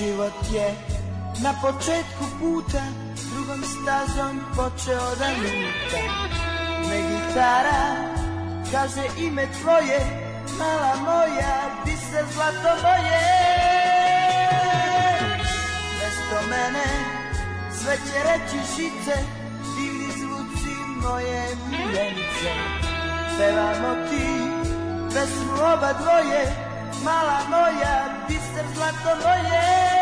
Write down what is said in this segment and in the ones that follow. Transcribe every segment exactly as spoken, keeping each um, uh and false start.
život je na početku puta drugom stazom počeo da luta. Ne gitara, kaže ime tvoje, mala moja, di se zlato moje. Mesto mene sve će reći žice, divni zvuci moje miljenice. Pevamo ti pesmu oba dvoje, mala moja, di se zlato moje.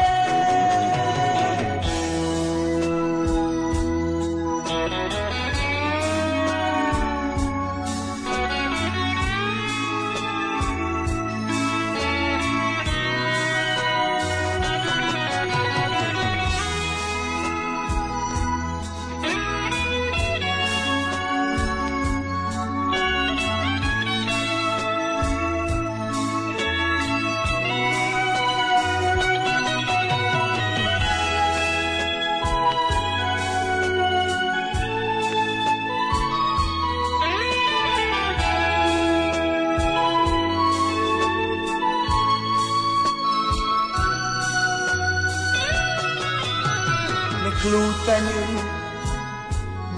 Lutanju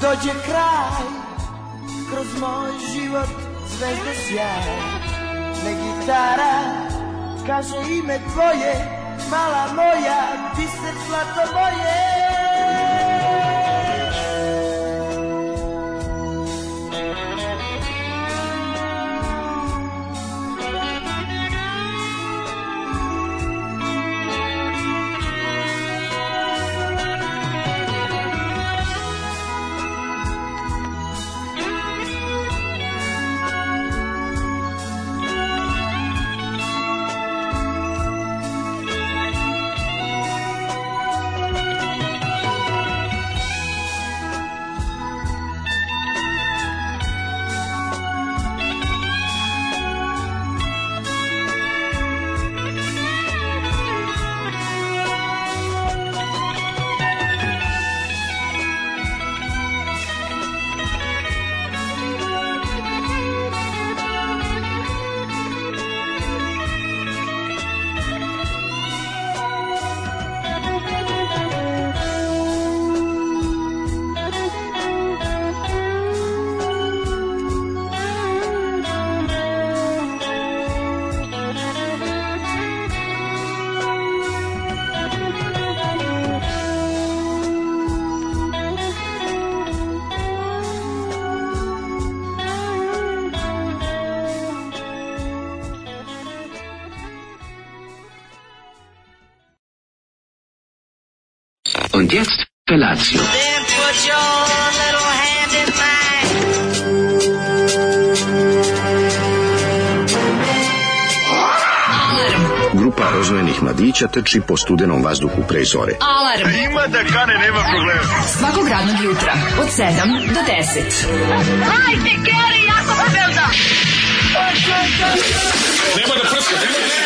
dođe kraj, kroz moj život zvezde sjaj. Ne gitara, kaže ime tvoje, mala moja, ti se zlato moje. Und jetzt Felatio. Then put your little hand in mine. Grupa rozvojenih mladića trči po studenom vazduhu pre zore. Alarm. A ima da kane, nema problema. Svakog radnog jutra, od sedam do deset. Hajde, Geri, jako se velda. Nema da prska, nema da prska.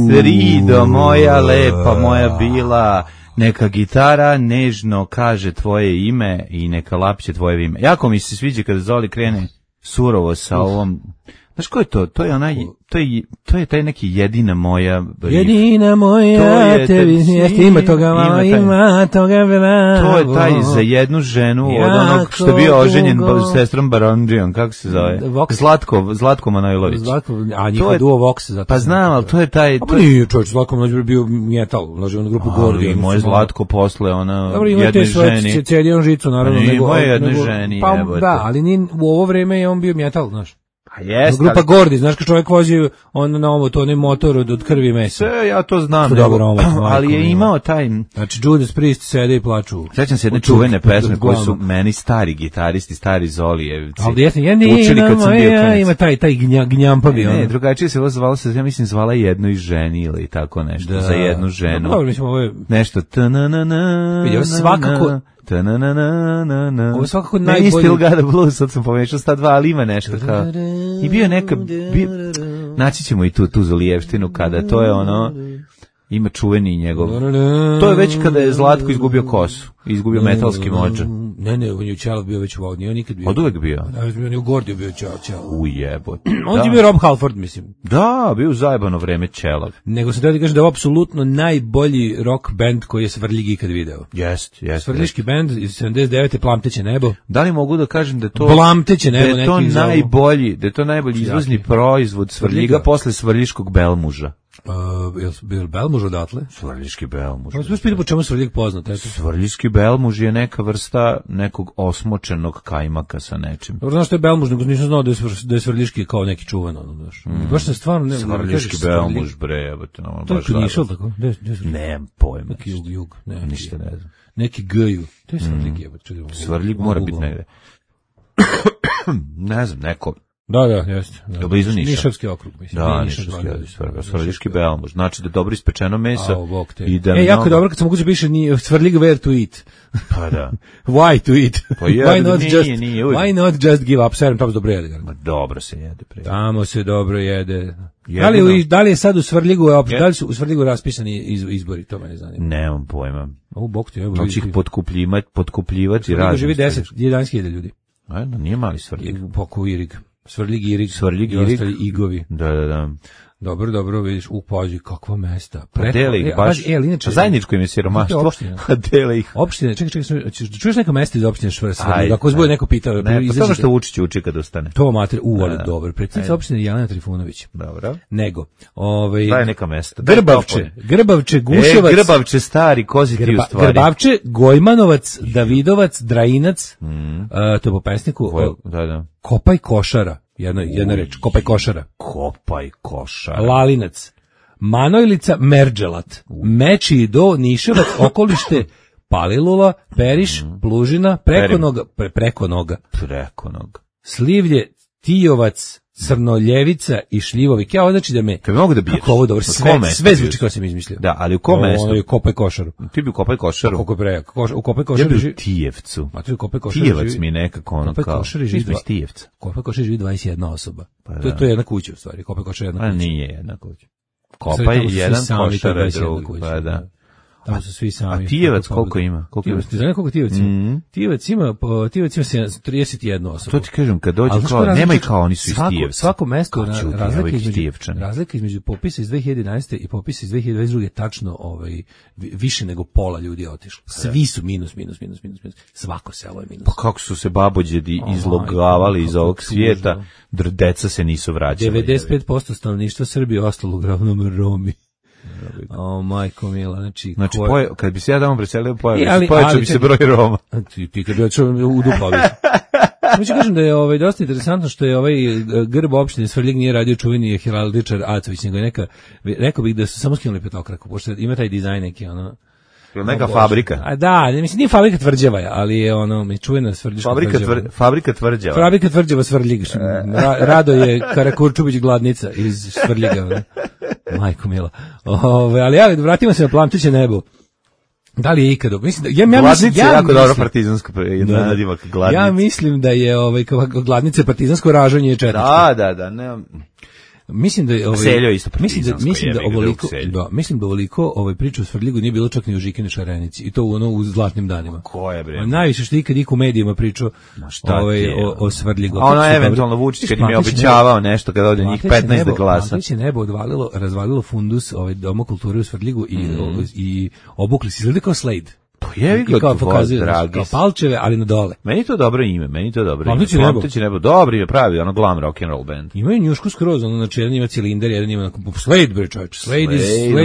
Srido moja lepa, moja bila, neka gitara nežno kaže tvoje ime i neka lapće tvoje ime. Jako mi se sviđa kada Zoli krene surovo sa ovom. Znaš ko je to? To je onaj, to je, to je taj neki jedina moja. Jedina moja, tebi jeste, ima toga, ima, ima toga, to je taj za jednu ženu od onog što je bio oženjen s sestrom Barondžijom, kako se zove? Zlatko, Zlatko Manojlović. Zlatko, a njihov duo Vox. Zato pa znam, ali to je taj... A pa nije čovječ, Zlatko Manojlović bio metal, ulaži u grupu Gordi. Ali moj Zlatko posle, ona jednoj ženi. Dobro, cijeli on žicu, naravno. Nije moje jednoj ženi, pa da, ali u ovo vreme je on bio metal, znaš. A jest, grupa ali... Gordi, znaš kad čovjek vozi on na ovo, to onaj motor od, od krvi i mesa. Sve, ja to znam. To dobro, ovo, ali je imao taj... Znači, Judas Priest sede i plaču. Sjećam se jedne čuvene pesme koje su meni stari gitaristi, stari Zolijevci. Ali jesam, ja nije, ja, ima taj, taj gnja, gnjampa bio. Ne, ne, drugačije se ovo zvala se, ja mislim, zvala jednoj ženi ili tako nešto, da, za jednu ženu. Dobro, mislim, ovo je... Nešto, ta-na-na-na, vidio, svakako... Ta-na-na-na-na. Ovo je svakako najbolji... Ne, Still Got a Blues, sad sam pomešao sta dva, ali ima nešto kao... I bio neka... Bi... Naći ćemo i tu, tu Zolijevštinu kada to je ono... Ima čuveni njegov. To je već kada je Zlatko izgubio kosu, izgubio metalski modža. Ne, ne, on je Ćelav bio već u Vodi, on nikad bio. Od uvek bio? On je u Gordiju bio Ćelav. Ujebote. On je bio Rob Halford, mislim. Da, bio zajebano vreme Ćelav. Nego se treba da kažem da je ovo apsolutno najbolji rock band koji je Svrljig ikad video. Jest, jest. Svrljiški band iz sedamdeset devete Plamteće nebo. Da li mogu da kažem da to Plamteće nebo, da je to neki najbolji, da je to najbolji izvozni proizvod Svrljiga posle Svrljiškog Belmuža. Uh, je bil Belmuž odatle? Svrljiški Belmuž. Možeš pitati po čemu Svrljig poznat? Eto. Svrljiški Belmuž je neka vrsta nekog osmočenog kajmaka sa nečim. Dobro, znaš što je Belmuž, nego nisam znao da je, svr, da je Svrljiški kao neki čuvan. Ono, znaš. Mm. Baš se stvarno... Ne, Svrljiški ne Belmuž, bre, evo te nam. To je Knišal, tako? Nemam pojma. Neki jug, jug. Ne, ništa ne znam. Neki G-ju. To je Svrljig, evo. Svrljig mora biti negde. Ne znam, neko... Da, da, jeste. Da. Blizu Niša. Nišavski okrug, mislim. Da, Nišavski okrug. Svrljiški Belmuž. Znači da je dobro ispečeno meso. A, i da e, jako je dobro kad se moguće piše ni Svrljig where to eat. Pa da. Why to eat? Pa je, why, not nije, just, nije, why not just give up? Serum, tamo se dobro jede. Ma dobro se jede. Pre. Tamo se dobro jede. Da li, da li je sad u Svrljigu, je, da li su u Svrljigu raspisani iz, izbori, to me ne zanima. Nemam pojma. O, bok ti, evo. Hoće ih potkupljivati, potkupljivati razne. Živi deset, jedanaest hiljada ljudi. Ajde, nije mali Svrljig. Poko Irig. Svrljig, Irig, Svrljig, i Irig. ostali Igovi. Da, da, da. Dobro, dobro, vidiš, u pazi, kakva mesta. Preko, dele ih baš, e, ali inače, zajedničko im je siromaštvo, a dele ih. Opštine, čekaj, čekaj, čuješ neka mesta iz opštine Svrljig, ako se bude neko pitao. Ne, pa samo što Vučić uči kad ostane. To mater, u, ali dobro, predsjednica opštine Jelena Trifunović. Dobro. Nego, ovaj... Daj neka mesta. Grbavče, Grbavče, Guševac. E, Grbavče stari, kozi ti u stvari. Grbavče, Gojmanovac, Davidovac, Drajinac, mm. uh, to je po pesniku. Ko, da, da. Kopaj košara. Jedna, jedna reč, Kopaj košara. Kopaj košara. Lalinac. Manojlica, Merđelat. Meči do, Niševac, okolište, Palilula, Periš, mm. Plužina, preko noga, pre, preko noga. Preko noga. Slivlje, Tijovac, Crnoljevica i Šljivovik. Ja znači da me... Kad mogu da biješ? Kako ovo dobro, sve, sve zvuči kao sam izmislio. Da, ali u kom mestu? Ono je Kopaj košaru. Ti bi u Kopaj košaru? Kako pre, koš, u Kopaj košaru... Ja bi u Tijevcu. Ma tu je Kopaj košaru... Tijevac mi je nekako ono Kopaj kao... Košari živi iz Tijevca. Kopaj košaru živi dvadeset jedna osoba. Pa to, to je jedna kuća u stvari. Kopaj košaru je jedna kuća. A nije jedna kuća. Kopaj je jedan, košar je drug. Pa da. Tamo su svi sami. A Tijevac koliko ima? Koliko Tijevac, ti znaš koliko Tijevac ima? Mm. Tijevac ima, po, Tijevac ima trideset jedna osoba. To ti kažem, kad dođe kao, nema i kao oni su iz Tijevca. Svako mesto, na, razlika, između, razlika između popisa iz dve hiljade jedanaeste i popisa iz dve hiljade dvadeset druge tačno ovaj, više nego pola ljudi je otišlo. Svi su minus, minus, minus, minus, minus. Svako selo je minus. Pa kako su se babođedi izlogavali iz ovog svijeta, deca se nisu vraćali. devedeset pet posto stanovništva Srbije ostalo uglavnom Romi. O, majko mila, znači... Znači, ko... poje, kad bi se ja tamo preselio, pojačao bi se broj Roma. Ti, ti kad bi očeo u duplavi. Mi ću kažem da je ovaj, dosta interesantno što je ovaj grb opštine Svrljig nije radio čuveni heraldičar Acović, nego je neka, rekao bih da su samo skinuli petokraku, pošto ima taj dizajn neki, ono... Neka fabrika. A da, mislim, nije fabrika tvrđava, ali je ono, mi čujena Svrljiška fabrika tvrđava. Tvr, fabrika tvrđava. Fabrika tvrđava Svrljig. Ra, Rado je Karakurčubić gladnica iz Svrljiga. Ne? Majko mila. Ove, ali ja, vratimo se na Plamteće nebo. Da li je ikada? Mislim da, ja, ja gladnica mislim, ja je jako mislim, dobro partizansko nadimak gladnica. Ja mislim da je ovaj, gladnica partizansko ražanje četničko. Da, da, da, ne. Mislim da ovaj Seljo isto mislim da mislim da ovoliko da mislim da ovoliko ovaj priču o Svrljigu nije bilo čak ni u Žikini Šarenici i to u ono u zlatnim danima. Ko je bre? A najviše što ikad iko u medijima pričao ovaj o, o Svrljigu. A ono eventualno Vučić kad im je obećavao nešto kad ode njih petnaest da glasa. Plamteće nebo odvalilo, razvalilo fundus ovaj Doma kulture u Svrljigu i mm. i obukli se izgleda kao Slade. Jevi ga kao pokazuje kao palčeve, ali na dole. Meni to dobro ime, meni to dobro Plamteće ime. nebo. Plamteće nebo, dobro ime, pravi, ono glam rock and roll band. Imaju njušku skroz, ono, znači jedan ima cilindar, jedan ima Slade, bre čovječ. Slade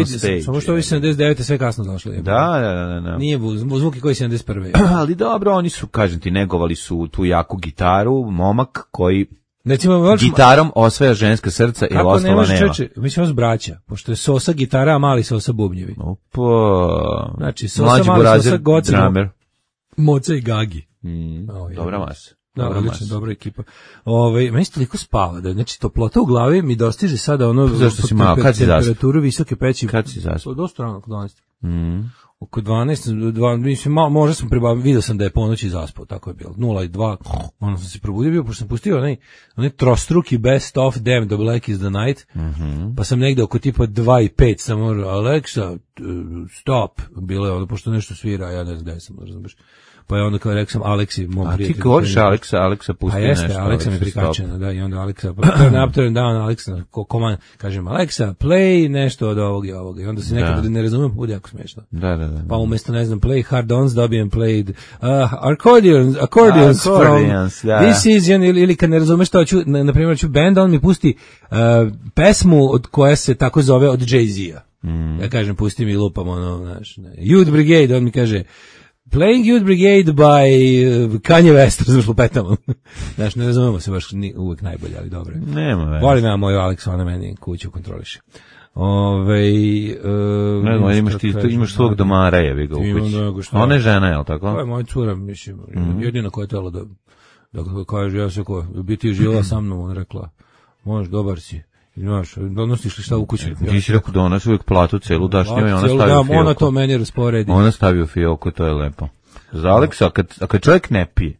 iz Slade, samo što ovi sedamdeset devete sve kasno došli. Da, da, da, da. Nije zvuki koji sedamdeset prve Ali dobro, oni su, kažem ti, negovali su tu jaku gitaru, momak koji Recimo, gitarom osvaja ženska srca i ostala nema. Kako nemaš čeče, mi smo braća, pošto je Sosa gitara, a mali Sosa bubnjevi. Opa. Znači, Sosa, mali Sosa, Gocino, Moca i Gagi. Mm, oh, dobra masa. Da, odlično, dobra ekipa. Ove, meni se toliko spava, da, znači toplota u glavi mi dostiže sada ono... Zašto si malo, kad si zaspao? Temperaturu visoke peći. Kad si zaspao? Dosta rano, oko dvanaest. Mm. Oko dvanaest, dva, mislim, možda sam pribavio, vidio sam da je ponoći zaspao, tako je bilo. nula i dva, ono sam se probudio bio, pošto sam pustio onaj, onaj trostruki best of Damn, The Black is the Night, mm-hmm. pa sam negde oko tipa dva i pet, sam Alexa, stop, bilo je ono, pošto nešto svira, ja ne znam gde sam, razumiješ. pa je onda kao rekao sam Aleksi, mom A prijatelju. ti govoriš Aleksa, Aleksa pusti A nešto. jeste, Aleksa mi Aleksa, prikačena, stop. da, i onda Aleksa, turn up, turn down, Aleksa, ko koman, kažem Aleksa, play nešto od ovog i ovoga, i onda se nekada Da. ne razumem, bude jako smiješno. Da, da, da. Pa umjesto, ne znam, play hard ons, dobijem played uh, accordions, accordions, Accordions, from, da. this is, ili, ili kad ne razumeš što hoću, na, na primjer, ću band, on mi pusti uh, pesmu od koja se tako zove od Jay-Z-a. Mm. Ja kažem, pusti mi lupam, ono, znaš, ne, Youth Brigade, on mi kaže, Playing Youth Brigade by uh, Kanye West, razumiješ, lupetamo. Znaš, ne razumemo se baš ni, uvek najbolje, ali dobro. Nema veze. Volim ja moju Aleksu, ona meni kuću kontroliše. Ove, uh, Ne znam, imaš, ti, imaš svog domara, jebi ga u Imam, kući. da, go šta. Ona je žena, je li tako? To je moja cura, mislim, Mhm. jedina koja je tela da, da kaže, ja se ko, u biti je živjela sa mnom, ona rekla, možeš, dobar si, i znaš, donosiš li šta u kuću? Ti si rekao da ona uvijek platu celu daš njoj, ona Cijelu stavi u dam, fioku. ona to meni rasporedi. Ona stavi u fioku, to je lepo. Za Aleksa, a kad, a kad čovjek ne pije,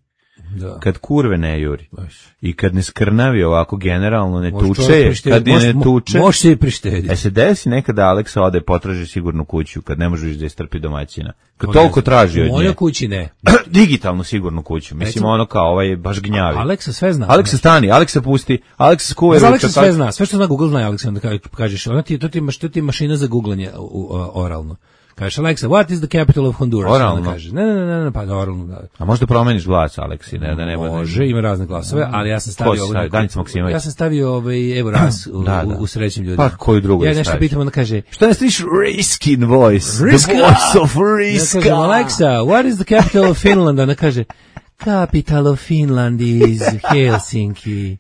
Da. kad kurve ne juri Baš. i kad ne skrnavi ovako generalno, ne Može tuče, čovjek prištediti, kad je može- ne tuče, Može se i prištediti. e se desi nekada Aleksa ode potraži sigurnu kuću, kad ne možeš da istrpi domaćina. Kad To ne toliko znam. traži od U mojoj nje. kući ne. Digitalnu sigurnu kuću, mislim Recimo- ono kao ovaj je baš gnjavi. Aleksa sve zna. Aleksa stani, Aleksa pusti, Aleksa skuva Za Aleksa sve zna, sve što zna Google zna Aleksa, onda ka- kažeš, ona ti je, to ti, je maš- to ti je mašina za googlanje u, u, oralno. Kažeš, Alexa, what is the capital of Honduras? Oralno? Ona kaže, ne, ne, ne, ne, pa oralno, da. A možda promeniš glas, Aleksi, ne, da ne bude. Može, ima razne glasove, ali ja sam Ko stavio si ovo stavio? neko- Danica Maksimović? Ja sam stavio ovaj Evo Ras u, Da, da. u, u srećnim ljudima. Pa koju drugu Ja da nešto staviš? pitam, ona kaže, Šta ne stiš Riskin voice? Riska! The voice of ja Riska! kažem, Alexa, what is the capital of Finland? Ona kaže, capital of Finland is Helsinki.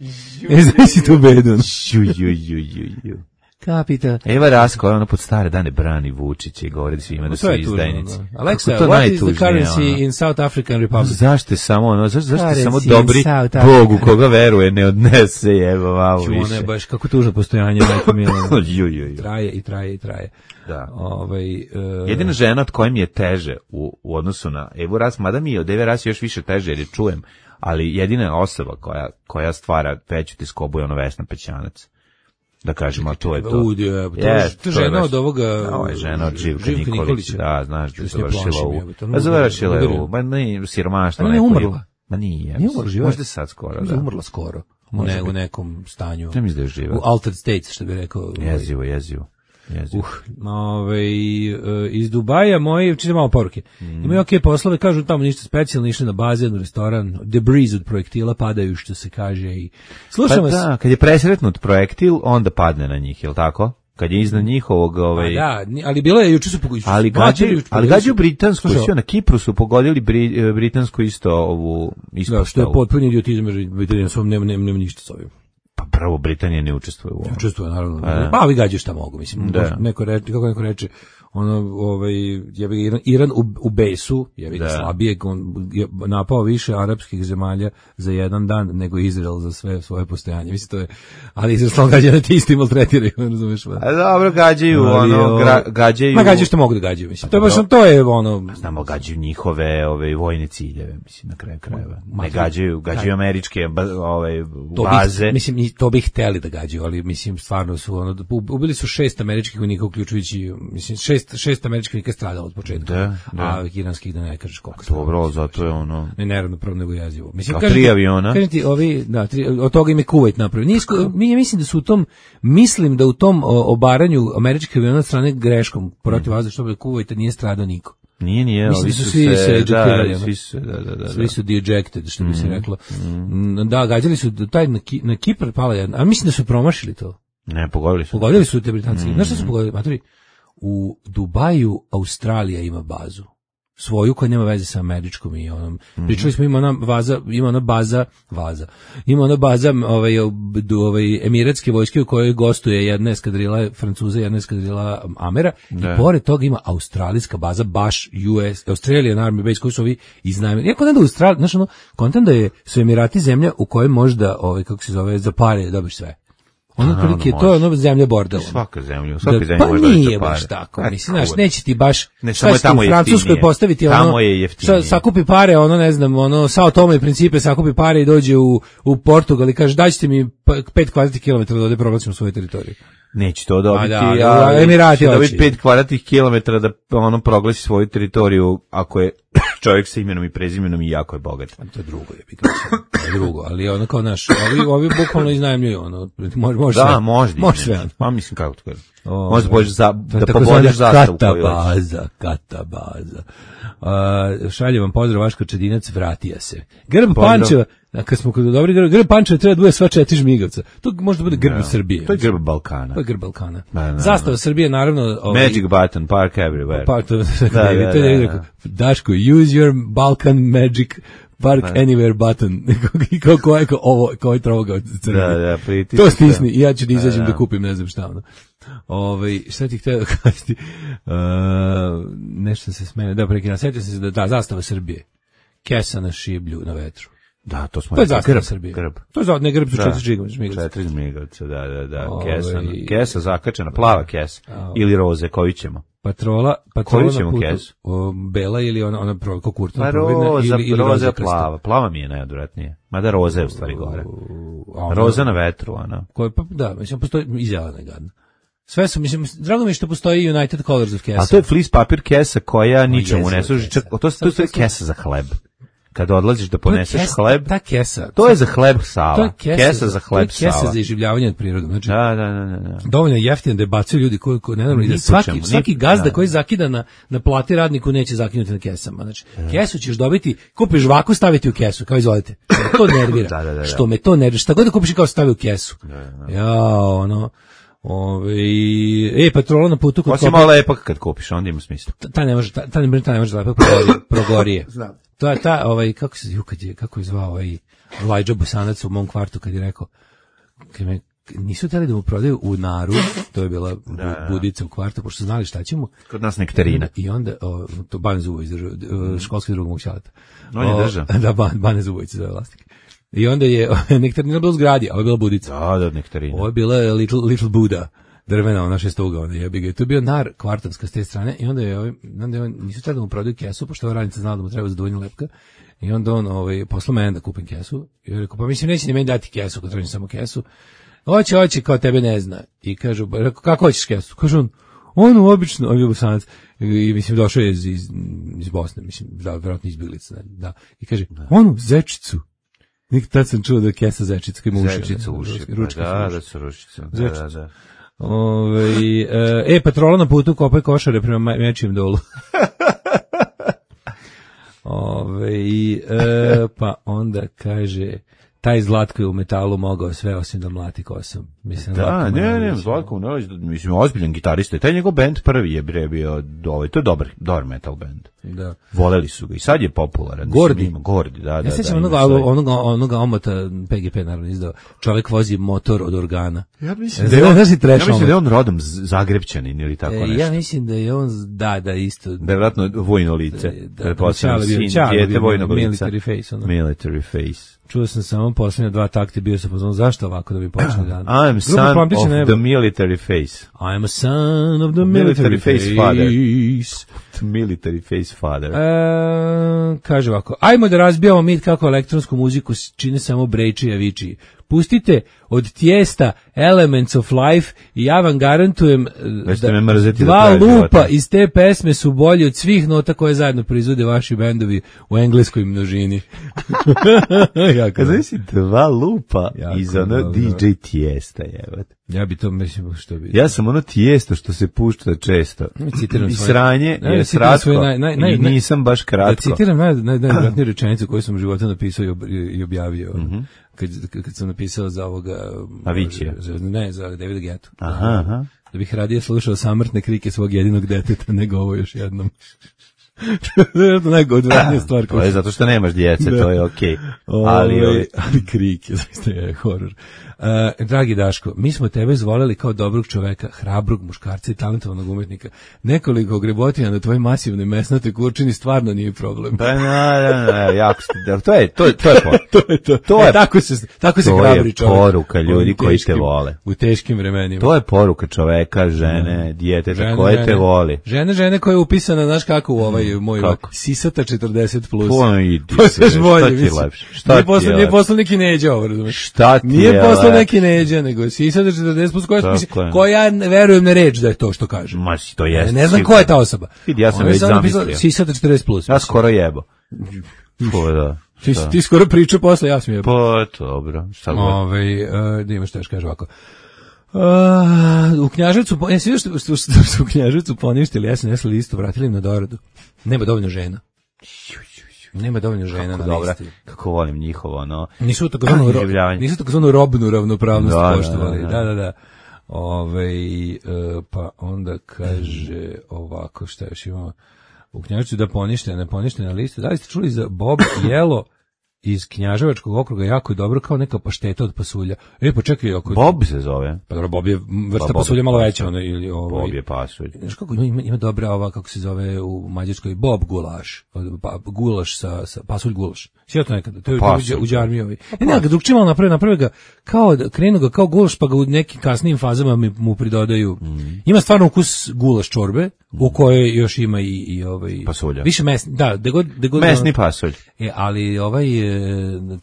Ne znam si tu bedu. Ju, ju, ju, ju, ju. Capital. Eva Rasko, ona pod stare dane brani Vučića i govori svima da To su je tužno, izdajnici. da. Alexa, Kako to what is the najtužnije, currency ono? in South African Republic? Zašto je samo ono, zašto, zašto je Currency samo in dobri South Bog u Africa. koga veruje ne odnese jeba vavo Ču, ona više. je baš kako tužno postojanje, majko Milana. Ju, ju, ju. Traje i traje i traje. Da. Ovaj, e, Jedina žena od koje mi je teže u, u odnosu na Evu Ras, mada mi je od Eve Ras još više teže jer je čujem, ali jedina osoba koja, koja stvara veću tiskobu je ono Vesna Pećanac. Da kažemo, a to je to. Udi, je, to, Yes, je, to to je žena baš- od ovoga... Ovo je žena od Živka, Živka Nikolića. Nikolića. Da, znaš da Što je s nje završila plašim, u... jebote, ono Pa završila je udario. u... Ma ne, siromaštvo. Ali ne neko umrla? je- Ma nije. Nije umrla, živa je. Možda sad skoro, Možda je da. umrla skoro. U, Može ne, u biti. nekom stanju. Ne mislim da je živa. U altered states, što bi rekao. ovaj, Jezivo, jezivo. jezivo. Uh, ovaj, e, iz Dubaja moji, čite malo poruke. Mm. Imaju okej poslove, kažu tamo ništa specijalno, išli na bazen, u restoran, debris od projektila padaju, što se kaže. I slušam Pa vas. da, kad je presretnut projektil, onda padne na njih, je li tako? Kad je iznad njihovog... Ovaj, A da, ni- ali bilo je, juče su pogodili. ali gađaju, ali gađaju britansku, Slušaj, sve na Kipru su pogodili bri, britansku isto ovu da, ispostavu. što je potpuni idiotizam, jer Britanija svom nema, nema, nema ništa s ovim. Pa prvo Britanija ne učestvuje u ovom. Učestvuje, naravno. Pa, Pa ovi gađaju šta mogu, mislim. Da. Neko reče, kako neko reče, ono, ovaj, jebi ga, Iran, Iran u, u besu, jebi ga Da. slabije, on je napao više arapskih zemalja za jedan dan nego Izrael za sve svoje postojanje. Mislim, to je, ali Izrael stalno gađa na ti isti maltretiraju, razumeš? Pa. A dobro, gađaju, Ali, ono, o, gra, gađaju... Ma gađaju što mogu da gađaju, mislim. To je baš, dobro. to je ono... Znamo, gađaju njihove ove, vojne ciljeve, mislim, na kraju krajeva. Ma, Ne gađaju, gađaju američke ba, ove, To baze. bih, mislim, i to bi hteli da gađaju, ali mislim, stvarno su, ono, ubili su šest američkih vojnika, uključujući, mislim, šest, šest američkih vojnika stradalo od početka. Da, da. A iranskih da ne kažeš koliko. Dobro, ali zato je ono... Ne, neravnopravno nego jezivo. Mislim, A kažem tri ti- aviona? Kažem ti, ovi, da, tri, od toga im je Kuvajt napravio. Nije, isko- mi, ja mislim da su u tom, mislim da u tom o, obaranju američkih aviona od strane greškom protiv vazdušnog Kuvajta nije stradao niko. Nije, nije, Mislim ovi da su su svi se se... ejectirali, Da, ono. svi su se, da, da, da. Svi su dejected, što bi se reklo. Mm, Da, gađali su taj na, Ki, na Kipar pala jedna, a mislim da su promašili to. Ne, pogodili su. Pogodili su te Britanci. Znaš šta su pogodili? Matori, u Dubaju Australija ima bazu. Svoju koja nema veze sa američkom i onom. Pričali smo, ima ona vaza, ima ona baza, vaza. Ima ona baza ovaj, ovaj, emiratske vojske u kojoj gostuje jedna eskadrila Francuza, jedna eskadrila Amera. Da. I pored toga ima australijska baza, baš U S, Australian Army Base, koju su ovi iznajmili. Iako ne da Australija, znaš ono, kontent da je, su Emirati zemlja u kojoj možda, ovaj, kako se zove, za pare dobiš sve. Ono naravno prilike, to je može. ono zemlja bordel. Svaka zemlja, u svakoj Da, zemlji pa može doći nije do baš para. tako, A, mislim, znaš, kuda. neće ti baš, Ne, šta samo je ćete tamo u Francuskoj jeftinije. postaviti, ono, Tamo je jeftinije. sa- sakupi pare, ono, ne znam, ono, Sao Tome i Principe sakupi pare i dođe u, u Portugal i kaže, daćete mi pa- pet kvadratnih kilometara da ovde proglasimo svoju teritoriju. Neće to dobiti, A da, ali Emirati će hoće. dobiti pet kvadratnih kilometara da ono proglasi svoju teritoriju ako je čak čovjek sa imenom i prezimenom i jako je bogat. To je drugo, je bih to je drugo, ali ono kao naš, ovi, ovi bukvalno iznajmljuju, ono, može, može da, sve. može, može sve. Pa mislim kako to kaže. Može pođeš za da pobodiš zastavu koju katabaza, katabaza. Uh, šaljem vam pozdrav, Vaško Čedinac, vratija se. Grb Pančeva, kad smo kod dobri grb, grb Pančeva treba da bude sva četiri žmigavca. To može da bude grb Srbije. To je grb Balkana. To je grb Balkana. Da, da, zastava da. Srbije, naravno. Ovaj, Magic button, park everywhere. Pa, to, da, da, da, da. Daško, use your Balkan magic park da. Anywhere button. Kao ko je ovo, kao je troga od Srbije. Da, da, pritisni. To stisni i ja ću da izađem da, da kupim, ne znam šta ono. Ovaj, šta ti htio da kažeti? Uh, nešto se smene. Da, prekina, sjetio sam se da, da, zastava Srbije. Kesa na šiblju, na vetru. Da, to smo to je zastava Srbije. Grb. To je za ne grb su četiri žmigavca. Četiri žmigavca, da, da, da. Ove, kesa, kesa zakačena, plava kesa. Ove. Ili roze, koju ćemo? Patrola, patrola na putu. Kesu? O, bela ili ona, ona ko kurtna pa roza, ili, ili roza plava. Plava mi je najodvratnije. Mada roza je u stvari gore. Ona, roza na vetru, ona. Koje, pa, da, mislim, postoji i zelena gadna. Sve su, mislim, drago mi je što postoji United Colors of Kesa. A to je flis papir kesa koja ničemu ne služi. Čak, to, to, to, to je kesa za hleb. Kada odlaziš da poneseš kesa, hleb, ta kesa, to je za hleb Sava. To je kesa, kesa za hleb Sava. To je kesa za iživljavanje od prirode. Znači, da, da, da, da. Dovoljno jeftino da bacuju ljudi koji, koji ne i da svaki, čemu, svaki gazda da. Koji zakida na, na plati radniku neće zakinuti na kesama. Znači, da. Kesu ćeš dobiti, kupiš žvaku, staviti u kesu, kao izvolite. To nervira. da, da, da, da. Što me to nervira. Šta god da kupiš kao stavi u kesu. Da, da. Ja, ono... Ove, e, patrola na putu kod osim malo lepak kad kupiš, onda ima smisla. Ta, ta ne može, ta, ta ne, ta ne može lepak progorije. progorije. Znam. To je ta, ovaj, kako se, kad je, kako je zvao ovaj Elijah Bosanac u mom kvartu kad je rekao, kad me, nisu htjeli da mu prodaju u Naru, to je bila da, da. budica u kvartu, pošto znali šta ćemo. Kod nas nektarina. I onda, o, to Bane Zubović držao, školski drug mog ćaleta. On je držao. Da, Bane Zubović zove vlasnik. I onda je nektarina bila u zgradi, a ovo je bila budica. Da, da, nektarina. Ovo je bila Little, little Buddha, drvena, ona šestuga, onda jebi ga. I to je bio nar kvartanska s te strane i onda je, ovaj, onda je on, nisu tada mu prodaju kesu, pošto ova radnica znala da mu treba zadovoljnju lepka. I onda on ovaj, poslao mene da kupim kesu. I on rekao, pa mislim, neće ni meni dati kesu, kad tražim samo kesu. Hoće, hoće, kao tebe ne zna. I kažu, rekao, kako hoćeš kesu? Kaže on, ono obično, on je Bosanac, i mislim, došao je iz, iz, iz Bosne, mislim, da, vjerojatno izbjeglica, da. I kaže, onu zečicu. Nikad tad sam čuo da je kesa zečica koji ima uši. Zečica uši, ručka da, da su ručice. Da, da, da. Ove, e, patrola na putu kopaj košare prema Mečijem dolu. Ove, e, pa onda kaže, taj Zlatko je u metalu mogao sve osim da mlati kosom. Mislim, da, ne, ne, Zlatko, ne, mislim, ozbiljan gitarista. Taj njegov band prvi je bre bio, ovaj, to je dobar, dobar metal band. Da. Voleli su ga i sad je popularan. Gordi. Ima, Gordi, da, da. Ja sećam da, onoga, onoga, onoga omota P G P naravno izdao. Čovjek vozi motor od organa. Ja mislim da je on, ja mislim da je on rodom Zagrebčanin ili tako nešto. Ja mislim da je on, da, da, isto. Da je vratno vojno lice. Da, da, čale bio, čale bio, military face. Ono. Military face. Čuo sam samo posljednje dva takte, bio sam pozvan, zašto ovako da bi počeli dan? I'm son of the military face. I'm a son of the military, military face. Father. The military face father. E, kaže ovako, ajmo da razbijamo mit kako elektronsku muziku čine samo brejči i aviči. Pustite od Tijesta Elements of Life i ja vam garantujem da dva lupa života. Iz te pesme su bolji od svih nota koje zajedno proizvode vaši bendovi u engleskoj množini. Kada misli dva lupa jako iz ono D J Tijesta, jebat. Ja bi to mislim što bi. Ja sam ono Tijesto što se pušta često. Citiram i sranje je sratko naj, naj, naj, i nisam baš kratko. Da citiram naj, naj, najvratniju rečenicu koju sam u životu napisao i, ob, i objavio. Mm-hmm. Kad, kad sam napisao za ovoga... Avicii. Ne, za Davida Guettu. Aha, aha. Da bih radije slušao samrtne krike svog jedinog deteta nego ovo još jednom. To je najgodvratnija stvar. To je zato što nemaš djece, to je okej. Okay. Ali, ali, ali krike, zaista je horor. Uh, dragi Daško, mi smo tebe zvoleli kao dobrog čoveka, hrabrog muškarca i talentovanog umetnika. Nekoliko grebotina na tvojoj masivnoj mesnatoj kurčini stvarno nije problem. Pa na, na, na, jako ste, to je, to je, to je, to je, to. to je, e, tako se, tako se hrabri čovek. To je poruka ljudi koji te vole. U teškim vremenima. To je poruka čoveka, žene, djeteta koje te voli. Žene, žene koja je upisana, znaš kako u ovaj moj kako? Sisata četrdeset plus. To idi. Šta ti je lepše? Šta ti je Nije poslao neki Neđa ovo, razumiješ? Šta ti je Nije poslao neki Neđa, nego Sisata četrdeset plus, koja, mislim, koja verujem na reč da je to što kaže. Ma, to jest. Ne znam ko je ta osoba. Vidi, ja sam već zamislio. Sisata četrdeset plus. Ja skoro jebo. Pa da. Ti, ti skoro pričao posle, ja sam je. Pa, dobro. Šta god. Ove, uh, da imaš teš, kaže ovako. Uh, u Knjaževcu, e, svi što, što, što su u Knjaževcu poništili es en es listu, vratili im na doradu. Nema dovoljno žena. Nema dovoljno žena kako na dobra, listi. Kako volim njihovo, no. Nisu takozvanu ro, nisu takozvanu robnu ravnopravnost da, poštovali. Da, da, da. da. Ove, uh, pa onda kaže ovako, šta još imamo u Knjaževcu da ponište, ne ponište na listu. Da li ste čuli za Bob Jelo iz Knjaževačkog okruga, jako je dobro, kao neka pašteta od pasulja. E, pa čekaj, ako... Bob se zove. Pa dobro, Bob je vrsta pa, pasulja malo veća. Ona, ili, ovaj, Bob je pasulj. Znaš kako, ima, ima dobra ova, kako se zove u Mađarskoj, Bob gulaš. Pa, gulaš sa, sa pasulj gulaš. Sjeo to nekada, to je u Đarmijovi. Ne, ne, ga drugčije malo naprave, naprave ga kao, krenu ga kao gulaš, pa ga u nekim kasnijim fazama mu pridodaju. Mm. Ima stvarno ukus gulaš čorbe, u kojoj još ima i, i ovaj... Pasulja. Više mesni, da, de god... De god mesni pasulj. E, ali ovaj,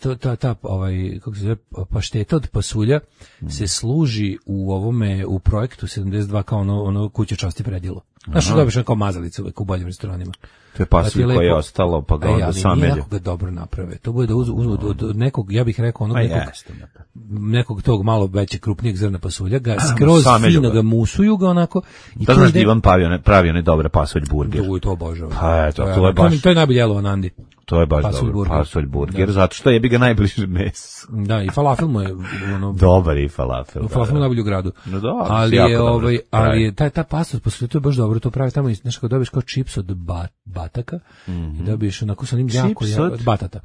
ta, ta, ta, ovaj, kako se zove, pašteta od pasulja mm. se služi u ovome, u projektu sedamdeset dva kao ono, ono kuće časti predjelo. Znaš što dobiš kao mazalice uvek u boljim restoranima. To je pasulj koje je ostalo, pa ga onda samelju. Ali ga dobro naprave. To bude da uzmu uz, od, od nekog, ja bih rekao, onog nekog, nekog tog malo veće, krupnijeg zrna pasulja, ga skroz fino ga musuju ga onako. I da znaš da Ivan pravi one dobre pasulj burger. To je to obožavam. Pa eto, to je baš... To je najbolje jelo na Andi. To je baš pasulj dobro, burger. Pasulj burger, da. Zato što je bi ga najbliže meso. Da, i falafel mu je ono dobar i falafel. U falafelu najbolji u gradu. No da, ali je ovaj, ali je taj ta pasulj pasulj to je baš dobro, to pravi tamo i nešto dobiš kao čips od bat, bataka mm-hmm. i dobiješ onako sa njim jako ja, od batata.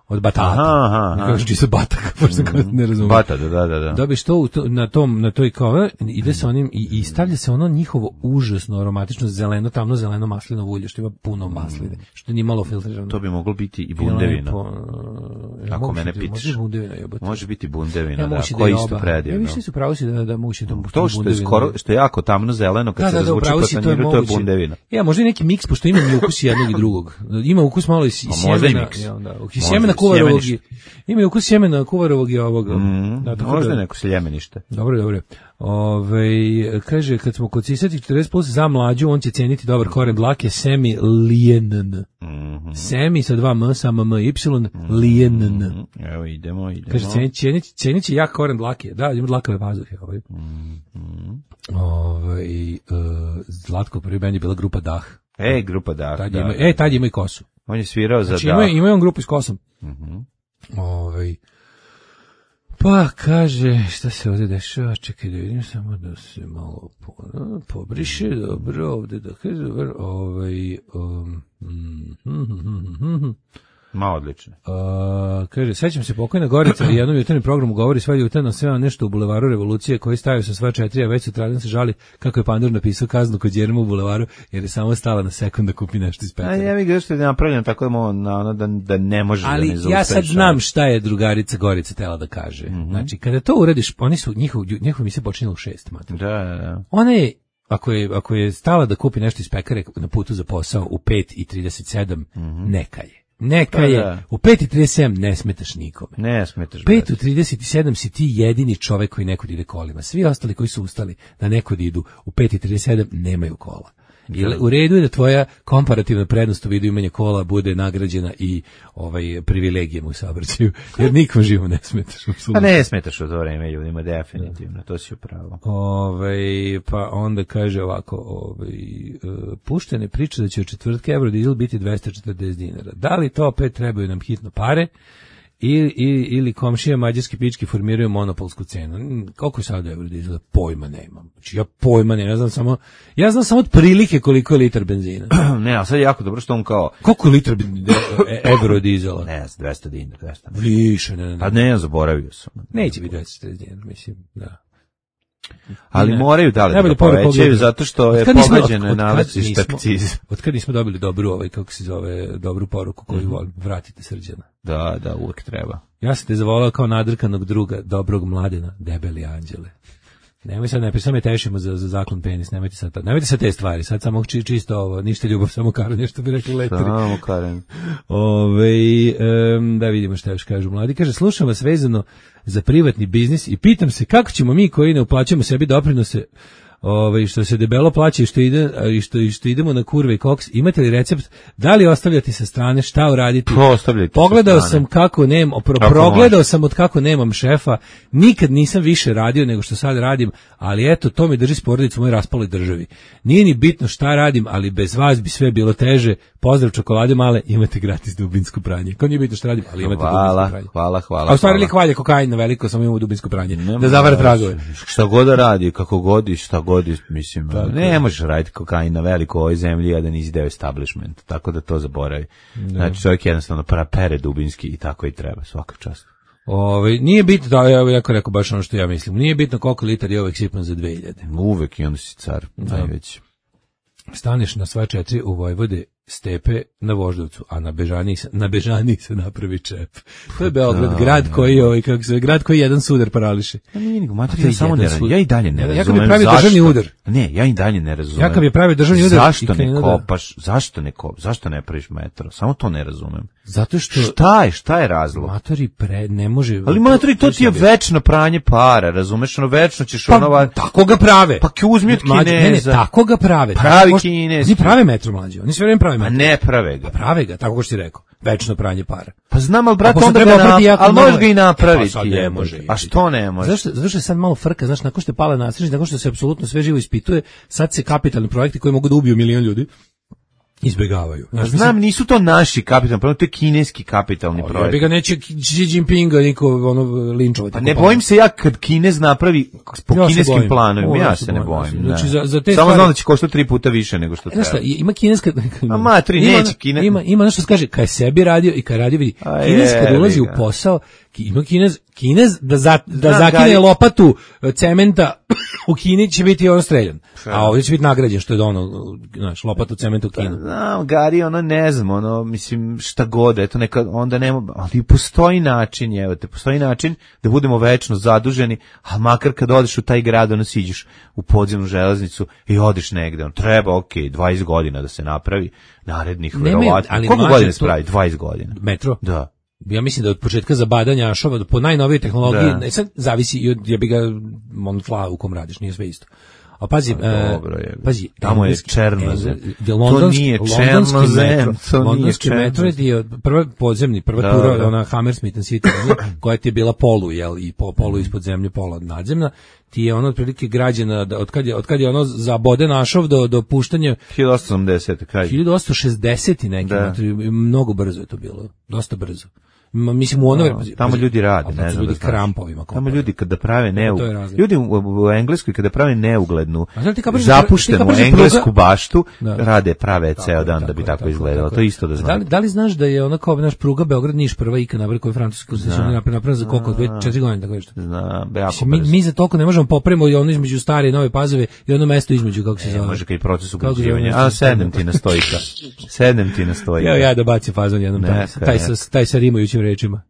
Od batata. Aha, aha. Kažeš čisto bataka, pošto mm-hmm. ne razumem. Batata, da, da, da. Dobiješ to, to na tom na toj kao ide sa onim i, i stavlja se ono njihovo užasno aromatično zeleno, tamno zeleno maslinovo ulje što ima puno masline, što nije malo filtrirano. To bi moglo biti i bundevina. Po, ja, ako mene pitaš. Može bundevina, jebote. Može biti bundevina, ja, da, koji da isto predivno. Ja više su pravo si da da muši to to što je skoro što je jako tamno zeleno kad da, se razvuče po tanjiru, to je bundevina. Ja, možda i neki miks pošto ima i ukus jednog i drugog. Ima ukus malo i sjemena, ja onda. Sjemena kuvarovog. Ima ukus sjemena kuvarovog i ovog. Možda neko seljemenište. Dobro, dobro. Ove, kaže, kad smo kod sisati četrdeset plus za mlađu, on će ceniti dobar koren dlake semi lijenn. Mm-hmm. Semi sa dva m, sama m, y, lijenn. Evo, idemo, idemo. Kaže, cenit, cenit, cenit će jak koren dlake. Da, ima dlakave pazuhe. Ovaj. Mm-hmm. Ovaj, uh, Zlatko prvi bend je bila grupa Dah. E, grupa Dah, tad da. Ima, e, tad ima i kosu. On je svirao za znači, Dah. Ima, ima on grupu s kosom. Mm-hmm. Ovaj... Pa kaže, šta se ovdje dešava, čekaj da vidim samo da se malo po, pobriše, dobro, ovdje da kaže, ovaj, um, mm, mm, mm, mm. Ma odlično. Uh, kaže, sećam se pokojna Gorica, u jednom jutarnjem programu govori sve jutarno sve nešto u bulevaru Revolucije koji stavio sa sva četiri, a već sutradan se žali kako je Pandur napisao kaznu kod Jerema u bulevaru, jer je samo stala na sekund da kupi nešto iz pekara. A ja bih što je napravljeno tako da, ono, da, da ne može ali da ne zaustaviš. Ali ja sad znam šta je drugarica Gorica tela da kaže. Mm-hmm. Znači, kada to uradiš, oni su, njihov, njihov emisija počinjela u šest, mater. Da, da, da. Ona je, ako je, ako je stala da kupi nešto iz pekare na putu za posao u pet i trideset sedam, mm-hmm. neka je. Neka je, da. U pet i trideset sedam ne smetaš nikome. Ne smetaš. pet u trideset sedam si ti jedini čovek koji nekud ide kolima. Svi ostali koji su ustali da nekud idu u pet i trideset sedam nemaju kola. I u redu je da tvoja komparativna prednost u vidu imanja kola bude nagrađena i ovaj privilegijom u saobraćaju, jer nikom živo ne smetaš. Pa ne smetaš u to vreme ljudima, definitivno, to si upravo. Ovaj, pa onda kaže ovako, ovaj, puštene priče da će od četvrtka Eurodizel biti dvesta četrdeset dinara. Da li to opet trebaju nam hitno pare? Ili, ili, ili komšije mađarski pički formiraju monopolsku cenu. Koliko je sada Eurodizel? Pojma nemam. Znači ja pojma nemam. Ja znam samo, ja znam samo od prilike koliko je litar benzina. Ne, a sad je jako dobro što on kao... Koliko je litar Eurodizela? Ne, dvesta dinara. dvesta. Više, ne, ne. A ne, zaboravio sam. Neće biti dvesta četrdeset dinara, mislim, da. Ali ne. Moraju da li da povećaju zato što je pogađeno nalazište akcize. Od kad nismo dobili dobru, ovaj, kako se zove, dobru poruku koju mm-hmm. volim, vratite Srđana. Da, da, uvijek treba. Ja sam te zavolao kao nadrkanog druga, dobrog mladena, debeli anđele. Nemoj sad, ne, samo je tešimo za, za zaklon penis, nemojte sad, nemojte sad te stvari, sad samo či, čisto ovo, ništa ljubav, samo karanje, što bi rekli letari. Samo karanje. Ove, um, da vidimo šta još kažu mladi. Kaže, slušam vas vezano za privatni biznis i pitam se kako ćemo mi koji ne uplaćamo sebi doprinose ovaj, što se debelo plaća i što, ide, i što, i što idemo na kurve i koks, imate li recept da li ostavljati sa strane, šta uraditi? Pogledao sam kako nemam, pro, progledao sam od kako nemam šefa, nikad nisam više radio nego što sad radim, ali eto, to mi drži s porodicom u mojoj raspaloj državi. Nije ni bitno šta radim, ali bez vas bi sve bilo teže. Pozdrav čokolade male, imate gratis dubinsko pranje. Kao nije bitno šta radim, ali imate hvala, dubinsko pranje. Hvala, hvala. A u stvari li hvalje kokain na veliko, samo imamo dubinsko pranje. Nema, da zavara tragove. Šta god da radi, kako god i šta god, mislim, tako, ne možeš raditi kokain na veliko u ovoj zemlji, a da nisi deo establishment, tako da to zaboravi. Ne. Znači, čovjek jednostavno pere dubinski i tako i treba, svaka čast. Ove, nije bitno, da, ja bih rekao baš ono što ja mislim, nije bitno koliko litar je uvek sipan za dve hiljade. Uvek i onda si car, najveći. Staneš na sva četiri u Vojvode Stepe na Voždovcu, a na Bežani se, na Bežani se napravi čep. To je Beograd, da, grad koji ovaj kako se grad koji jedan sudar parališe. Pa nije nego materija, samo ne razumem. Ja i dalje ne razumem. Ja kad bi pravio državni udar. Ne, ja i dalje ne razumem. Ja kad bi pravio državni udar. Zašto ne kopaš? Zašto ne kopaš? Zašto ne praviš metro? Samo to ne razumem. Zato što šta je, šta je razlog? Matori pre ne može. Ali matori to ti je večno pranje para, razumeš? Ono večno ćeš pa, ono tako ga prave. Pa ki uzmi od Kineza. Ne, ne, tako ga prave. Pravi Kinez. Oni prave metro mlađi. Oni sve vreme prave metro. A ne prave ga. Prave ga, tako kao što ti rekao. Večno pranje para. Pa znam, al brate, onda ga na, al možeš ga i napraviti. Pa ne može. A što ne može? Zašto? Zato što je sad malo frka, znaš, nakon što je pala nasreća, nakon što se apsolutno sve živo ispituje, sad se kapitalni projekti koji mogu da ubiju milion ljudi izbegavaju. Znaš, znam, mislim, nisu to naši kapitalni projekti, to je kineski kapitalni o, projekt. Ja bi ga neće Xi Jinpinga niko ono linčovati. Pa ne bojim se ja kad Kinez napravi po ja kineskim planovima, ja, ja se ne bojim. Znači, za, za te samo stvari, znam da će koštati tri puta više nego što treba. Znaš šta, ima kineska... A matri, ima, neće Kinez... Ima, ima nešto što kaže, kad je sebi radio i kad radio vidi, a Kinez je, kad ulazi u posao, ima Kinez, Kinez da, za, da znam, zakine gari... lopatu cementa u Kini će biti on streljan. A ovdje će biti nagrađen što je ono, znaš, lopatu cementa u Kinu. Znam, Gari, ono ne znam, ono, mislim, šta god, eto neka, onda nema, ali postoji način, evo te, postoji način da budemo večno zaduženi, a makar kad odeš u taj grad, ono siđeš u podzemnu železnicu i odeš negde, on treba, okej, okay, dvadeset godina da se napravi, narednih, verovatno. Koliko godina se pravi? dvadeset godina. Metro? Da. Ja mislim da od početka zabadanja ašova po najnovijoj tehnologiji, ne, sad zavisi i od, ja bi ga on fla u kom radiš, nije sve isto. A pazi, a, dobro je. Pazi, tamo je černozem. To nije černozem, to nije metro je prva podzemni, prva da, tura, da. Ona Hammersmith City, koja ti je bila polu, jel, i po, polu ispod zemlje, pola nadzemna, ti je ono otprilike građena, da, od kad je, od kad je ono zabode našov do, do puštanja... hiljadu osamsto osamdeset. Kraj. hiljadu osamsto šezdeset neki, da. Mnogo brzo je to bilo, dosta brzo. Mislim u ono no, tamo ljudi rade, ne znam, ljudi da krampovima. Tamo ljudi kada prave ne ljudi u, u Engleskoj kada prave neuglednu, kapaš, zapuštenu englesku pruga? Baštu, da. Rade prave tako, ceo dan tako, da bi tako, tako izgledalo. Tako. To isto da znam. Da li, da li znaš da je ona kao naš pruga Beograd Niš prva ikad napravila koju francusku se napravila za koliko dve četiri godine tako nešto. Znam, jako mi, mi za toliko ne možemo popravimo i ono između stare i nove Pazove i ono mesto između kako se zove. Može kao i proces ugrađivanja. A sednem ti na stojka. Sednem ti na stojka. Ja ja da bacim fazon jednom taj sa taj sa rimujućim rečima.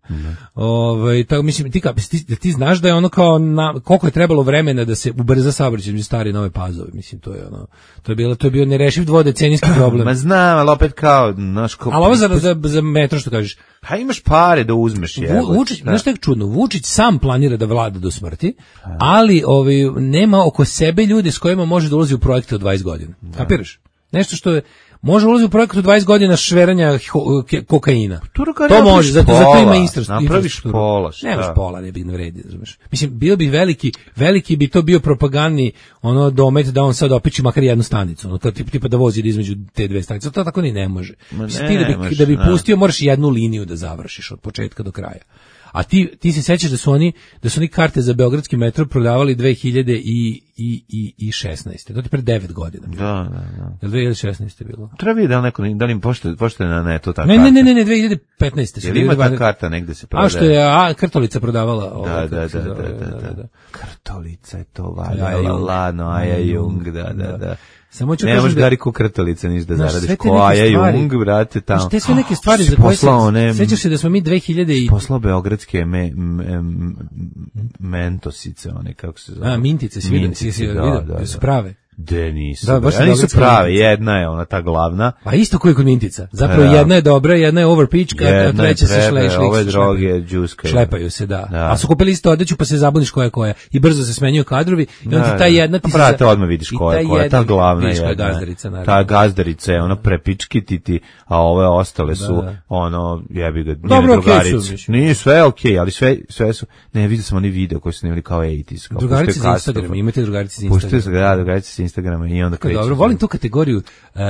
Ovaj tako mislim ti, ti ti znaš da je ono kao na, koliko je trebalo vremena da se ubrza saobraćaj između stare i nove Pazove, mislim to je ono to je bilo to je bio nerešiv dvodecenijski problem. Ma znam, ali opet kao naš ko. Ali ovo za, za za metro što kažeš. Pa imaš pare da uzmeš je. Vučić, znaš šta je čudno, Vučić sam planira da vlada do smrti, ali ovaj nema oko sebe ljude s kojima može da ulazi u projekte od dvadeset godina. Kapiraš? Nešto što je može ulazi u projektu dvadeset godina šveranja kokaina. Turka, to može, zato, zato ima infrastrukturu. Napraviš pola, šta? Nemaš pola, ne bi ne vredi, razumeš. Mislim, bio bi veliki, veliki bi to bio propagandni ono domet da on sad opiči makar jednu stanicu, ono, tipa, tipa da vozi između te dve stanice. To tako ni ne može. Mislim, ti da bi, da bi pustio, moraš jednu liniju da završiš od početka do kraja. A ti ti se sećaš da su oni da su oni karte za beogradski metro prodavali dve hiljade šesnaeste. To je pre devet godina. Da, da, da. Je dve hiljade šesnaeste bilo. Treba vidjeti da li neko da li im pošte pošte na netu ta ne, karta. Ne, ne, ne, ne, dve hiljade petnaeste. Jel ima ta karta negde se prodaje? A što je a Krtolica prodavala ovo. Da, da, da, da, da. Krtolica je to valjala lano, Aja Jung, da, da, da. Samo ću kažem da Gariku Krtolica niš da zaradiš ko Aja Jung, brate, tamo. Te sve neke stvari za koje se sećaš se da smo mi dve hiljade i poslao beogradske me, me, mentosice, one kako se zove. A mintice, svi vidio, da su prave. De nisu. Da, baš ja nisu dobra prave, Mintica. jedna je ona ta glavna. Pa isto koji kod Mintica. Zapravo Da. jedna je dobra, jedna je overpitch, a Jedna je treća se prebe, šle, šle, ove šle- droge džuskaju. Šlepaju se, da. Da. A su kupili isto odeću pa se zabuniš koja je koja. I brzo se smenjuju kadrovi i onda ti ta jedna ti se... Brate, odmah vidiš i koja je ta koja. Ta jedna- glavna vidiš koja je jedna. gazdarica, naravno. Ta gazdarica je ono prepičkititi, a ove ostale su Da. ono, jebi ga, njene Dobro, okej su, drugarice. mislim. Nije sve okej, ali sve, sve su, ne, vidio sam oni video koji su snimili kao osamdesetih. kao Drugarice puštaju za katastrofa. Instagram, imate drugarice za Puštaju se, Instagram. da, drugarice sa Instagrama i onda Tako kreću. dobro, volim tu kategoriju uh,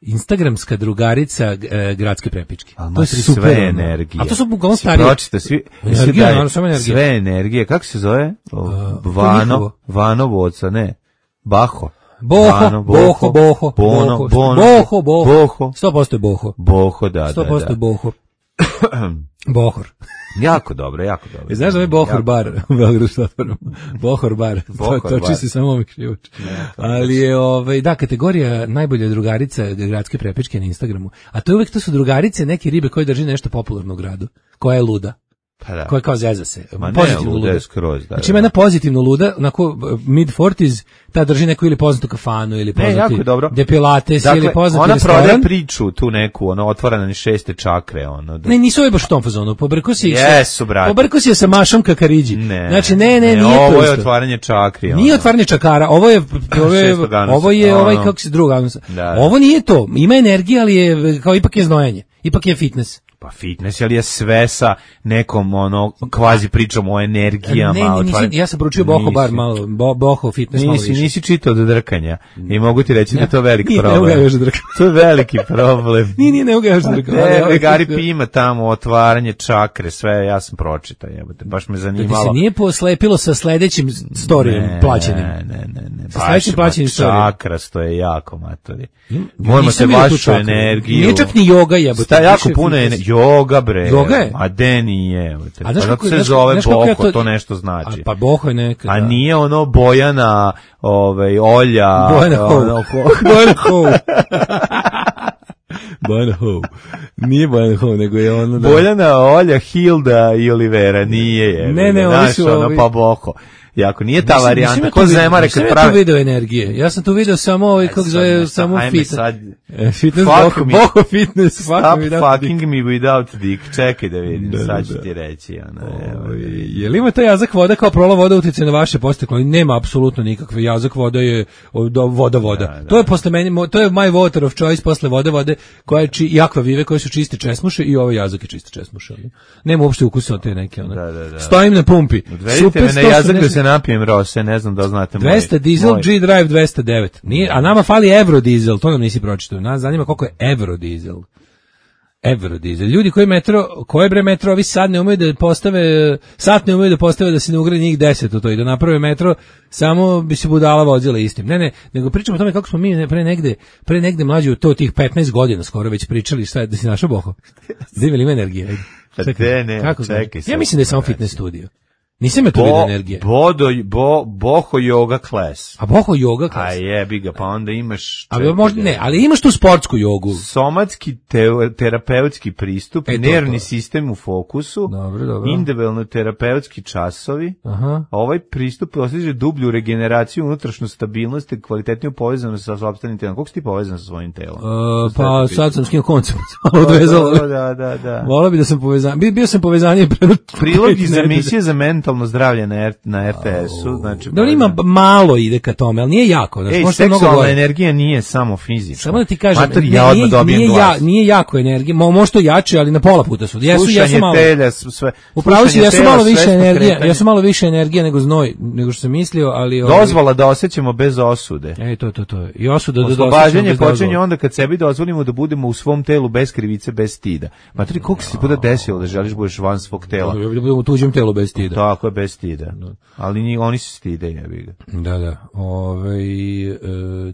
instagramska drugarica uh, gradske prepičke. Ali To ma je super. sve ono. energije. A to su uglavnom Si starije. pročita, svi, Energija, svi daje- naravno, samo energija. sve energije, kako se zove? O, to je Vano, njihovo. Vanovoca, ne, Baho. Boho, Vano, boho, boho, Bono, boho, Bono, boho, boho, Boho, sto posto je boho, Boho, da, sto da, posto je da. boho. Bohor. Jako dobro, jako dobro. E, znaš da je Bohor Jako- bar u Beogradu što otvorimo? Bohor bar. Bohor to, to bar. čisti samo ovih krivoč. Ali je, ovaj, da, kategorija najbolja drugarica gradske prepičke na Instagramu. A to je uvek, to su drugarice neke ribe koje drži nešto popularno u gradu. Koja je luda. Pa da. Koja kao zeza se. Ma ne, Pozitivno luda luda. je skroz, da, Znači da. ima jedna pozitivno luda, onako mid forties, ta drži neku ili poznatu kafanu, ili Ne, jako poznati je dobro. depilates, Dakle, ili poznati ona restoran. prodaje priču tu neku, ono, otvorena ni šeste čakre, ono. Da. Ne, nisu ovi baš u tom fazonu. Pobrko si ih sa- Jesu, brate. Pobrko si je sa Mašom Kakariđi. Ne. Znači, ne, ne, nije to Ovo je isto. otvaranje čakri. Nije ono. otvaranje čakara, ovo je ovo je, Šestog anusa. ovo je Ono. ovaj kako se druga anusa. Da, da. Ovo nije to. Ima energije, ali je kao ipak je znojanje. Ipak je fitness. Pa fitness, ali je sve sa nekom, ono, kvazi pričom o energijama. Ne, ne, nisi, otvaranje- ja sam poručio Boho Nisi. bar malo, bo, Boho fitness malo Nisi, više. nisi čitao do drkanja. I mogu ti reći da je to veliki Nije, ne mogu problem. ja još da drkam. To je veliki problem. Nije, nije, ne mogu ja još da drkam. Ali, Ne, ovaj, Gari kako- P ima tamo otvaranje čakre, sve, ja sam pročitao, jebote, baš me Da ti zanimalo. se nije poslepilo sa sledećim storijem Ne, plaćenim. Ne, ne, ne, ne. Sa Baš sledećim plaćenim storijom. čakrasto je jako, matori. Moramo Nisam se vidio tu vašu čakru. energiju. Nije čak ni joga jebote. Sta jako više puno je fitness. joga bre. Joga je? A de nije, jebote. A Pa znaš zato kako- se znaš- zove znaš kako ja Boho, to- to nešto znači. A, pa Boho je neka. A da. nije ono Bojana, ovaj, Olja. Bojana Ho. ono, ho- Bojana Ho. Bojana Ho. Nije Bojana Ho, nego je ono da... Bojana, Olja, Hilda i Olivera, nije je. Ne, ne, oni znaš, su ono, ovi- pa Boho. Jako, nije ta Nisam- nisam varijanta. ja Ko tu vidio- zemare nisam kad ja tu pravi... video energije. Ja sam tu video samo ovaj, kako sad zove, ne, samo ajme fitness. sad. E, fitness Fuck Boho, me. Boho fitness. Fuck Stop me without fucking me without dick. Čekaj da vidim, Da, da, sad ću da. ti reći. Ono, evo, Ovaj, je li ima taj jazak voda kao prola voda utjecaj na vaše posteklo? Nema apsolutno nikakve. Jazak voda je o, do, voda voda. Da, da. To je posle meni, mo- to je my water of choice posle vode vode koja je či, i akvavive koje su čiste česmuše i ovaj jazak je čiste česmuše. ono. Nema uopšte ukusa od te neke. Ono. Da, da, da. Stojim na pumpi. Odvedite me na jazak da se napijem rose, ne znam da li znate moj. dvesta dizel, moj- G-Drive dvesta devet. Nije, a nama fali Eurodizel, to nam nisi pročitao. Nas zanima koliko je Eurodizel. Eurodizel. Ljudi koji metro, koje bre metro, ovi sad ne umeju da postave, sat ne umeju da postave da se ne ugradi njih deset u to i da naprave metro, samo bi se budala vozila istim. Ne, ne, nego pričamo o tome kako smo mi ne- pre negde, pre negde mlađi u to tih petnaest godina skoro već pričali šta je, da si našao Boho. Da ima li ima energije? Ajde. Pa Čekaj, de, ne, kako čekaj znam? sad. Ja mislim da je samo fitness studio. Nisam ja tu vidio Bo, energije. bodo, bo, boho yoga class. A Boho yoga A klas. jebi ga, pa onda imaš... Ali čekaj možda da- ne, ali imaš tu sportsku jogu. Somatski teo, terapeutski pristup, E, to, nervni to. sistem u fokusu, Dobro, dobro. individualno terapeutski časovi. Aha. Ovaj pristup postiže dublju regeneraciju, unutrašnju stabilnost i kvalitetniju povezanost sa sopstvenim telom. Koliko si ti povezan sa svojim telom? Uh, pa sad sam skinuo koncept, malo odvezalo. Da, da, da, da. Volao bi da sam povezan. Bio, bio sam povezanje pre Prilog iz emisije za mentalno zdravlje na, R, na R T S-u. Znači, Da ima b- malo ide ka tome, ali nije jako, znači Ej, možda je mnogo seksualna gore. energija nije samo fizička. Samo da ti kažem, Mater, ne, ja odmah nije, dobijem nije, ja, glas. nije jako energije, mo, možda to jače, ali na pola puta su. Jesu, jesu Slušanje malo. telja, s- sve. Upravo si, slušanje jesu tela, malo više svesno energije, kretanje. jesu malo više energije nego znoj, nego što sam mislio, ali ovaj- Dozvola da osjećamo bez osude. Ej, to, to, to. I osuda da Oslobađanje dosećemo bez počinje dozvole. onda kad sebi dozvolimo da budemo u svom telu bez krivice, bez stida. Matri, koliko se ti puta desilo da želiš budeš van svog tela? Da budemo u tuđem telu bez stida. Tako je, bez stida. Ali ni, oni se stide, jebi ga. Da, da. Ovaj e,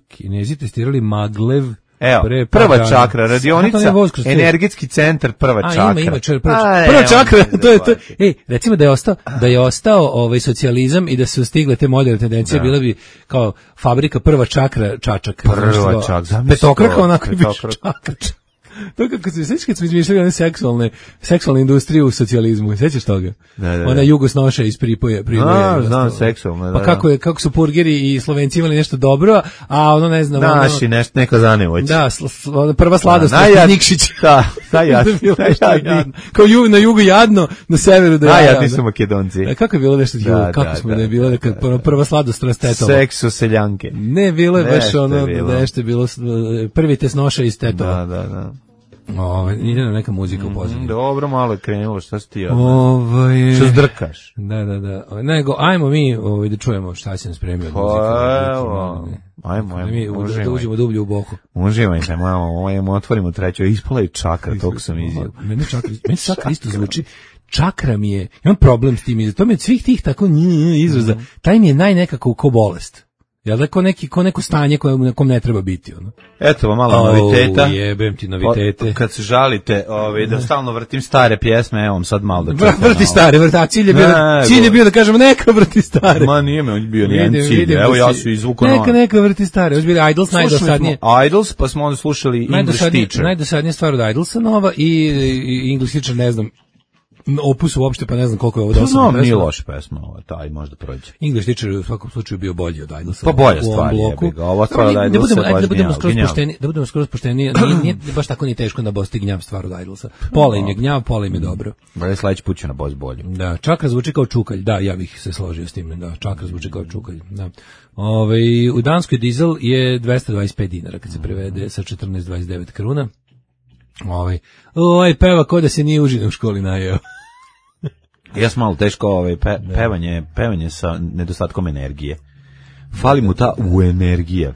Kinezi testirali maglev. Evo, pre par prva dana. čakra, radionica, Zato ne voz kroz te- energetski centar, prva A, čakra. ima, ima, čer, prva, A, prva evo, čakra, ne to je to. zaboravite. Ej, recimo da je ostao, da je ostao ovaj socijalizam i da su stigle te moderne tendencije, bila bi kao fabrika prva čakra čačak. Prva Znaš što? čak, zamisli Petokraka to, onako bi petokraka. čakra. To kako se sećaš kad smo izmišljali one seksualne, seksualne industrije u socijalizmu, sećaš toga? Da, da, da. Ona jugosnoša iz Pripoje, Priboja. No, znam, seksualno, da. Pa kako je, kako su purgeri i Slovenci imali nešto dobro, a ono ne znam, naši ono, nešto neko zanevoć. da, sl, sl, prva sladost da, najjad, Nikšić. Da, najjad, najjadno. Kao ju, na jugu jadno, na severu da je. Najjadni su Makedonci. Da, kako je bilo nešto da, ju, kako da, smo da, ne bilo da, kad da, prva sladost rastetala. Seksu seljanke. Ne, bilo je baš ono, bilo. nešto je bilo, prvi tesnoša iz tetova. Da, da, da. Ove, ide nam neka muzika u pozadini. Mm, dobro, malo je krenulo, šta si ti odmah? Ovaj, što zdrkaš? Da, da, da. Nego, ajmo mi ovaj, da čujemo šta si nam spremio od muzike. Pa, evo, ajmo, ajmo, mi uživajte. Da uđemo dublje u boku. Uživajte, malo, ajmo, otvorimo treću, ispala i čakra, tog sam izjel. Meni čakra, meni čakra isto zvuči, čakra mi je, imam problem s tim, to mi od svih tih tako nj, izraza, taj mi je najnekako ko bolest. Jel da ko, neki, ko neko stanje koje nekom ne treba biti, ono? Eto vam malo oh, noviteta. Jebem ti novitete. O, kad se žalite, ovaj, da stalno vrtim stare pjesme, evo vam sad malo da čujem. Vrti malo. Stare, vrti, a cilj je bio, da, cilj je bio da kažemo neka vrti stare. Ma nije me, on je bio nijedan cilj, evo ja su izvukao neka, neka vrti stare, još bili Idols, najdosadnije. Idols, pa smo onda slušali English Teacher. Najdosadnija stvar od Idolsa nova i, i English Teacher, ne znam, opus uopšte, pa ne znam koliko je ovo dosadno. No, nije loša pesma, ovo, taj možda prođe. English Teacher u svakom slučaju bio bolji od Idolsa. Pa bolja stvar je, ga. Ova stvar od Idolsa je baš da budemo skroz pošteni, da budemo skroz pošteni, nije, nije baš tako ni teško da bosti gnjav stvar od Idolsa. Pola im je gnjav, pola im je dobro. Bre, sledeći put će na boss bolje. Da, čakra zvuči kao čukalj, da, ja bih se složio s tim, da, čakra zvuči kao čukalj, da. Ove, u Danskoj dizel je dvesta dvadeset pet dinara kad se prevede sa četrnaest zarez dvadeset devet kruna. Ovaj, ovaj peva ko da se nije užine u školi najeo. Ja sam malo teško ovaj, pe, pevanje, pevanje sa nedostatkom energije. Fali mu ta u energija.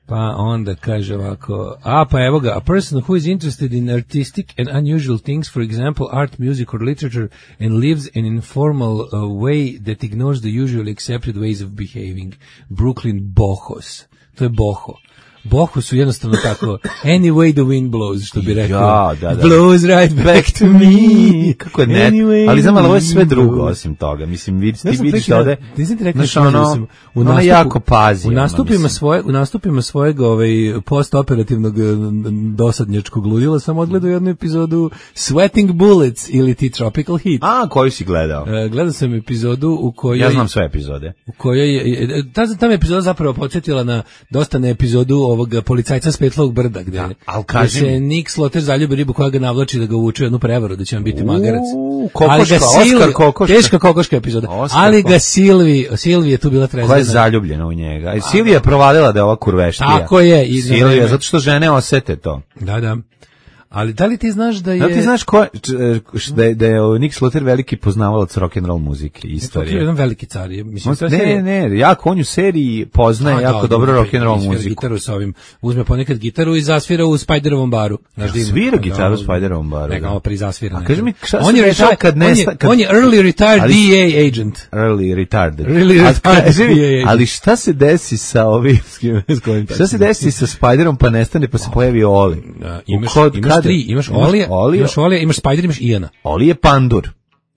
Pa onda kaže ovako, a pa evo ga, a person who is interested in artistic and unusual things, for example, art, music or literature, and lives an informal uh, way that ignores the usually accepted ways of behaving. Brooklyn Bohos. To je Boho. Bohu su jednostavno tako any way the wind blows, što bi rekao. Ja, da, da. Blows right back to me. Kako je net, anyway, ali znam, ali ovo je sve drugo osim toga. Mislim, vid, ti vidiš da ovde, znaš, ono, ono jako pazi. U nastupima, svoje, u nastupima svojeg ovaj, postoperativnog dosadnjačkog ludila sam odgledao jednu epizodu Sweating Bullets ili ti Tropical Heat. A, koju si gledao? Uh, gledao sam epizodu u kojoj... Ja znam sve epizode. U kojoj je, ta, ta me epizoda zapravo podsjetila na dosta na epizodu ovog policajca s Petlovog brda, gde, da, gde se Nick Sloter zaljubi ribu koja ga navlači da ga uči jednu prevaru, da će vam biti magarac. Kokoška, ali ga Silvi, Oskar Kokoška. Teška kokoška epizoda. Oskar ali ga Silvi, Silvi je tu bila trezna. Koja je zaljubljena u njega. I Silvija je provalila da je ova kurveštija. Tako je. I Silvija, zato što žene osete to. Da, da. Ali da li ti znaš da je... Da li ti znaš ko, da je, da je Nick Sloter veliki poznavalac rock'n'roll muzike i istorije? To je jedan veliki car. Mislim, on, ne, ne, jako on u seriji poznaje A, jako da, dobro rock'n'roll muziku. Gitaru sa ovim, uzme ponekad gitaru i zasvira u Spiderovom baru. Znaš, ja, svira da, gitaru u Spiderovom baru. Neka ovo prizasvira. A kaži mi, šta on se dešava kad nesta... Kad, on je early retired ali, D A agent. Early retarded. Really retarded D A agent. Ali šta se desi sa ovim... Šta se desi sa Spiderom pa nestane pa se pojavi Oli? Imaš tri, imaš Oli Olija, imaš Olija, imaš Spider, imaš Iana. Oli je pandur.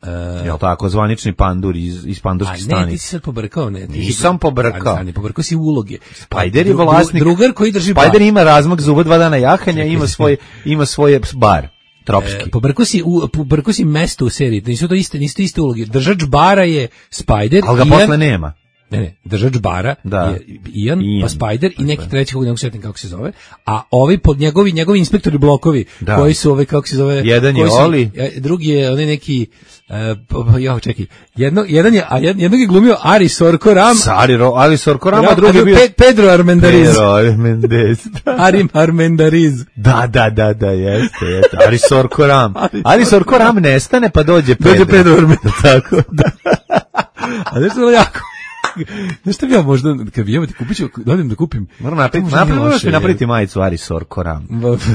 Uh, Jel tako, zvanični pandur iz, iz pandurskih stanice. A ne, ti si sad pobrkao, ne. Ti Nisam pobrkao. Ali pobrkao si uloge. Spider je vlasnik. Drugar koji drži bar. Spider ima razmak zuba dva dana jahanja, ima svoj, ima svoje bar. Tropski. E, pobrkao si, pobrkao si mesto u seriji. Nisu to iste, nisu to iste uloge. Držač bara je Spider. Ali ga Ian, posle nema. Ne, ne, držač bara da. je Ian, Ian, pa Spider i neki treći kako ne setim kako se zove, a ovi pod njegovi njegovi inspektori blokovi da. koji su ovi kako se zove, jedan je Oli, drugi je onaj neki uh, ja čekaj, jedno jedan je a jednog je glumio Ari Sorko Ram, Ari Ari Sorko Ram, a drugi je bio Pedro Armendariz. Pedro Armendariz. Ari Armendariz. Da, da, da, da, jeste, jeste. Ari Sorko Ram. Ari Sorko Ram nestane pa dođe Pedro. Dođe Pedro Armendariz. Tako. Da. A nešto je jako Znaš šta bi ja možda, kad bi jebati, kupit ću, dođem da kupim. Moram napraviti, napraviti, napraviti majicu Ari Sorko Ram.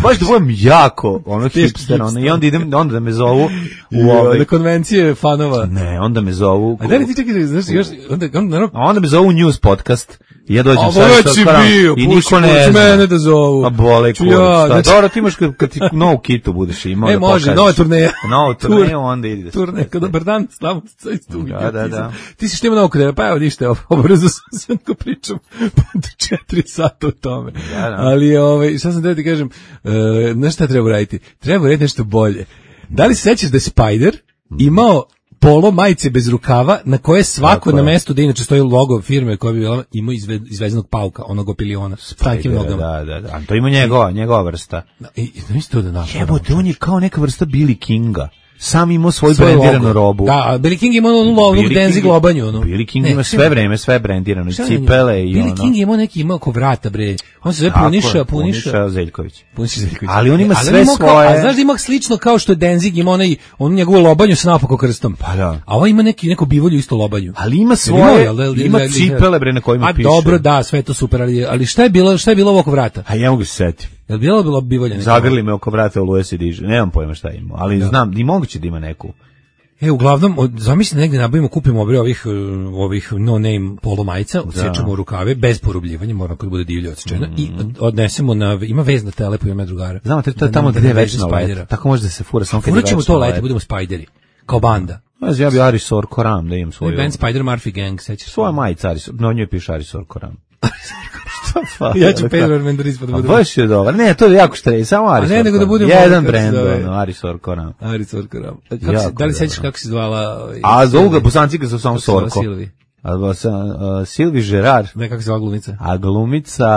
Baš da budem jako, ono hipster, ono, i onda idem, onda da me zovu u ove... Na konvencije fanova. Ne, onda me zovu... A da li ti čekaj, znaš, još, onda, onda, onda, onda me zovu News podcast. I ja dođem sa Aris Aris Sorkoram i niko ne zna. Mene da zovu. A bole kurac. Ja, Šta, znači- dobro, ti imaš kad, kad ti novu kitu budeš imao E, da može, pokažeš. nova turneja. Novu turneju, onda ide. Turne, kad dobar dan, slavo sa istu. Da, da, da. Ti si što ima novo kod pa evo ništa, obrzo sam sve ko pričam po četiri sata o tome. Da, da. Ali, ovaj, šta sam da ti kažem, uh, znaš šta treba raditi? Treba raditi nešto bolje. Da li se sećaš da je Spider imao polo majice bez rukava na koje svako Tako na je. mestu da inače stoji logo firme koja bi bila imao izve, izvezenog pauka, onog opiliona s tankim nogama. Da, da, da. A to ima njegova, njegova vrsta. I, i znaš to da napravimo. Jebote, on je kao neka vrsta Billy Kinga. Sam imao svoju Svoj brendiranu logo. robu. Da, a Billy King ima onu lovnu Billy Denzi King- globanju. Ono. Billy King Ne, ima sve vreme, sve brendirano, i šta je njemu? cipele i ono. Billy King je imao neki, imao oko vrata, bre. On se zove Tako Puniša, je, Puniša. Puniša Zeljković. Puniša Zeljković. Ali on ima Ali sve imao kao- svoje- a znaš da ima slično kao što je Denzig, ima onaj, onu njegovu lobanju sa napako krstom. Pa da. A ovo ima neki, neko bivolju isto lobanju. Ali ima Jel svoje, imao, jel da- jel- ima jel- cipele bre na kojima A piše. dobro, da, sve je to super, ali, ali šta je bilo, šta je bilo ovo oko vrata? A ja mogu se setiti. Jel bilo bilo bivolje neko? Zagrli me oko vrata u Luje se diže. Nemam pojma šta ima, ali znam, i moguće da ima neku. E, uglavnom, od- zamisli negde nabavimo, kupimo obre ovih, uh, ovih no-name polo majica, odsečemo rukave, bez porubljivanja, mora kad bude divlje odsečena, i od- odnesemo na, ima vez na telepu, ima drugara. Znamo, to je Da tamo nam- da gde je nam veže večno Spidera. let. Tako može da se fura samo kad je Furat ćemo večno to leti, let. budemo Spideri, kao banda. Znaš, ja bi Arisor Koram da imam Svoj svoju. band Spider Murphy Gang, sećaš? Svoja majica Arisor, na njoj piše Arisor Koram. Šta pa? Ja ću Pedro Menderis pa da A bude. baš je dobar. Ne, to je jako štrej, samo Arisor. ne, nego da Koram. budemo jedan ono, kako se brend, zove. ono, Arisor Koram. Aris Orkaram. Kako se, Jako da li dobro. sećaš kako se zvala? ovaj, A zovu ga Silvi? Bosanci ga su samo Kako se zvala Sorko. Silvi? A sa uh, Silvi Gerard, Ne, kako se zvala glumica? a glumica,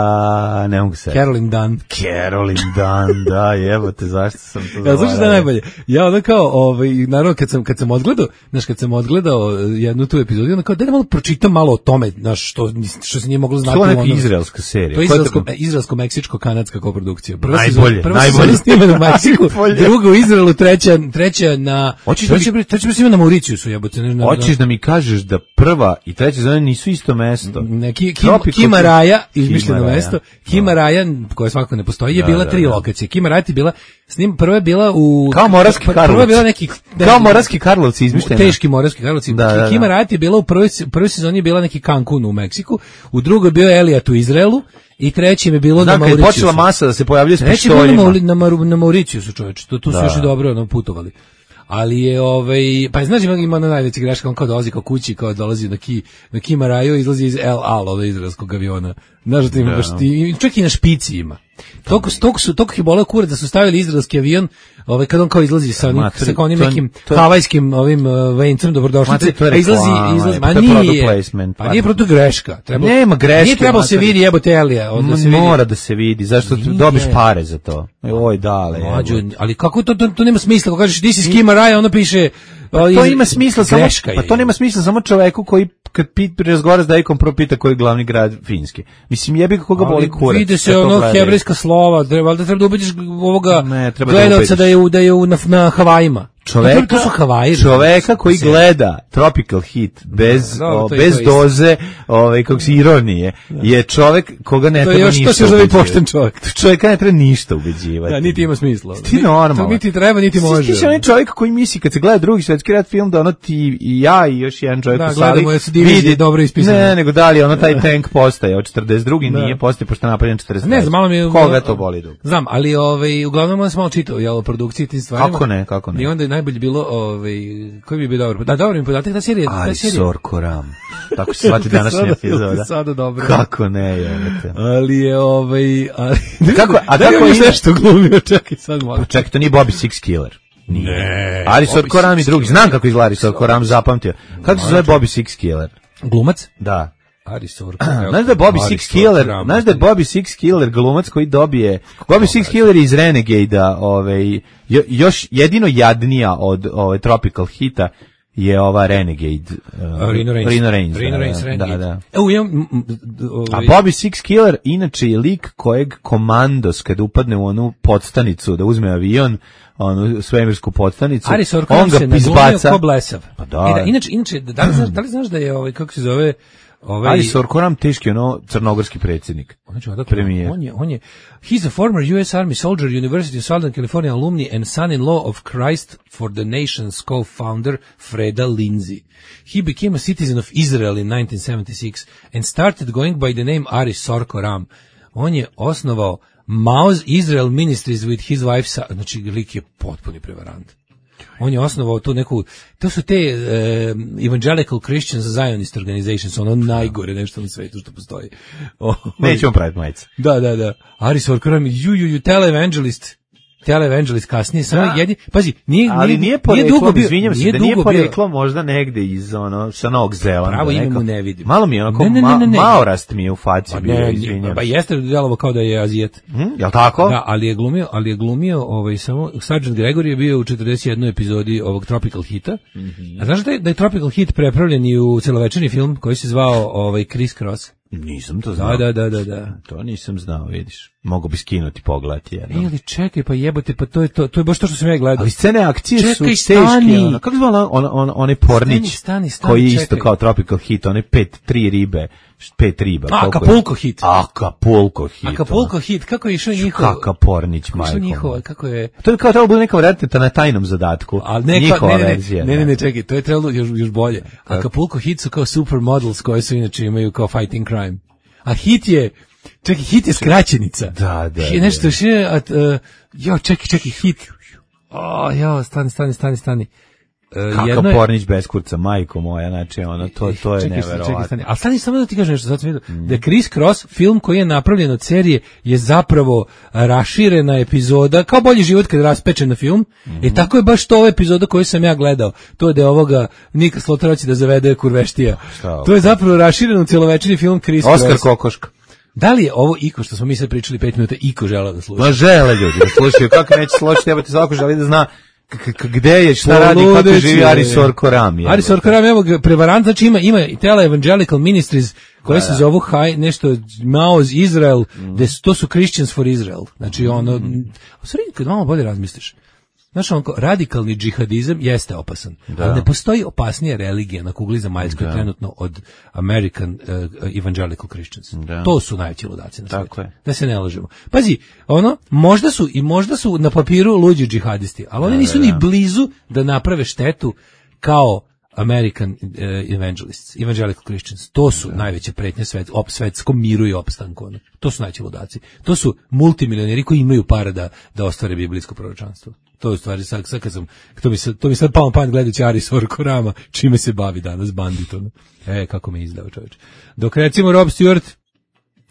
ne mogu se. Caroline Dunn. Caroline Dunn, da, jebote, zašto sam to Ja, znaš šta je zaboravio? najbolje? Ja onda kao, ovaj, naravno kad sam, kad sam odgledao, znaš, kad sam odgledao jednu tu epizodu, onda kao, da malo pročitam malo o tome, znaš, što, što se nije moglo znati. To je u neka onom- izraelska serija. To je Ko je izraelsko, to- e, izraelsko-meksičko-kanadska koprodukcija. Prva Najbolje, sezona, prva najbolje. sezona snimana u Meksiku, Najbolje. druga u Izraelu, treća, treća na... Hoćeš da mi- treća, treća, treća na Mauriciusu, jebote. Ne, ne, Hoćeš da mi kažeš da prva i treća sezona nisu isto mesto? Ne, ki, Kim, Tropical- Kima Raja, izmišljeno Kima Raja. mesto, Kima Raja, koja svakako ne postoji, je Da, bila da, tri da. lokacije. Kima Raja je bila, s njim, prva je bila u... Kao Moravski prva je Karlovci. bila neki... Kao Moravski Karlovci izmišljena. Teški Moravski Karlovci. Da, da, da. Kima Raja je bila u prvoj, prvoj sezoni je bila neki Cancun u Meksiku, u drugoj je bio Elijat u Izraelu i trećem je bilo Znam, na kad je Mauriciusu. počela masa da se pojavljuje s Treći je bilo na, pištoljima. Mauri, na, Maru, na Mauriciusu, čoveče. To, tu su Da. još i dobro ono, putovali. Ali je, ovaj, pa znaš, ima, ima na najveći greška, on kao dolazi kao kući, kao dolazi na, ki, na Kima Raju, izlazi iz El Al, od izraelskog aviona. Znaš da ti ima baš, ti, čak i na špici ima. Toliko, toliko su, toliko je boleo kurac da su stavili izraelski avion, ovaj, kad on kao izlazi sa, onim, Mater, sa kao onim to je- nekim to je- havajskim ovim uh, vencem dobrodošlice, Mater, to je a izlazi, reklama, izlazi, pa ma to je product nije, placement, pa pa- nije proto greška. Treba, Nema greške, Nije trebalo se mater. vidi jebote Elija, da se vidi. Mora da se vidi, zašto Nije. dobiš pare za to. Oj, dale. Mlađo, jebote. ali kako to, to, to nema smisla, ako kažeš ti si s Kima Raja, ono piše... Pa to ima smisla samo, greška pa je. to nema smisla samo čoveku koji kad pit razgovara s Dejkom prvo pita koji je glavni grad Finske. Mislim jebi ga koga boli kurac. Vide se kad to ono gledaju. hebrejska slova, treba, valjda treba da ubediš ovoga Ne, treba da gledalca ubediš. da je, u, da je u, na, na Havajima. Čoveka, to su Havaji. čoveka koji Se- gleda Tropical Hit bez, Da, o, to je bez to isto. doze ovaj, kako se ironije, je čovek koga ne To je treba još- to ništa se zove ubeđivati. pošten čovek. Čoveka ne treba ništa ubeđivati. Da, niti ima smisla. Ti normalno. To niti treba, niti može. Ti si onaj čovjek koji misli kad se gleda drugi svetski rat film da ono ti i ja i još jedan čovjek Da, u sali gledamo, jesu divizije dobro ispisane. Ne, nego da li ono taj tank postaje od četrdeset drugi nije postaje pošto je napravljen četrdeset treći. Ne znam, malo mi je... Koga to boli dug? Znam, ali ovaj, uglavnom onda sam malo čitao jel, o produkciji tim stvarima. Kako ne, kako ne? I onda je najbolje bilo, ovaj, koji bi bio dobar? Da, dobro mi podatak, ta serija... ta serija- Arisor Koram. Tako se shvati današnja Sada- epizoda. sada dobro. Kako ne, jebate. Ali je ovaj... Ali, Kako- a da li kako je ide? nešto glumio, čekaj sad malo. Čekaj, to nije Bobby Six Killer. Nije. Ne, Arisor Bobby Koram i Six drugi. Znam kako izgleda Arisor Koram, zapamtio. Kako se zove Bobby Six Killer? Glumac? Da. Arisor. Znaš da je Bobby Six Killer, znaš da je Bobby Six Killer glumac koji dobije, Bobby Six Killer je iz Renegade-a, ovaj, jo- još jedino jadnija od ovaj, Tropical Hita je ova Renegade. Uh, Rino Reigns. Rino Reigns, Rino da, Reigns, da, Renegade. da, da. Evo, imam... m, m, d- A ovaj, Bobby Six Killer inače je lik kojeg komandos kad upadne u onu podstanicu da uzme avion, onu svemirsku podstanicu, Aris on Orkan ga se naglumio izbaca. ko blesav. Pa da. E da, inače, inače, da li, znaš, da li znaš da je, ovaj, kako se zove, Ovaj, Ali Sorkoram teški ono crnogorski predsjednik. Znači, odakle, premijer. On je, on je, he's a former U S Army soldier, University of Southern California alumni and son-in-law of Christ for the Nations co-founder Freda Lindsay. He became a citizen of Israel in nineteen seventy-six and started going by the name Ari Sorkoram. On je osnovao Maoz Israel Ministries with his wife, znači lik je potpuni prevarant. On je osnovao tu neku, to su te uh, Evangelical Christians Zionist Organizations, ono najgore nešto na svetu što postoji. Oh, Nećemo praviti majice. Da, da, da. Ari Sorkoram, you, you, you televangelist. Televangelist kasnije, samo da. jedni, pazi, nije, ali nije, nije poreklom, dugo bio, izvinjam se, nije da nije dugo poreklo možda negde iz ono, sa Novog Zelanda. Pravo ime neko. mu ne vidim. Malo mi je onako, ne, ne, ne, ne, ne. Ma, maorast mi je u faci Pa bio, ne, izvinjam. Pa jeste djelovo kao da je Azijet. Hm, jel tako? Da, ali je glumio, ali je glumio, ovaj, samo, Sergeant Gregory je bio u četrdeset jednoj epizodi ovog Tropical Hita. Mm-hmm. A znaš da je, da je Tropical Hit prepravljen i u celovečerni film koji se zvao ovaj, Criss Cross? Nisam to znao. Da, da, da, da. To nisam znao, vidiš. Mogu bi skinuti, pogledati jedno. E, ali čekaj, pa jebote, pa to je to, to je baš to što sam ja gledao. Ali scene akcije čekaj, su teške. stani. Ono, kako zvala on, on, onaj Pornić, Stani, stani, stani, koji je isto čekaj. kao Tropical Hit, one pet, tri ribe, pet riba. A, koliko je? Acapulco Hit. Acapulco Hit. Acapulco Hit, kako je išao njihov? Kaka Pornić, Kako je majko. išao njihov, kako je... To je kao trebalo bude neka vratita na tajnom zadatku. Ali ne, njihova ne, ne, verzija. ne, ne, ne, čekaj, to je trebalo još, još bolje. Acapulco Hit su kao supermodels koje su inače imaju kao fighting crime. A Hit je, čekaj, Hit je skraćenica. Da, da. Hit, nešto još je, at, uh, jo, čekaj, čekaj, Hit. O, jo, stani, stani, stani, stani. Uh, Kakav je, Pornić bez kurca, majko moja, znači ono, to, to je čekaj, neverovatno. Čekaj, stani. Ali stani samo da ti kažem nešto, sad sam vidio, mm. da Criss Cross, film koji je napravljen od serije, je zapravo raširena epizoda, kao Bolji život kad je raspečen na film, mm. i tako je baš to ova epizoda koju sam ja gledao, to je da je ovoga Nika Sloterac da zavede kurveštija. Šta, to je zapravo rašireno celovečerni film Criss Cross. Oskar Kokoška. Da li je ovo Iko što smo mi sad pričali pet minuta, Iko žela da sluša? Ma žele ljudi, da slušaju, kako neće složiti, treba ti svako želi da zna gde je, šta radi, kako živi Ari Sorkoram. Ari Sorkoram, evo ga, prevarant, znači ima, ima Tele Evangelical Ministries, koje da, se da. zovu haj, nešto, Maoz Israel, mm. de, to su Christians for Israel. Znači ono, mm. u stvari, kad malo bolje razmisliš, znaš, onko, radikalni džihadizam jeste opasan, da. ali ne postoji opasnija religija na kugli zemaljskoj da. trenutno od American uh, Evangelical Christians. Da. To su najveći ludaci na svijetu. Da se ne lažemo. Pazi, ono, možda su i možda su na papiru luđi džihadisti, ali oni nisu da, da. ni blizu da naprave štetu kao American uh, Evangelists, Evangelical Christians. To su da. najveće pretnje svet, op, svetskom miru i opstanku. Ono. To su najveći ludaci. To su multimilioneri koji imaju para da, da ostvare biblijsko proročanstvo. To je u stvari, sad, sad kad sam, to mi sad, to mi sad pao pamet gledajući Ari Sorkorama, čime se bavi danas banditom. E, kako me izdao čovječ. Dok recimo Rob Stewart,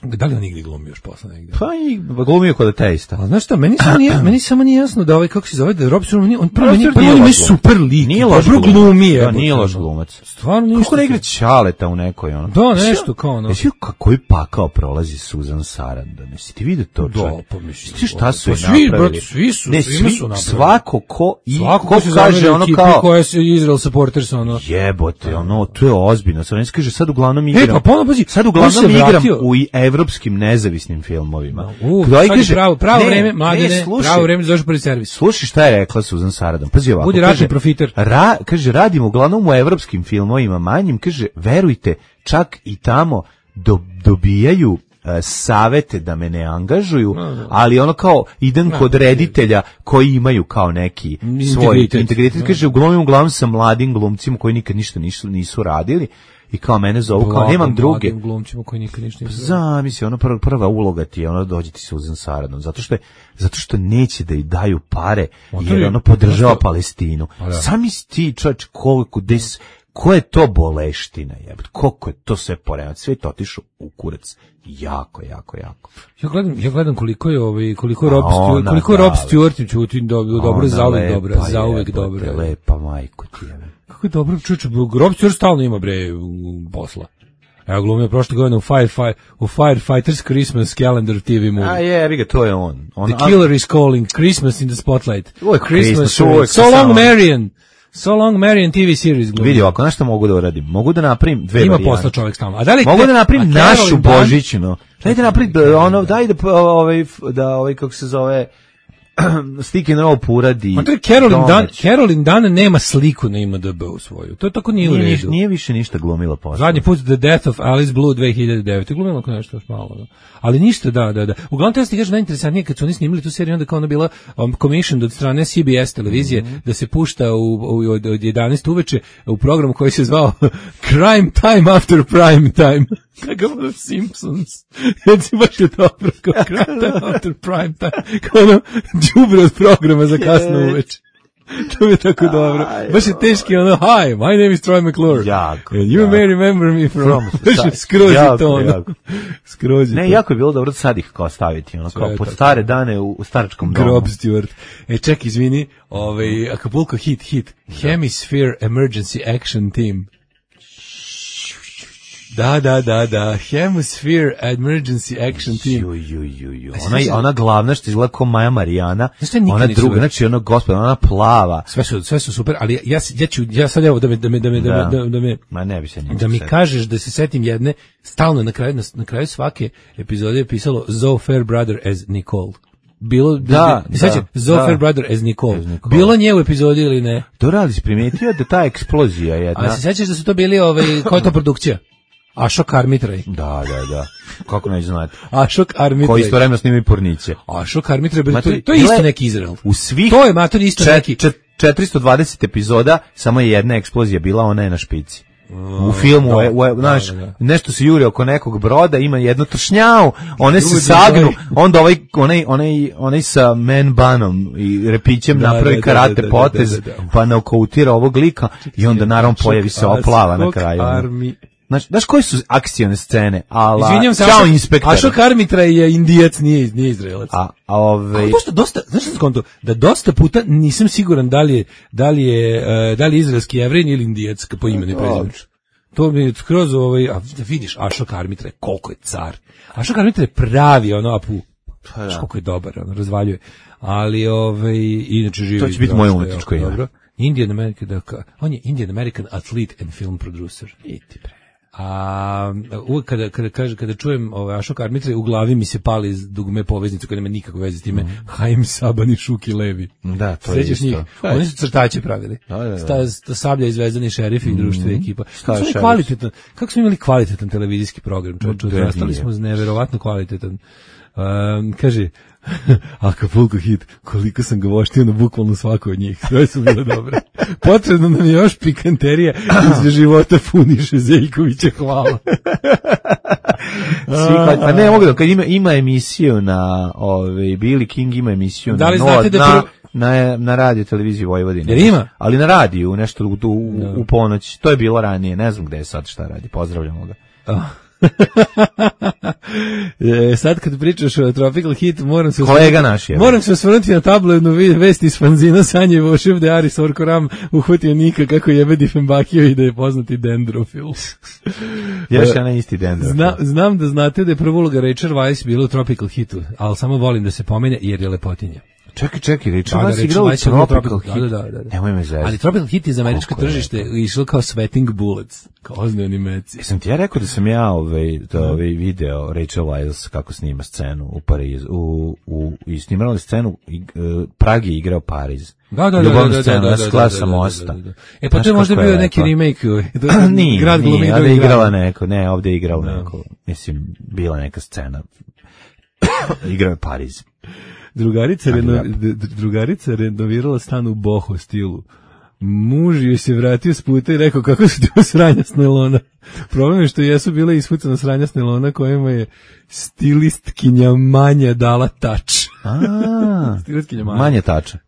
da li on igdje glumi još posle negdje? Pa i glumio kod Ateista. A znaš šta, meni samo nije, meni samo nije jasno da ovaj, kako se zove, da Rob Stewart, on prvo meni, pa on je super lik, nije loš glumi. Da, nije loš glumac. Stvarno ništa. Kako ne igra Ćaleta u nekoj, ono? Da, nešto kao ono. Jesi koji pakao prolazi Susan Sarandon? Jesi ti vidio to? Da, pa mislim. Ti šta su svi, brate, svi su, ne, svi su napravili. Svako ko i svako ko se kaže ono kao koja se Israel supporters ono. Jebote, ono, to je ozbiljno. Sad ne kaže sad uglavnom igram. E, pa ponovno pazi, sad uglavnom igram u evropskim nezavisnim filmovima. Uh, Kdo kaže pravo, pravo ne, vreme, mladine, pravo vreme za prvi servis. Slušaj šta je rekla Susan Sarandon. Pazi ovako. Budi ratni profiter. Ra, kaže radimo uglavnom u evropskim filmovima, manjim, kaže verujte, čak i tamo do, dobijaju uh, savete da me ne angažuju, no, no. ali ono kao idem no, kod reditelja koji imaju kao neki svoj integritet. Kaže uglavnom uglavnom sa mladim glumcima koji nikad ništa nisu, nisu radili. I kao mene zovu, kao nemam druge. Glumcima koji nikad ništa nisu. Zamisli, ono prva, prva uloga ti je ono dođe ti Susan Sarandon, zato što je, zato što neće da ih daju pare, jer je, ono podržava što... Palestinu. Zamisli ti, čovječ, koliko des, ko je to boleština, jebate, koliko je to sve poremat, sve to otišao u kurac. Jako, jako, jako. Ja gledam, ja gledam koliko je ovaj koliko je Rob Stewart, koliko je Rob Stewart čuti dobro, dobro zauvek dobro, zauvek dobro. Lepa majko ti je. Kako je dobro, čuče, Rob Stewart stalno ima bre posla. Ja glumio prošle godine u Fire, Fire, u Firefighters Christmas Calendar T V movie. A je, vi ga, to je on. on the Killer is Calling, Christmas in the Spotlight. Uvijek Christmas, Christmas So Long Marion. So Long Marion T V series glumio. Vidi, ako nešto mogu da uradim, mogu da napravim dve ima varijante. Ima posla čovjek stalno. A da li mogu da napravim našu Dan... božićnu. Daj da napravim, ono, daj da, ovaj, da, ovaj, kako se zove, Stick and Rope uradi. Ma to je Carolyn Dan, Carolyn Dan nema sliku na I M D B u svoju. To je tako nije u redu. Nije, nije više ništa glumila posle. Zadnji put The Death of Alice Blue dve hiljade devete. Glumila ako nešto još malo. Da. Ali ništa, da, da, da. Uglavnom, to je ti kažem najinteresantnije kad su oni snimili tu seriju, onda kao ona bila um, commissioned od strane C B S televizije, mm-hmm. da se pušta u, u, od, od jedanaest uveče u programu koji se zvao Crime Time After Prime Time. Kakav ono Simpsons. Jer si baš je dobro kao Crime Time After Prime Time. Kao ono đubre od programa za kasno uveče. To je tako dobro. Baš je teški ono, hi, my name is Troy McClure. Jako. And you jako. may remember me from... from skroz je to ono. Skroz je ne, to. jako je bilo dobro sad ih kao staviti, ono, kao pod stare dane u, u staračkom domu. Grob Stewart. E, ček, izvini, ovaj, Acapulco hit, hit. Hemisphere Emergency Action Team. Da, da, da, da. Hemisphere Emergency Action Team. Ju, ju, ju, ju. Ona, ona glavna što izgleda kao Maja Marijana, ona druga, super. Znači ono gospod, ona plava. Sve su, sve su super, ali ja, ja ću, ja sad evo da me, da me, da me, da, da, da me, Ma ne bi se da mi kažeš da se setim jedne, stalno na kraju, na, na kraju svake epizode je pisalo Zoe Fairbrother as Nicole. Bilo, da, da, da, Zoe da. Fairbrother as Nicole. as Nicole. Bilo nje u epizodi ili ne? Dobro, ali si primijetio da ta eksplozija jedna. A se sećaš da su to bili, ovaj, koja je to produkcija? Ašok Armitraj. Da, da, da. Kako neće znati? Ašok Armitraj. Koji istovremeno snimaju Porniće. Ašok Armitraj, to, to je isto neki Izrael. U svih to je mater isto čet, neki. Čet, četiristo dvadeset epizoda, samo je jedna eksplozija bila, ona je na špici. U filmu, da, u, u, znaš, da, da, da. nešto se juri oko nekog broda, ima jednu tršnjavu, one se sagnu, onda ovaj, onaj, onaj, onaj sa man banom i repićem da, napravi da, karate da, da, potez, da, da, da, da. pa naukoutira ovog lika i onda naravno pojavi se oplava na kraju. Armi. Znaš, znaš koji su akcione scene? Ala, izvinjam se, Ćao inspektor. Ašok Armitraj je Indijac, nije, nije Izraelac. A, a ove... dosta, dosta, znaš što skonto? Da dosta puta nisam siguran da li je, da li je, uh, da li je izraelski Jevrin ili Indijac po imenu i prezimenu. To mi je skroz ovaj, a vidiš, Ašok Armitraj, koliko je car. Ašok Armitraj je pravi, ono, apu, znaš koliko je dobar, ono, razvaljuje. Ali, ovaj, inače živi. To će biti moje umetničko ime. Dobro. Indian American, on je Indian American athlete and film producer. Iti bre. A uvek kada, kada, kada, kada čujem ovaj Ašok Armitraj, u glavi mi se pali dugme poveznicu koja nema nikakve veze s time, mm. Haim Saban i Šuki Levi. Da, to Srećeš je isto. Njih? Oni su crtače pravili. Da, da, da. Sta, sta Sablja i Zvezdani šerif i društvo i ekipa. Kako smo, kvalitetan, kako smo imali kvalitetan televizijski program, čovječe, ostali smo neverovatno kvalitetan. Um, kaže, Acapulco hit, koliko sam ga voštio na bukvalno svako od njih, sve su bile dobre. Potrebno nam je još pikanterija iz života Funiše Zeljkovića, hvala. Svi, pa ne mogu da, kad ima, ima emisiju na, ove, Billy King ima emisiju da li na, znate da na, na, na radio televiziji Vojvodine. Jer ima? Ali na radiju, nešto u, u, no. u ponoć, to je bilo ranije, ne znam gde je sad šta radi, pozdravljamo ga. Oh. e, sad kad pričaš o Tropical Hit, moram se kolega naš je. Moram se osvrnuti na tabloidnu vest iz fanzina Sanje Vošev da Aris Orkoram uhvatio Nika kako jebe Difenbakio i da je poznati dendrofil. Još je na isti dendrofil. Zna, znam da znate da je prva uloga Rachel Weisz bila u Tropical Hitu, ali samo volim da se pomene jer je lepotinja. Čekaj, čekaj, Rachel Weisz igrao u Tropical Hit. Da, da, da. Nemoj me zezati. Ali Tropical Hit iz američko tržište išlo kao Sweating Bullets, kao ozne animacije. Sam ti ja rekao da sam ja ovaj, da, ovaj video Rachel Weisz kako snima scenu u Parizu, u, u, i snimala scenu, i, uh, Prag je igrao Pariz. Da, da, da, ljubavnu da, scenu, da, ja da, skla da, sam da, mosta. da, da, da. E pa to je možda bio neki remake. Nije, grad nije, ovdje je igrala neko, ne, ovdje je igrala no. neko, mislim, bila neka scena. Igrao je Pariz. Drugarica, reno, drugarica renovirala stan u boho stilu. Muž joj se vratio s puta i rekao kako su ti sranja s nailona. Problem je što jesu bile ispucana sranja s nailona kojima je stilistkinja Manja dala tač. A, stilistkinja Manja. Manja tača.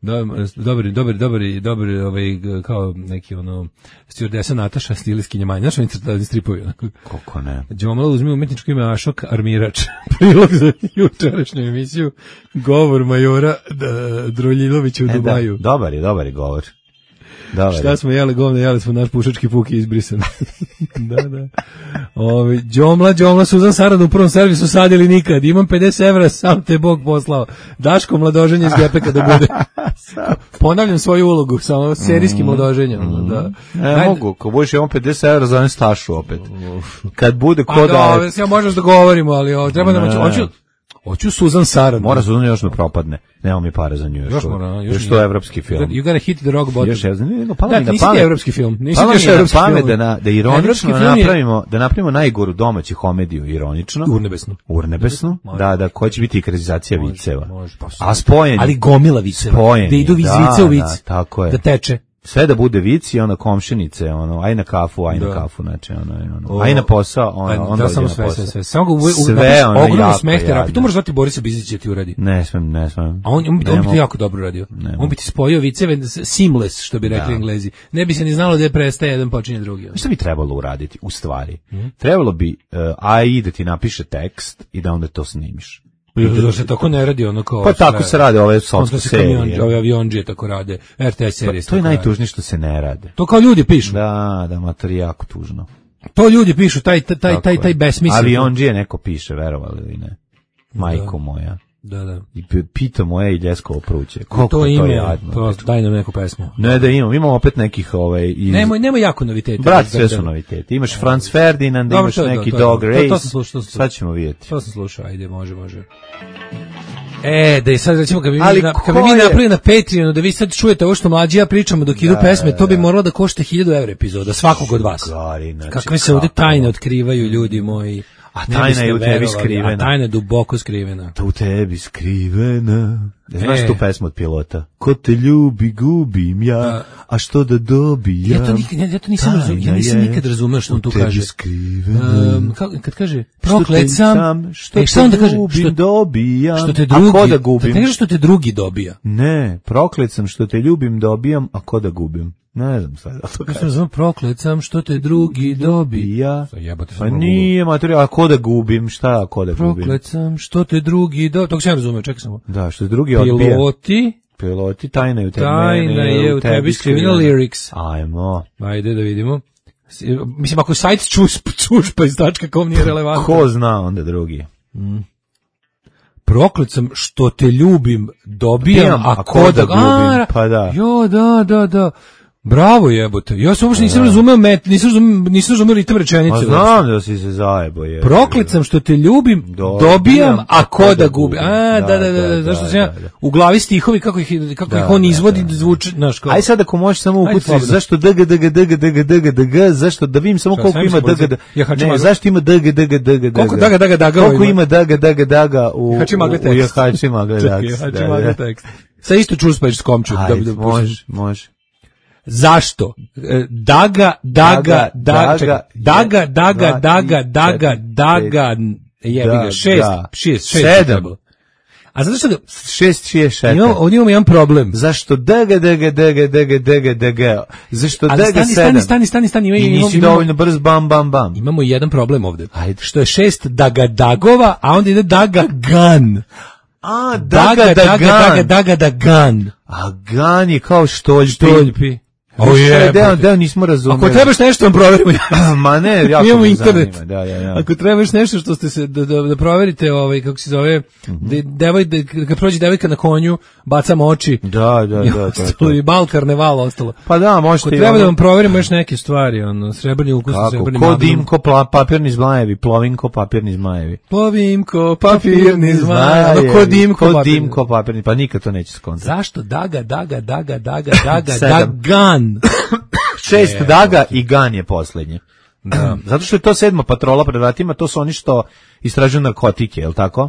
Dobri, dobri, dobri, dobri, ovaj, kao neki ono, stjordesa Nataša, stilistkinja Manja. Znaš oni stripovi? Kako ne? Đomla uzmi umetničko ime Ašok Armirač. Prilog za jučerašnju emisiju. Govor majora Droljilovića u e, Dubaju. Da, dobar je, dobar je govor. Dobar. Šta smo jeli govne, jeli smo naš pušački puk i izbrisan. da, da. Ovi, Đomla, Đomla, Suzan Saran u prvom servisu sadili nikad. Imam pedeset evra, sam te Bog poslao. Daško mladoženje iz Gepeka da bude. Ponavljam svoju ulogu, samo serijski mladoženje. Mm. Da. Ne Ajde. mogu, ko budeš imam pedeset evra, zovem Stašu opet. Kad bude ko da... Ja možeš da govorimo, ali o, treba da moću... Hoću Susan Sarandon. Mora Susan još da propadne. Nema mi para za nju još. Još mora, još, još to je evropski film. You gotta hit the rock bottom. Još je, ne, ne, pala da, mi na nisi pamet. ti evropski film. Nisi Pala ti još mi na evropski pamet film. da, na, da ironično film je- napravimo, da napravimo najgoru domaću komediju, ironično. Urnebesnu. Urnebesnu, Može. da, da, ko će biti ekranizacija Može, viceva. može, pa sve. A spojen. Ali gomila viceva. Spojen Da je, idu iz da, vice u da, vic. tako je. Da teče. Sve da bude vici, ono komšinice, ono, aj na kafu, aj na Da. kafu, znači, ono, ono, O, aj na posao, ono, Pa, onda da, samo ide na sve, posao. sve, sve. Samo ga uve, Sve, uve, ono, ogromno jako smeh terapiju. jadno. To može zvati Borisa Bizića ti uradi. Ne smem, ne smem. A on, on, bi, Ne on bi to mogu. jako dobro radio. Ne On bi ti spojio viceve seamless, što bi rekli Da. Englezi. Ne bi se ni znalo da je prestaje jedan počinje drugi. Šta bi trebalo uraditi, u stvari? Mhm. Trebalo bi uh, A I da ti napiše tekst i da onda to snimiš. Da se tako ne radi ono kao... Pa tako sve- se rade ove Onda sotske se kamionđe, serije. ove avionđije tako rade, R T S Pa, serije. to je najtužnije što se ne rade. To kao ljudi pišu. Da, da, ma to je jako tužno. To ljudi pišu, taj taj taj Tako taj, je. taj besmisao. Avionđije neko piše, verovali ili ne. Majko moja. Da, da. I p- pita moje i ljeskovo pruće. Koliko To to, to ima, je jadno. prosto, daj nam neku pesmu. Ne da imam, imamo opet nekih ovaj iz... Nemoj, nemoj jako novitete. Brat, Da, sve da, su da. noviteti. Imaš Franz Ferdinand, Dobro, imaš to je to, neki to je Dog to. Race. To- to sam slušao, to sam Sad ćemo vidjeti. To sam slušao, ajde, može, može. E, da je sad recimo kad bi mi, Ali na, ko kad bi mi je? napravili na Patreonu da vi sad čujete ovo što mlađi ja pričamo dok idu pesme, to bi moralo da košta hiljadu evra epizoda, svakog od vas. Gari, znači, Kakve se ovde kako? tajne otkrivaju, ljudi moji. A Ne tajna biste je u tebi verovali, skrivena. A tajna je duboko skrivena. Ta u tebi skrivena. Znaš E. tu pesmu od Pilota? Ko te ljubi, gubim ja, a što da dobijam? Ja to, nikad, ja, ja to nisam razumio, ja Tajna nisam je nikad razumeo što on tu u tebi kaže. skrivena. Um, kako, kad kaže, Što te proklet sam, što e, šta on da te kaže? gubim, Što, dobijam. što te A drugi, ko da da gubim? ne kaže što te drugi dobija. Ne, proklet sam što te ljubim, dobijam, a ko da gubim? Ne znam sad, ali to Ja sam kaže. razumio, proklet sam što te drugi dobi. Ja, Sa jebote, pa sam nije materija, a ko da gubim, šta a ko da gubim? Proklet sam što te drugi dobi. Tog sam ja razumio, čekaj samo. Da, što drugi odbija. Piloti, Piloti, tajna je u tebi. tajna mene je u tebi skrivena lyrics. Ajmo. Ajde da vidimo. S- Mislim, ako sajt čusp, čušpa iz tačka kom nije relevantno. Ko zna onda drugi? Proklet sam što te ljubim, dobijam, Dobijam, a a ko ko da da gubim? A, Pa da. Jo, da, da, da. Bravo jebote. Ja sam uopšte nisam razumeo met, nisam razumeo, nisam razumeo ritam rečenice. Pa znam da si se zajebo je. Proklet sam što te ljubim, Dobijam, dobijam, a a ko da gubim. A, da, da, da, da, zašto da, sam ja da, da. u glavi stihovi kako ih kako Da, ih on da, izvodi, da. zvuči, znaš kao. Aj sad ako možeš samo Ajde, ukucati slobodno. zašto dg dg dg dg dg dg zašto da vidim samo Šta, koliko sve mi ima se bolice? dg. Ja hačim Ne, maglu. zašto ima dg dg dg Koliko daga, daga, daga Koliko ima? ima dg dg daga u Hači magle u tekst. jahači magle Čekaj, tekst. hači Da, magle da. tekst. Sa isto čuspaješ s komču. Da, Ajde, da, može, može. Zašto? E, Daga, daga, Daga, daga, čekaj. daga, daga, dva, daga, tri, daga, četiri, daga, jebi ga, Da, šest, da. šest, šest. Sedam. trebalo. A zato što ga, šest šest šest. imamo, ovdje imamo jedan problem. Zašto dg dg dg dg dg dg Zašto Ali dg stani, sedam? stani, stani, stani, stani, ima, I imamo, nisi imamo, dovoljno brz bam bam bam. imamo jedan problem ovdje. Ajde. Što je šest daga dagova, a onda ide daga gan. A, Daga, daga, daga, daga, dagan. A gan je kao štoljpi. Štoljpi. O je, deo, deo nismo razumeli. Ako trebaš nešto vam proverimo. Ma ne, jako Imamo me internet. zanima. Da, da, da. Ako trebaš nešto što ste se da, da, da proverite, ovaj kako se zove, de, devoj de, kad prođe devojka na konju, bacamo oči. Da, da, I da, to je ostalo to. i bal karneval ostalo. Pa da, Ako možete i treba da ono- vam proverimo još neke stvari, ono srebrni ukus, Kako? srebrni Ko magnum. dimko, pla, papirni zmajevi, plovinko, papirni zmajevi. Plovimko, papirni zmaj, ono ko dimko, Ko papirni. dimko, papirni, pa nikad to neće skontati. Zašto daga, daga, daga, daga, daga, Sedam. dagan? Šest daga i gan je poslednje. Da. Zato što je to sedma patrola pred vratima, to su oni što istražuju narkotike, je li tako?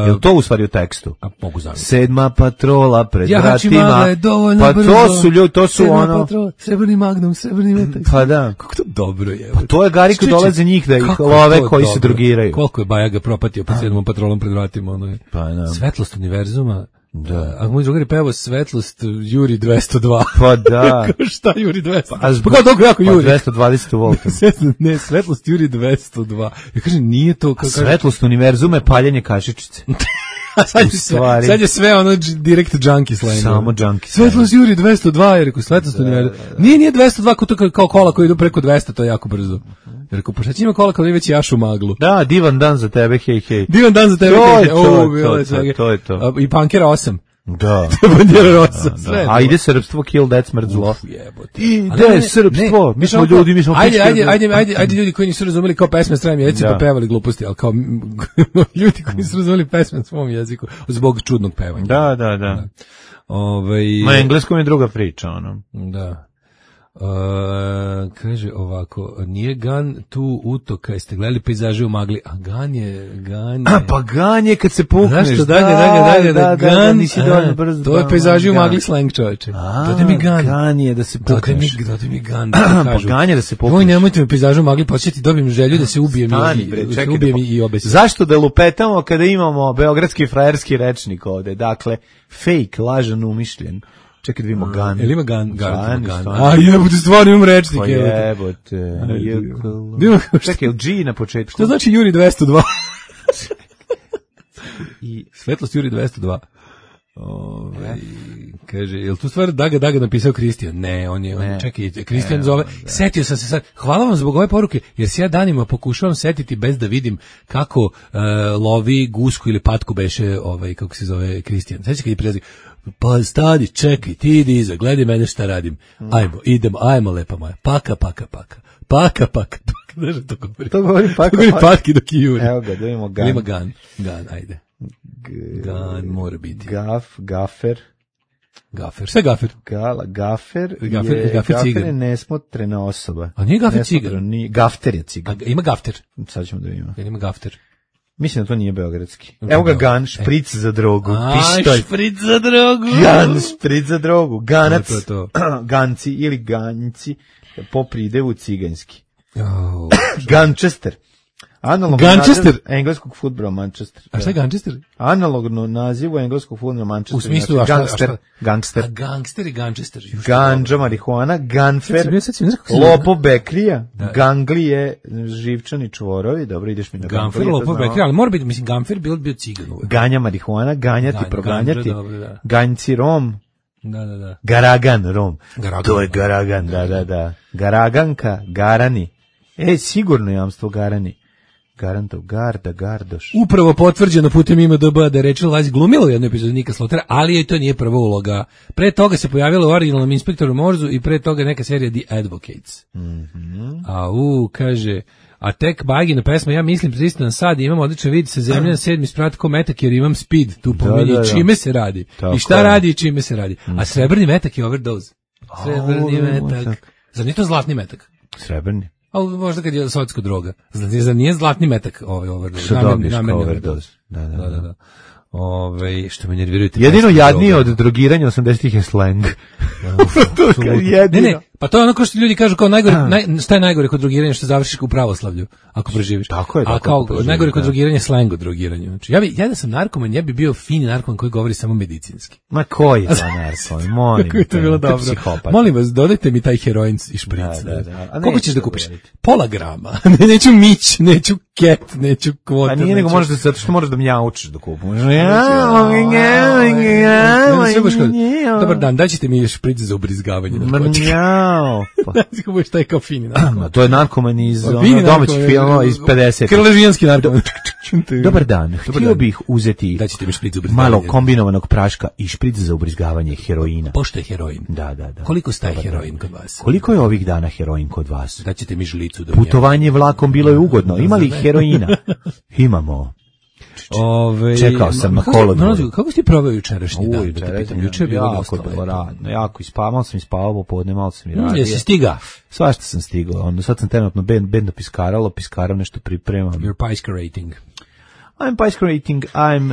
Je li to u stvari u tekstu? A mogu zamisliti. Sedma patrola pred Ja vratima. je dovoljno Pa brzo. to su ljudi, to su Sedma ono... patrola, srebrni magnum, srebrni metak. Pa da. Kako to dobro je. Pa to je Gari koji dolaze njih da ih Kako je love to koji se dobro. drogiraju. Koliko je Bajaga propatio pod sedmom patrolom pred vratima. Ono je. Pa da. Svetlost univerzuma. Da. A moj drugar je pevao Svetlost Juri dvesto dva. Pa da. Kao šta Juri dvesto dva? A zbog- Pa kao dobro jako Pa Juri. dvesta dvadeset volta. Ne, Svetlost Juri dvesto dva. Ja kažem, nije to. Kao, Svetlost univerzuma je paljenje kašičice. A sad, je u sve, stvari. sad je sve ono dž- direkt junkie slang. Samo junkie Svetlost Juri dvesto dva, je rekao, Svetlost univerzuma. Nije, nije dvesto dva kao, to kao- kao kola koji idu preko dvesta, to je jako brzo. Je rekao, pa šta će ima kola kad već jašu maglu? Da, divan dan za tebe, hej, hej. Divan dan za tebe. To je kaže, to, "O, bilo to, je to, svega." to je to. A, I Punkera osam. Da. Bandera rosa, Da, sve. da. A ide srpstvo, kill that smrt zlo. Uf, jebote. Ide srpstvo, mi smo ljudi, mi smo ajde, pičke. ajde, ajde, ajde, ajde ljudi koji nisu razumeli kao pesme na stranim jezicima, Da. pa pevali gluposti, ali kao ljudi koji nisu razumeli pesme na svom jeziku zbog čudnog pevanja. Da, da, da. Ovaj Na engleskom je druga priča, ono. Da. Uh, kaže ovako, nije Gan tu utoka, jeste gledali pejzaže u magli, a Gan je, Gan je... A, pa Gan je kad se pukneš. Zašto dalje, dalje, dalje, da, da, Gan, da, nisi dovoljno brzo. to je pejzaži u magli slang, čoveče. Dodaj mi Gan. Gan je da se Dodaj mi, pukneš. dodaj mi Gan, da ti kažu. Pa Gan je da se pukneš. Oj, nemojte me pejzažu u magli početi, dobijem želju da se ubijem Stani, i, bre, da čekaj ubijem da- i obesim. Zašto da lupetamo kada imamo beogradski frajerski rečnik ovde? Dakle, fake, lažan, umišljen. Čekaj da vidimo Gan. Jel ima Gan? Gan, Gan. stvarno. A jebote, stvarno imam rečnik, Pa jebote. jebote. jekalo. Ima- Čekaj, je li G na početku? Što znači Juri dvesta dva? I Svetlost Juri dvesta dva. Ove, kaže, je li tu stvar Daga Daga napisao Kristijan? Ne, on je, on, Ne. čekaj, Kristijan Ne, zove, da. setio sam se sad, hvala vam zbog ove poruke, jer se ja danima pokušavam setiti bez da vidim kako e, lovi gusku ili patku beše, ovaj, kako se zove Kristijan. Sveći kad je prilazi, pa stani, čekaj, ti idi iza, gledaj mene šta radim. Ajmo, idemo, ajmo lepa moja, paka, paka, paka, paka, paka, paka, znaš da to govori? To govori paka, To govori paka. patki dok je Juri. Evo ga, da vidimo Gan. Ili ima Gan, Gan, ajde. Gan mora biti. Gaf, gafer, Gafer, sve gafer. gala, gafer, Gafer- je, gafer gafer cigan. je nesmotrena osoba. A nije gafer Nesmotrena, cigan? Nije, gafter je A, cigan. ima gafter. Sad ćemo da vidimo. Jel ima gafter? Mislim da to nije beogradski. Evo ga Gan, špric za drogu. A, Pištolj. špric za drogu. Gan, špric za drogu. Ganac. To, to, Ganci ili ganjci po pridevu ciganski. Oh. Ganchester. Analogno Ganchester? naziv engleskog fudbala Manchester. A šta je Ganchester? Analogno nazivu engleskog fudbala Manchester. U smislu, znači, a šta- a gangster, šta? gangster. A gangster i Ganchester. Ju, šta Ganđa, dobro. marihuana, Sad ganfer, si bio- sad si mi znaš kako se lopo bekrija, Da. ganglije, živčani čvorovi, dobro, ideš mi na Ganfer, ganglije, to lopo, znamo. bekri, ali mora biti, mislim, Ganfer bio, bio cigan uvek. Ganja marihuana, ganjati, Ganj- proganjati, ganđa, dobro, da. ganjci rom, Da, da, da. garagan rom. Garagan. To je garagan, da, da, da. Garaganka, garani. E, sigurno jamstvo garani. Garantov, garda, gardoš. Upravo potvrđeno putem I M D B da je Rachel Weisz glumila u jednoj epizodi Nika Slotera, ali joj to nije prva uloga. Pre toga se pojavila u originalnom Inspektoru Morzu i pre toga neka serija The Advocates. Mhm. A u, kaže, a tek Bagina pesma, ja mislim pristan sad, imam odličan vid sa zemlje na sedmi sprat ko metak jer imam speed, tu pominje da, da. čime se radi. Tako I šta je. radi i čime se radi. A srebrni metak je overdose. Srebrni O, metak. metak. Zar nije to zlatni metak? Srebrni. Ali možda kad je sovjetska droga. Zar zar nije zlatni metak ovaj overdose? Što Namerni- dobiješ kao namerni overdose. Da, da, Da, da, da. Ove, što me nerviraju te Jedino pesme jadnije droga. od drogiranja osamdesetih je slang. Apsolutno. jedino. Ne, ne, pa to je ono kao što ljudi kažu kao najgore, naj, šta je najgore kod drogiranja, što završiš u pravoslavlju ako preživiš. Tako je, A tako kao ako preživiš, najgore kod da. drogiranja je slang o drogiranju. Znači ja bi ja da sam narkoman, ja bi bio fini narkoman koji govori samo medicinski. Ma koji je to narkoman, molim. Kako je to te, bilo to je dobro. psihopat. Molim vas, dodajte mi taj heroin i špric. Da, da, da. A Koliko neću ćeš da to kupiš? govoriti. Pola grama. Ne, neću mić, neću ket, neću kvoter. Pa nije nego neću- možeš da zato što moraš da mjaučiš da kupuješ. Ne, sve baš kao, dobar dan, daćete mi špric za ubrizgavanje. Mrnjao. Pa, Znači, kako budeš taj kao fini narkoman. ma, to je narkoman iz ono, Fini domaćih narkoman, filmova iz pedesetih. Krležijanski narkoman. Dobar dan, htio dan. bih uzeti Daćete mi špric za ubrizgavanje. malo kombinovanog praška i špric za ubrizgavanje heroina. Pošto je heroin? Da, da, da. Koliko staje Dobar dan. heroin kod vas? Koliko je ovih dana heroin kod vas? Daćete mi žlicu da Putovanje vlakom bilo je ugodno. Ima li heroina? Imamo. Ove, Čekao sam na kako- kolodvoru. Mlađo, kako si ti proveo jučerašnji dan? Uj, Da te čerez, pitam, juče je bilo jako dosta bilo lepo. radno, jako ispavao, malo sam ispavao popodne, malo sam i Mm, radio. Jesi stiga? Svašta sam stigao, onda sad sam trenutno bend, bendo piskaralo, piskaram nešto pripremam. You're piskarating. I'm piskarating, I'm,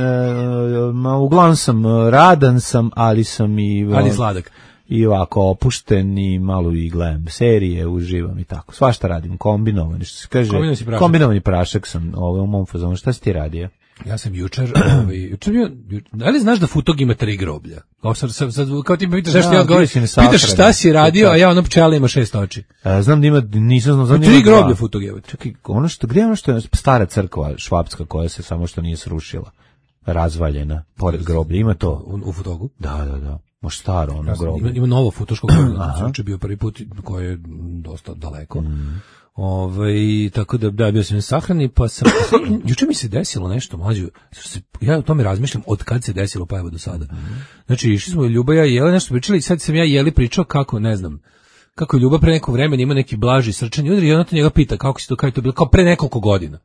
uh, ma, uglavnom sam uh, radan sam, ali sam i... uh, Ali sladak. I ovako opušten i malo i gledam serije, uživam i tako. Svašta radim, kombinovani, što se kaže. Kombinovani si prašak. Kombinovani prašak sam ovaj, u mom fazonu. Šta si ti radio? Ja sam jučer, ovaj, jučer bio, jučer, da li znaš da Futog ima tri groblja? Kao, sad, sad, sad, kao ti me pitaš, zašto Da, ja odgovorim, bio si na sahrani. pitaš šta si radio, a ja ono pčela ima šest oči. E, znam da ima, nisam znao, znam da Tri ima dva. groblja Futog je. Čekaj, ono što, gdje je ono što je stara crkva švapska koja se samo što nije srušila, razvaljena, pored groblja, ima to? U, u Futogu. Da, da, da, možda staro ono Ima, groblje. ima novo futoško koje je juče bio prvi put koje je dosta daleko. Mm. Ovaj, tako da, da, bio sam na sahrani, pa sam, juče mi se desilo nešto, mlađo, ja o tome razmišljam od kad se desilo, pa evo do sada. Znači, išli smo Ljuba i ja Jele nešto pričali, sad sam ja Jeli pričao kako, ne znam, kako je Ljuba pre nekog vremena ima neki blaži srčani udar i ona to njega pita kako si to, kako je to bilo, kao pre nekoliko godina.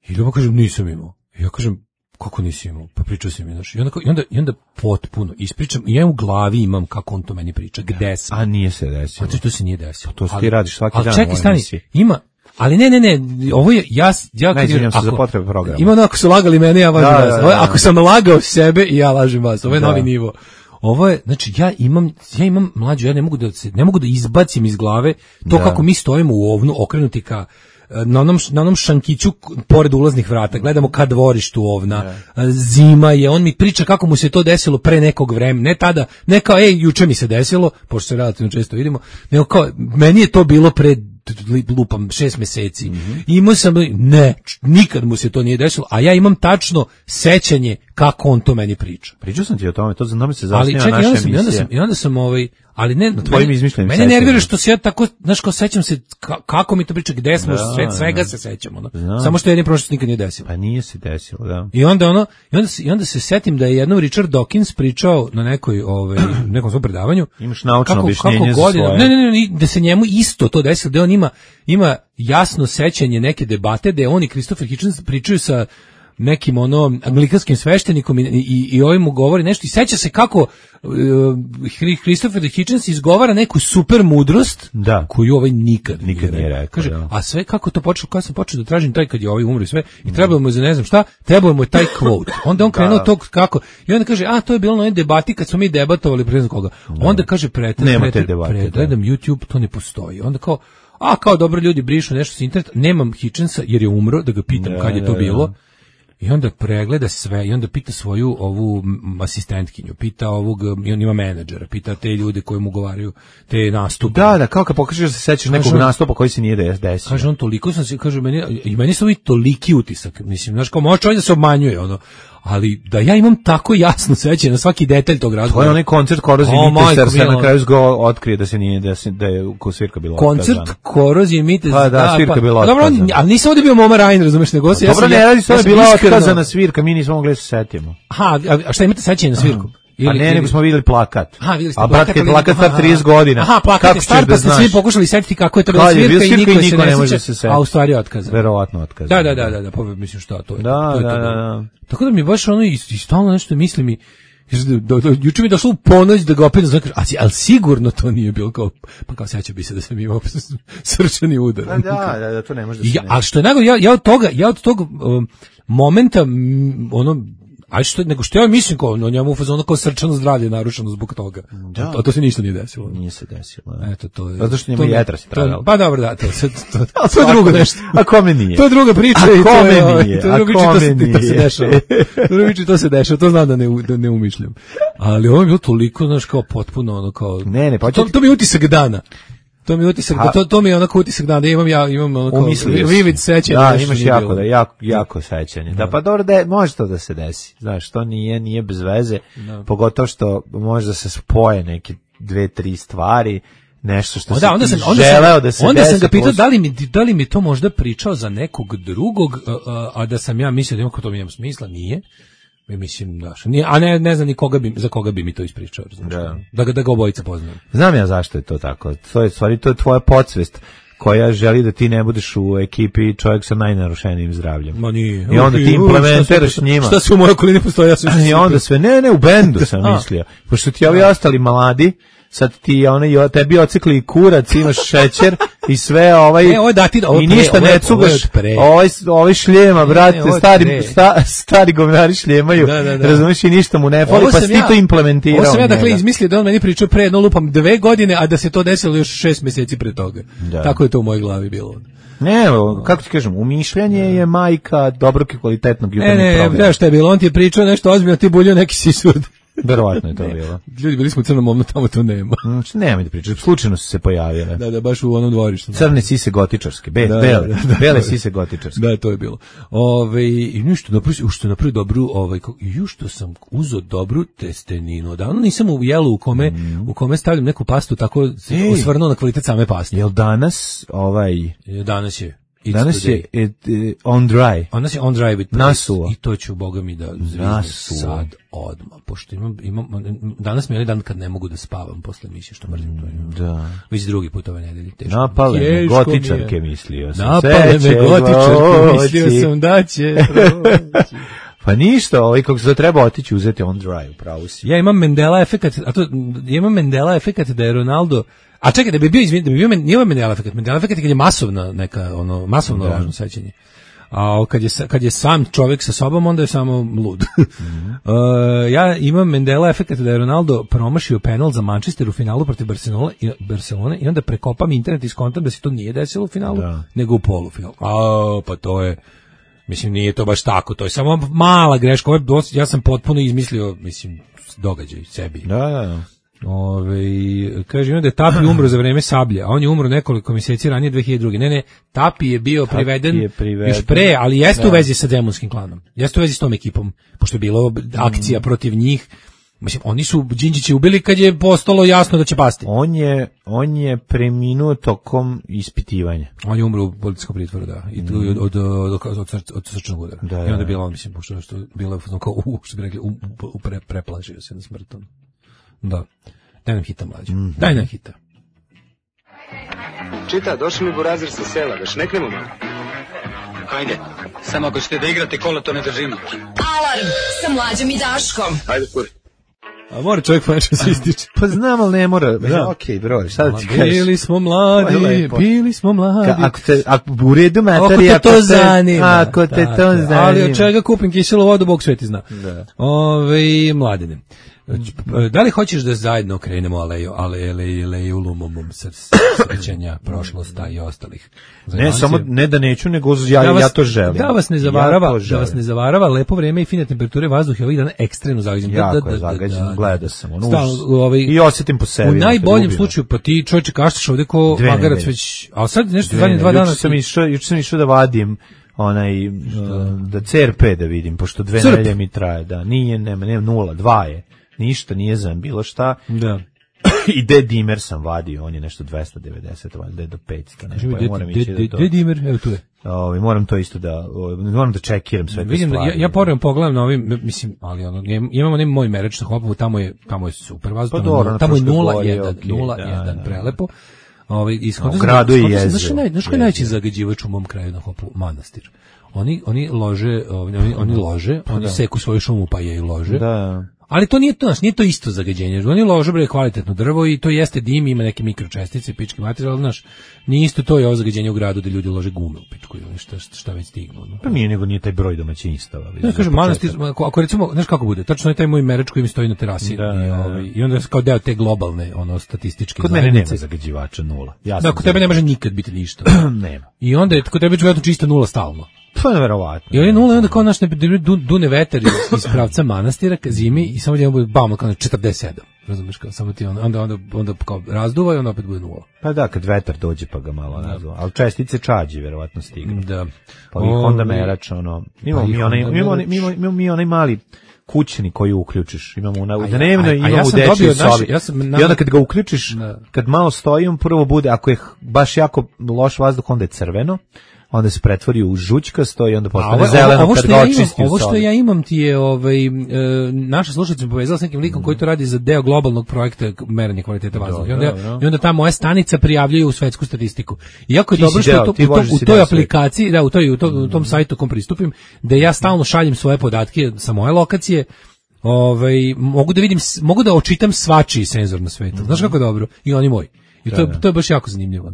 I Ljuba kaže, nisam imao. I ja kažem, kako nisi imao? Pa pričao si mi, znaš. I onda, i onda, i onda potpuno ispričam, i ja u glavi imam kako on to meni priča, gde sam. A nije se desilo. Znači, to se nije desilo. To ti radiš svaki ali dan. Ali čekaj, stani, ima, ali ne, ne, ne, ovo je, ja, ja ne, izvinjam se za potrebe programa. Ima ono, ako su lagali mene, ja lažem da, vas. Da, da, da. Ako sam lagao sebe, i ja lažem vas. Ovo je da. Novi nivo. Ovo je, znači, ja imam, ja imam mlađu, ja ne mogu da, ne mogu da izbacim iz glave to da. Kako mi stojimo u ovnu, okrenuti ka, na onom, na onom šankiću pored ulaznih vrata, gledamo ka dvorištu ovna, yeah. Zima je, on mi priča kako mu se to desilo pre nekog vremena, ne tada, ne kao, ej, juče mi se desilo, pošto se relativno često vidimo, nego kao, meni je to bilo pre, lupam, šest meseci, mm-hmm. Imao sam, ne, nikad mu se to nije desilo, a ja imam tačno sećanje kako on to meni priča. Pričao sam ti o tome, to za tome se zasnija naša emisija. Ali čekaj, i onda sam, i onda sam ovaj, ali ne, na tvojim izmišljenim mene nervira što se ja tako, znaš, kao sećam se ka, kako mi to priča, gde smo, da, sve, svega da. Se sećamo, no? Samo što jedni prošlost nikad nije desilo. Pa nije se desilo, da. I onda ono, i onda se, i onda se setim da je jednom Richard Dawkins pričao na nekoj, ovaj, nekom svom predavanju. Imaš naučno kako, objašnjenje kako za godina, svoje. Ne, ne, ne, da se njemu isto to desilo, da on ima, ima jasno sećanje neke debate, da on i Christopher Hitchens pričaju sa nekim ono anglikanskim sveštenikom i, i, i ovim mu govori nešto i seća se kako uh, Christopher Hitchens izgovara neku super mudrost da. Koju ovaj nikad, nikad nije rekao. Kaže, da. A sve kako to počelo, kad sam počeo da tražim taj kad je ovaj umro i sve i trebalo mu je za ne znam šta, trebalo mu je taj quote. Onda on krenuo tog kako i onda kaže, a to je bilo na onoj debati kad smo mi debatovali pre znam koga. Da. Onda kaže, pretrem, gledam YouTube, to ne postoji. Onda kao, a kao dobro ljudi brišu nešto sa interneta, nemam Hitchensa jer je umro, da ga pitam da, kad je to da, bilo. Da. I onda pregleda sve i onda pita svoju ovu asistentkinju, pita ovog, i on ima menadžera, pita te ljude koji mu govaraju te nastupe. Da, da, kao kad pokažeš da se sećaš nekog on, nastupa koji se nije desio. Kaže on, toliko sam se, kaže meni, i meni su ovi toliki utisak, mislim, znaš, kao može čovjek da se obmanjuje, ono, ali da ja imam tako jasno sećanje na svaki detalj tog razgovora. To je onaj koncert Korozije oh, Mites, se na kraju zgo otkrije da se nije, da, se, da je ko svirka bila koncert otkazana. Korozije Mites, pa, da, da, svirka pa, bila dobro, otkazana. Ali nisam ovdje bio Moma Rain, razumeš, nego se, ja dobro, sam, ne radi, to ja je bila iskreno otkazana svirka, mi nismo mogli da se setimo. Aha, a šta imate sećanje na svirku? Ili, pa ne, ili... nego smo vidjeli plakat. Aha, vidjeli ste a plakat. A brat, plakat star trideset godina. Aha, plakat je star, pa ste svi pokušali setiti kako je to bila svirka i niko, niko se ne sjeća, a u stvari je otkazan. Verovatno otkazan. Da, da, da, da, da, pa mislim šta to je. Da, to je da, to da, da. Tako da mi baš ono i stalno nešto misli mi, do, do, juče mi došlo u ponoć da ga opet ne znam, ali sigurno to nije bilo kao, pa kao seća bi se da sam imao srčani udar. Da, da, da, to ne može da se ja, ali što je nego, ja, ja od toga, ja od tog um, momenta, m, ono, aj što nego što ja mislim kao no njemu u fazonu kao srčano zdravlje narušeno zbog toga. Da. To, to se ništa nije desilo. Nije se desilo. Eto to je. Zato što njemu jetra se tragalo. Pa dobro da, to to, to, to, to je drugo nešto. A kome nije? To je druga priča i to je. Nije? To je druga priča, to se, to se dešava. Druga priča, to se dešava. To znam da ne da ne umišljam. Ali ovo je bilo toliko, znaš, kao potpuno ono kao ne, ne, pa to, to mi je utisak dana. To mi je utisak, da to, to mi je onako utisak da imam ja imam onako vivid sećanje. Da, imaš jako, da, jako, jako sećanje. Da, da pa dobro, da može to da se desi. Znaš, to nije, nije bez veze, da. Pogotovo što može da se spoje neke dve, tri stvari, nešto što o, da, onda sam, onda želeo sam, da se onda desi. Onda sam ga pitao da li mi, da li mi to možda pričao za nekog drugog, a, a, a da sam ja mislio da ima to mi ima smisla, nije. Mi mislim da nije, a ne ne znam ni koga bi za koga bi mi to ispričao, znači da. da ga da ga obojica poznajem. Znam ja zašto je to tako. To je stvari to je tvoja podsvest koja želi da ti ne budeš u ekipi čovjek sa najnarušenijim zdravljem. Ma nije. I onda ti implementiraš njima. Šta se u mojoj okolini postoji, ja sam. I onda sve ne ne u bendu sam mislio. Pošto ti ovi ostali mladi sad ti onaj tebi ocikli kurac, imaš šećer i sve ovaj ne, ovo da ti, ovo i ništa pre, ne cugaš. Ovaj ovaj šljema, brate, ne, stari sta, stari govnari šljemaju. Da, da, da. Razumeš i ništa mu ne fali, pa ti ja, to implementirao. Ovo sam ja dakle izmislio da on meni pričao pre jedno lupam dve godine, a da se to desilo još šest mjeseci pre toga. Da. Tako je to u mojoj glavi bilo. Ne, kako ti kažem, umišljanje je majka dobrog i kvalitetnog jutarnjeg programa. Ne, ne, šta je bilo, on ti je pričao nešto ozbiljno, ti buljio neki sisud. Verovatno je to bilo. Ljudi bili smo u Crnom Omnu, tamo to nema. Mm, nemoj da pričaš, slučajno su se pojavile. Da, da, baš u onom dvorištu. Crne sise gotičarske, be, da, bele, da, da, bele sise gotičarske. Da, to je bilo. Ove, i ništa, napravio, što napravio dobru, ovaj, ju što sam uzeo dobru testeninu. Davno nisam u jelu u kome, mm. u kome stavljam neku pastu, tako se osvrnuo na kvalitet same paste. Jel danas, ovaj... Danas je. Danas je it, it, on dry. Danas je on dry with nasuo. I to ću, boga mi, da zviznem sad odmah. Pošto imam, imam, danas mi je onaj dan kad ne mogu da spavam posle emisije, što mrzim to. Imam. Da. Već drugi put ove nedelje. Teško. Napale me gotičarke, mislio sam. Napale me gotičarke, mislio sam da će proći. Pa ništa, ovaj kako se treba otići uzeti on dry, upravo si. Ja imam Mandela efekat, a to ja imam Mandela efekat da je Ronaldo. A čekaj, da bi bio izvin, da bi bio nije Mandela efekat. Mandela efekat je kad je masovna neka ono masovno lažno sećanje. A kad je kad je sam čovjek sa sobom, onda je samo lud. Mm-hmm. uh, ja imam Mandela efekat da je Ronaldo promašio penal za Manchester u finalu protiv Barcelone i Barcelone i onda prekopam internet i skontam da se to nije desilo u finalu, da. nego u polufinalu. A pa to je, mislim, nije to baš tako, to je samo mala greška. Ja sam potpuno izmislio, mislim, događaj sebi. Da, da, da. Ove, kaže, ima da je Tapi umro za vreme Sablje, a on je umro nekoliko mjeseci ranije dve hiljade druge. Ne, ne, Tapi je bio Tapi priveden, je priveden još pre, ali jeste da. u vezi sa Demonskim klanom. Jeste u vezi s tom ekipom, pošto je bilo akcija mm. protiv njih. Mislim, oni su Đinđiće ubili kad je postalo jasno da će pasti. On je, on je preminuo tokom ispitivanja. On je umro u policijskom pritvoru, da. I tu mm. od, od, od, od, od, od srčnog udara. Da, I onda je bilo, on, mislim, pošto što bilo kao, u, što bi rekli, u, u, pre, preplažio se na smrtom. Da. Daj nam hita, mlađe. Mm-hmm. Daj nam hita. Čita, došli mi burazir sa sela, da šneknemo malo. Ajde, samo ako ćete da igrate kola, to ne držimo. Alarm sa Mlađom i Daškom. Ajde, kuri. A mora čovjek poneče se ističe. Pa znam, ali ne mora. Da. Okej, okay, bro, šta da ti kažeš? Bili smo mladi, bili smo mladi. Ka, ako te, ako u redu materi, ako te to zanima. Ako te to zanima. Ali od čega kupim kiselu vodu, Bog sveti zna. Da. Ove, mladine. Da li hoćeš da zajedno krenemo aleju, ale, ale, aleju lumumum srećenja, prošlosta i ostalih? Ne, samo, ne da neću, nego ja, da vas, ja to želim. Da vas ne zavarava, ja da vas ne zavarava, lepo vreme i fine temperature vazduha ovih dana ekstremno zagađen. Jako da, da, je zagađen, da, da, gleda sam. Ono, stal, ovaj, i osjetim po sebi. U najboljem slučaju, pa ti čovječe kaštaš ovdje ko magarac već, a sad nešto zadnje dva dana. Juče sam išao, juče sam išao da vadim onaj, da C R P da vidim, pošto dve nedelje mi traje, da, nije, nema, nema, nula, dva je. Ništa, nije znam bilo šta. Da. I D-dimer sam vadio, on je nešto dvesta devedeset, valjda do petsto. Ne, pa moram ići da to. D-dimer, evo tu je. Ovaj moram to isto da, moram da čekiram sve te Vidim, stvari. Ja, ja poravim pogledam na ovim, mislim, ali ono, imamo onaj moj mereč na Hopovu, tamo je, tamo je super vazduh, pa tamo je nula jedan, prelepo. Ovaj ishodno gradu je jezero. Znaš naj, znaš koji najveći zagađivač u mom kraju na Hopovu? Manastir. Oni oni lože, oni oni lože, oni seku svoju šumu pa je i lože. Da. Ali to nije to, nije to isto zagađenje. Oni lože bre kvalitetno drvo i to jeste dim, ima neke mikročestice, pički materijal, znaš. Nije isto to je ovo zagađenje u gradu da ljudi lože gume u pičku ili šta šta već stignu. No. Pa nije nego nije taj broj domaćinstava. Ja kažem manastir, ako, ako recimo, znaš kako bude? Tačno je taj moj mereč koji mi stoji na terasi da, i ovaj i onda kao deo te globalne ono statističke. Kod mene nema zagađivača nula. Ja da, kod tebe ne može nikad biti ništa. Nema. I onda je kod tebe već čista nula stalno. Pa neverovatno. I on je nula i onda kao naš ne dune vetar iz pravca manastira ka zimi i samo jedan bude bam kao četrdeset sedam. Razumeš kao samo ti onda onda onda, onda kao razduva i onda opet bude nula. Pa da, kad vetar dođe pa ga malo razduva. Al čestice čađi verovatno stignu. Da. Pa ih onda merač ono. Imamo mi onaj imamo imamo mi onaj mali kućni koji uključiš. Imamo u dnevno i imamo u dečjoj sobi. I onda kad ga uključiš, kad malo stoji, on prvo bude, ako je baš jako loš vazduh, onda je crveno. Onda se pretvori u žućkasto i onda postane ovo, zeleno ovo kad ga očisti. Ovo što ja imam ti je, ovaj, e, naša slušalica me povezala s nekim likom mm. koji to radi za deo globalnog projekta merenja kvaliteta vazduha. I onda, no. I onda ta moja stanica prijavljuje u svetsku statistiku. Iako je dobro što deo, to, u, to, u toj aplikaciji, da, u, toj, u, to, u tom sajtu kom pristupim, da ja stalno šaljem svoje podatke sa moje lokacije, ovaj, mogu da vidim, mogu da očitam svačiji senzor na svetu. Znaš kako je dobro? I oni moji. I to, to je baš jako zanimljivo.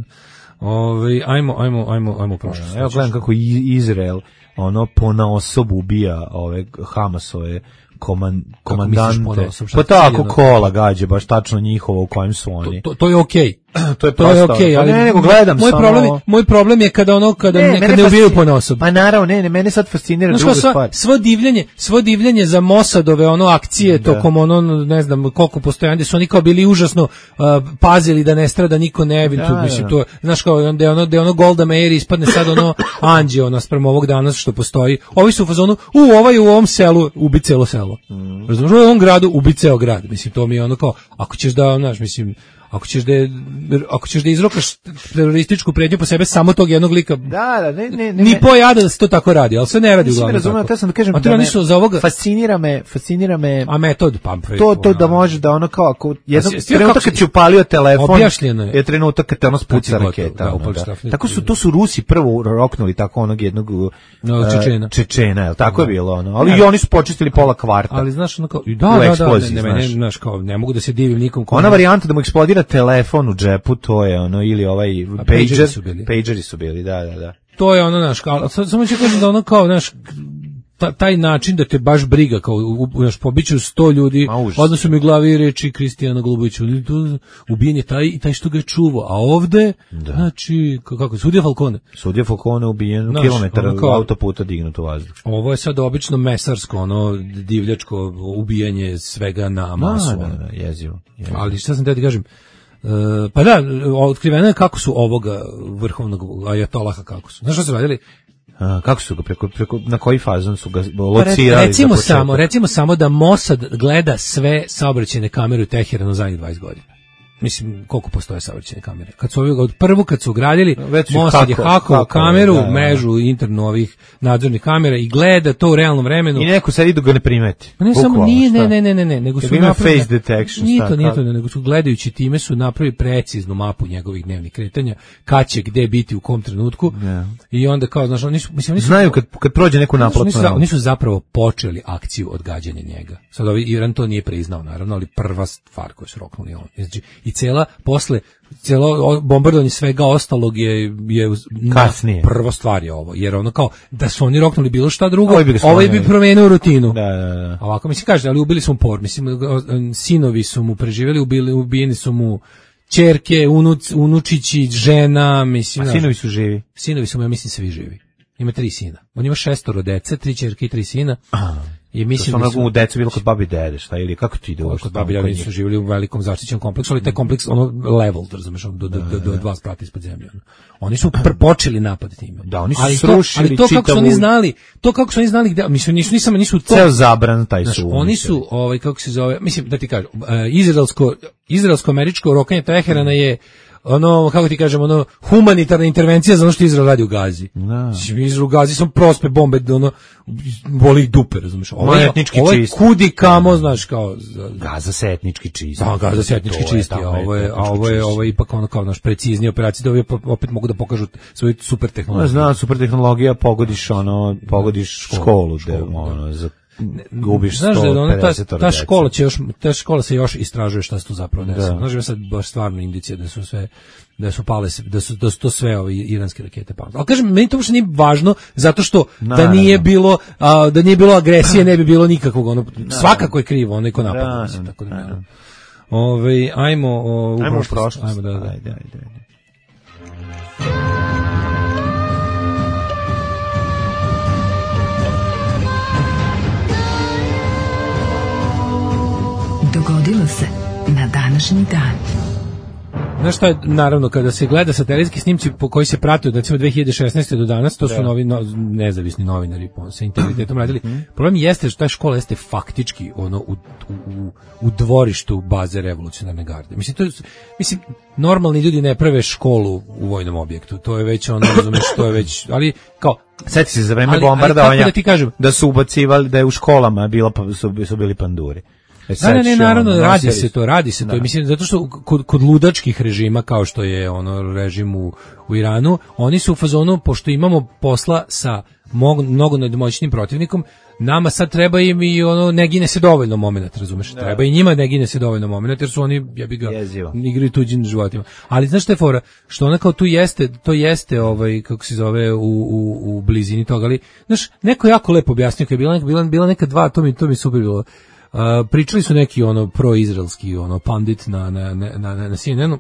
Ove, ajmo, ajmo, ajmo, ajmo prošlost. Evo gledam kako Izrael ono ponaosob ubija ove Hamasove koman, komandante. Pa tako kola gađe, baš tačno njihovo u kojem su oni. To, to, to je okej. Okay. to je to je prosto. okej, Pa ali ne, nego gledam moj samo. problem je, moj problem je kada ono kada Ne, ne, mene kad ne ubijaju fascin- po nosu. Pa naravno, ne, ne, mene sad fascinira Znaš druga kao, sva, stvar. svo divljenje, svo divljenje za Mossadove ono akcije Da. tokom ono ne znam koliko postoje, gde su oni kao bili užasno uh, pazili da ne strada niko nevin, Da, tu da, mislim da. to, znaš kao onda je ono da je ono Golda Meir ispadne sad ono anđeo naspram ovog danas što postoji. Ovi su u fazonu, u ovaj u ovom selu ubi celo selo. Mm. Razumeš, u ovom gradu ubi ceo grad. Mislim to mi je ono kao ako ćeš da, znaš, mislim ako ćeš da ako ćeš da izrokaš terorističku pretnju po sebe samo tog jednog lika. Da, da, ne, ne, ne. Ni pojada da se to tako radi, ali sve ne radi uglavnom. Nisam razumeo, tako. te sam da kažem A to da oni me su za ovoga fascinira me, fascinira me a metod pa to to da može da ono kao ako jedan A si- trenutak kako kad si- si upalio telefon Objašnjeno je. je trenutak kad te ono spuca Kad si raketa. gotov, da, ono, upališ da. telefon. Tako su to su Rusi prvo roknuli tako onog jednog No, uh, Čečena. Čečena, je tako je bilo ono. Ali Ne. i oni su počistili pola kvarta. ali znaš ono kao U da da da eksploziji, ne, ne, ne, znaš. znaš kao ne mogu da se divim nikom ko Ona varijanta da mu eksplodira telefon u džepu, to je ono, ili ovaj pageri pager, su bili. pageri su bili, da, da, da. to je ono naš kao sad samo ću kažem da ono kao naš ta, taj način da te baš briga kao u, u, naš pobiću sto ljudi Ma, užas. odnosno mi u glavi reči Kristijana Golubovića ubijen je taj taj što ga je čuvao a ovde Da. znači kako, kako sudija Falcone. Sudija Falcone ubijen, Znaš, kilometar ono kao- autoputa dignut u vazduh. Ovo je sad obično mesarsko ono divljačko ubijanje svega na masu. Da, ono. da, da, jezivo. jezivo. Ali šta sam te ti kažem, e, pa da, otkriveno je kako su ovoga vrhovnog ajatolaha kako su. Znaš što su radili? A, kako su ga preko, preko na koji fazon su ga Pa locirali? recimo za početak? samo, recimo samo da Mossad gleda sve saobraćajne kamere u Teheranu zadnjih dvadeset godina. Mislim, koliko postoje saobraćajne kamere. Kad su ovi, od prvo kad su ugradili, Već su Mossad je hako- hakovao hako, kameru, da, da. mrežu internu ovih nadzornih kamera i gleda to u realnom vremenu. I neko sad idu ga ne primeti. Pa ne samo Bukvalno, nije, šta? ne, ne, ne, ne, ne, nego Jer su ima napravili face detection, Nije šta, to, nije kako? to, nego su gledajući time su napravili preciznu mapu njegovih dnevnih kretanja, kad će gde biti u kom trenutku. Ja. I onda kao, znaš, oni su, mislim, oni su Znaju kad, kad prođe neku Znaš, naplatnu. Oni su, za- oni su zapravo počeli akciju odgađanja njega. Sad ovaj Iran to nije priznao, naravno, ali prva stvar koju su roknuli on. Znači, i cela, posle, celo o- bombardovanje svega ostalog je, je na- Kasnije. prva stvar je ovo. Jer ono kao, da su oni roknuli bilo šta drugo, Ovaj bi ga ovaj bi sklonili. promenio rutinu. Da, da, da. A ovako, mislim, kaže, ali ubili su mu por, mislim, o- sinovi su mu preživjeli, ubili, ubijeni su mu ćerke, unuc, unučići, žena, mislim. A znaš, sinovi su živi. Sinovi su mu, ja mislim, svi živi. Ima tri sina. On ima šestoro dece, tri ćerke i tri sina. I To mislim su da ono su u decu bilo kod babi i dede, šta, ili kako ti ide uopšte kod tamo babi kod ljudi njih? su živjeli u velikom zaštićenom kompleksu, ali taj kompleks ono level, razumeš, ono, do do do, do dva sprata ispod zemlje. Ono. Oni su pr počeli napad time. Da, oni su ali to, srušili ali to kako su čitavu- oni znali, to kako su oni znali gde, mislim nisu nisam nisu to. Ceo zabran taj Znaš, su. oni uništili. su, ovaj, kako se zove, mislim, da ti kažem, uh, izraelsko, izraelsko-američko rokanje Teherana je ono, kako ti kažem, ono, humanitarna intervencija za ono što Izrael radi u Gazi. Da. Mislim, Izrael u Gazi sam prospe bombe, ono, boli ih dupe, razumiješ? Ovo je, etnički ovo je čist. kudi kamo, znaš, kao... Za, Gaza se etnički čisti. da, Gaza se etnički To je čisti, a tamo ovo je, a etnički ovo je, čisti. ovo je ipak ono kao naš preciznije operacije, da ovi opet mogu da pokažu svoju super No, tehnologiju. znam, super tehnologija, pogodiš ono, pogodiš školu, da, ono, za, gubiš Znaš da je ono, ta, sto pedeset ta dece. škola će još, ta škola se još istražuje šta se tu zapravo desilo. Da. Znaš da je sad baš stvarno indicija da su sve da su pale se- da su da su to sve ove iranske rakete pale. Ali kažem, meni to uopšte nije važno zato što da Naravno. nije bilo a, da nije bilo agresije, ne bi bilo nikakvog ono svakako je krivo onaj ko napada, Da, mislim, tako da da. ne. Ovaj ajmo o, u Ajmo u prošlost. prošlost. Ajmo da, da. Ajde, ajde, ajde. Dogodilo se na današnji dan. Znaš šta je, naravno, kada se gleda satelitski snimci po koji se prate od recimo dve hiljade šesnaeste do danas, to su novi, no, nezavisni novinari po, sa integritetom radili. Problem jeste što ta škola jeste faktički ono u, u, u dvorištu baze revolucionarne garde. Mislim, to je, mislim, normalni ljudi ne prave školu u vojnom objektu. To je već ono, razumeš, to je već, ali kao, Sjeti se za vreme Ali- ali bombardovanja kako da ti kažem? da su ubacivali, da je u školama bila, pa- su, su bili panduri. E, Da, ne, ne, sećaš, naravno, ono, radi nosili se su- to, radi se to. Da. Mislim, zato što kod, kod ludačkih režima, kao što je ono režim u, u Iranu, oni su u fazonu, pošto imamo posla sa mog, mnogo nadmoćnim protivnikom, nama sad treba im i ono, ne gine se dovoljno moment, razumeš? Treba i njima ne gine se dovoljno moment, jer su oni, ja bi ga, Jezivo. igraju tuđim životima. Ali znaš šta je fora? Što ona kao tu jeste, to jeste, ovaj, kako se zove, u, u, u blizini toga, ali, znaš, neko je jako lepo objasnio, kad je bila, bila, bila neka dva, to mi, to mi super bilo. Uh, pričali su neki ono proizraelski ono pandit na na na na na C N N-u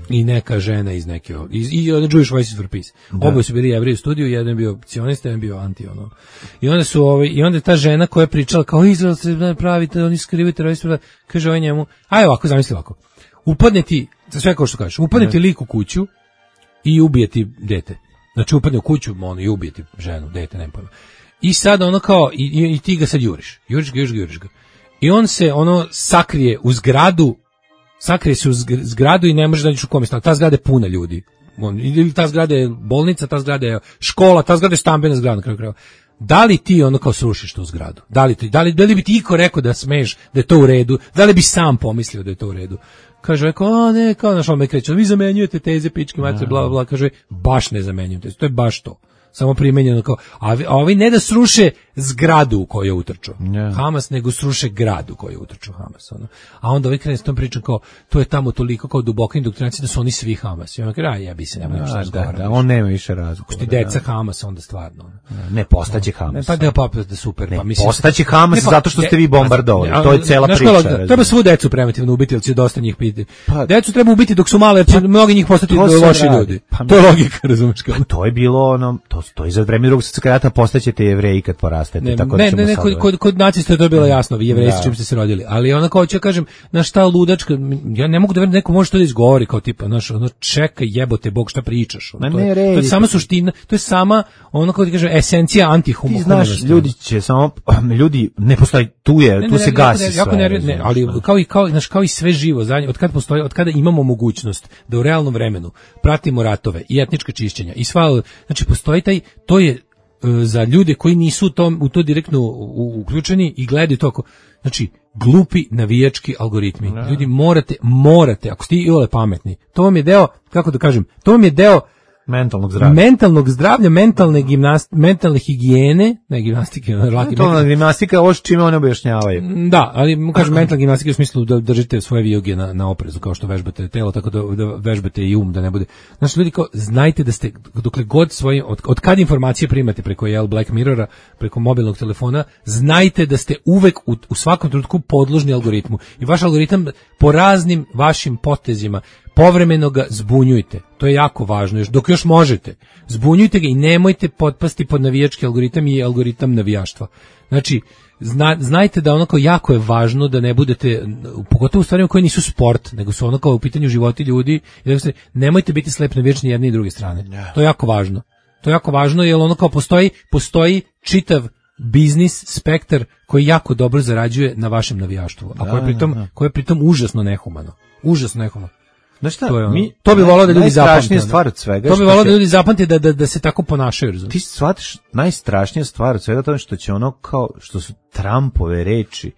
i neka žena iz neke iz i one Jewish Voices for Peace. Oboje su bili Jevreji u studiju, jedan je bio sionista, jedan je bio anti ono. I onda su ovaj i onda ta žena koja je pričala kao Izrael se pravi, oni skrivaju teroristi, kaže ovaj njemu, aj ovako zamisli ovako. Upadne ti, sve kao što kažeš, upadne ti lik u kuću i ubije ti dete. Znači upadne u kuću, ono i ubije ti ženu, dete, nema pojma. I sad ono kao i, i, i ti ga sad juriš. Juriš ga, juriš ga, juriš ga. I on se ono sakrije u zgradu, sakrije se u zgradu i ne može da nađeš u kome stan. Ta zgrada je puna ljudi. On, ili ta zgrada je bolnica, ta zgrada je škola, ta zgrada je stambena zgrada na kraju krajeva. Da li ti ono kao srušiš tu zgradu? Da li, ti, da, li, da li bi ti iko rekao da smeš, da je to u redu? Da li bi sam pomislio da je to u redu? Kaže, rekao, a ne, kao naš on me kreće, vi zamenjujete teze, pičke, mater, bla, bla, bla. Kaže, baš ne zamenjujem teze, to je baš to. Samo primenjeno kao, a, a ovi ne da sruše zgradu u koju je utrčao yeah. Hamas, nego sruše gradu u koju je utrčao Hamas. Ono. A onda ovi krene s tom pričom kao, to je tamo toliko kao duboka indoktrinacija da su oni svi Hamas. I on kaže, a jebi se, nema nešto razgovara. Da, da, on nema više razgovora. Ti deca Hamas, onda stvarno. Ne, ne postaće Hamas. Ne, pa da pa da super. Ne, pa mislim, postaće Hamas pa, zato što ste vi bombardovali. Ne, to je cela priča. Škola, treba svu decu preventivno ubiti, jer će dosta njih piti. Pa, decu treba ubiti dok su male, jer će pa, mnogi njih postati loši ljudi. Pa, to je logika, razumeš kako. Pa, to je bilo ono, to, to je za vreme Drugog svjetskog rata postaćete Jevreji kad porastete. Ne, tako ne, da ne, ne kod, kod, kod nacista je to bilo jasno, vi Jevreji s čim ste se rodili. Ali ona kao ću kažem, na šta ludačka, ja ne mogu da verujem neko može to da izgovori kao tipa, znaš, ono čekaj jebote Bog šta pričaš. Ono, to, je, to je sama suština, to je sama ono kao ti kažem esencija antihumanizma. Znaš, ljudi će samo ljudi ne postoji tu je, ne, tu ne, se ne, gasi ne, jako sve. Ne, ne, ali kao i kao, znaš, kao i sve živo, zadnje, od kad postoji, od kada imamo mogućnost da u realnom vremenu pratimo ratove i etnička čišćenja i sva, znači postoji taj, to je za ljude koji nisu u, tom, u to direktno uključeni i gledaju to ako, znači glupi navijački algoritmi. No. Ljudi morate, morate, ako ste iole pametni, to vam je deo, kako da kažem, to vam je deo mentalnog zdravlja, mentalnog zdravlja, mentalne gimnast, mentalne higijene, ne gimnastike, laki mentalna gimnastika, ovo čime oni objašnjavaju. Da, ali kažem mentalna gimnastika u smislu da držite svoje vijuge na, na oprezu, kao što vežbate telo, tako da, da vežbate i um, da ne bude. Znači, ljudi kao, znajte da ste, dokle god svoji, od, od kad informacije primate preko jel, Black Mirrora, preko mobilnog telefona, znajte da ste uvek u, u svakom trenutku podložni algoritmu. I vaš algoritam po raznim vašim potezima povremeno ga zbunjujte. To je jako važno, još dok još možete. Zbunjujte ga i nemojte potpasti pod navijački algoritam i algoritam navijaštva. Znači, zna, znajte da onako jako je važno da ne budete, pogotovo u stvarima koje nisu sport, nego su ono kao u pitanju životi ljudi, i da se, nemojte biti slep na vječni jedne i druge strane. To je jako važno. To je jako važno jer ono kao postoji, postoji čitav biznis, spektar koji jako dobro zarađuje na vašem navijaštvu, a koje je pritom, koje je pritom užasno nehumano. Užasno nehumano. Znaš šta, to, je ono, mi, to bi volao da ljudi zapamte. Stvar od svega, to bi volao da ljudi zapamte da, da, da se tako ponašaju. Razumiješ? Ti shvatiš najstrašnija stvar od svega to što će ono kao, što su Trumpove reči,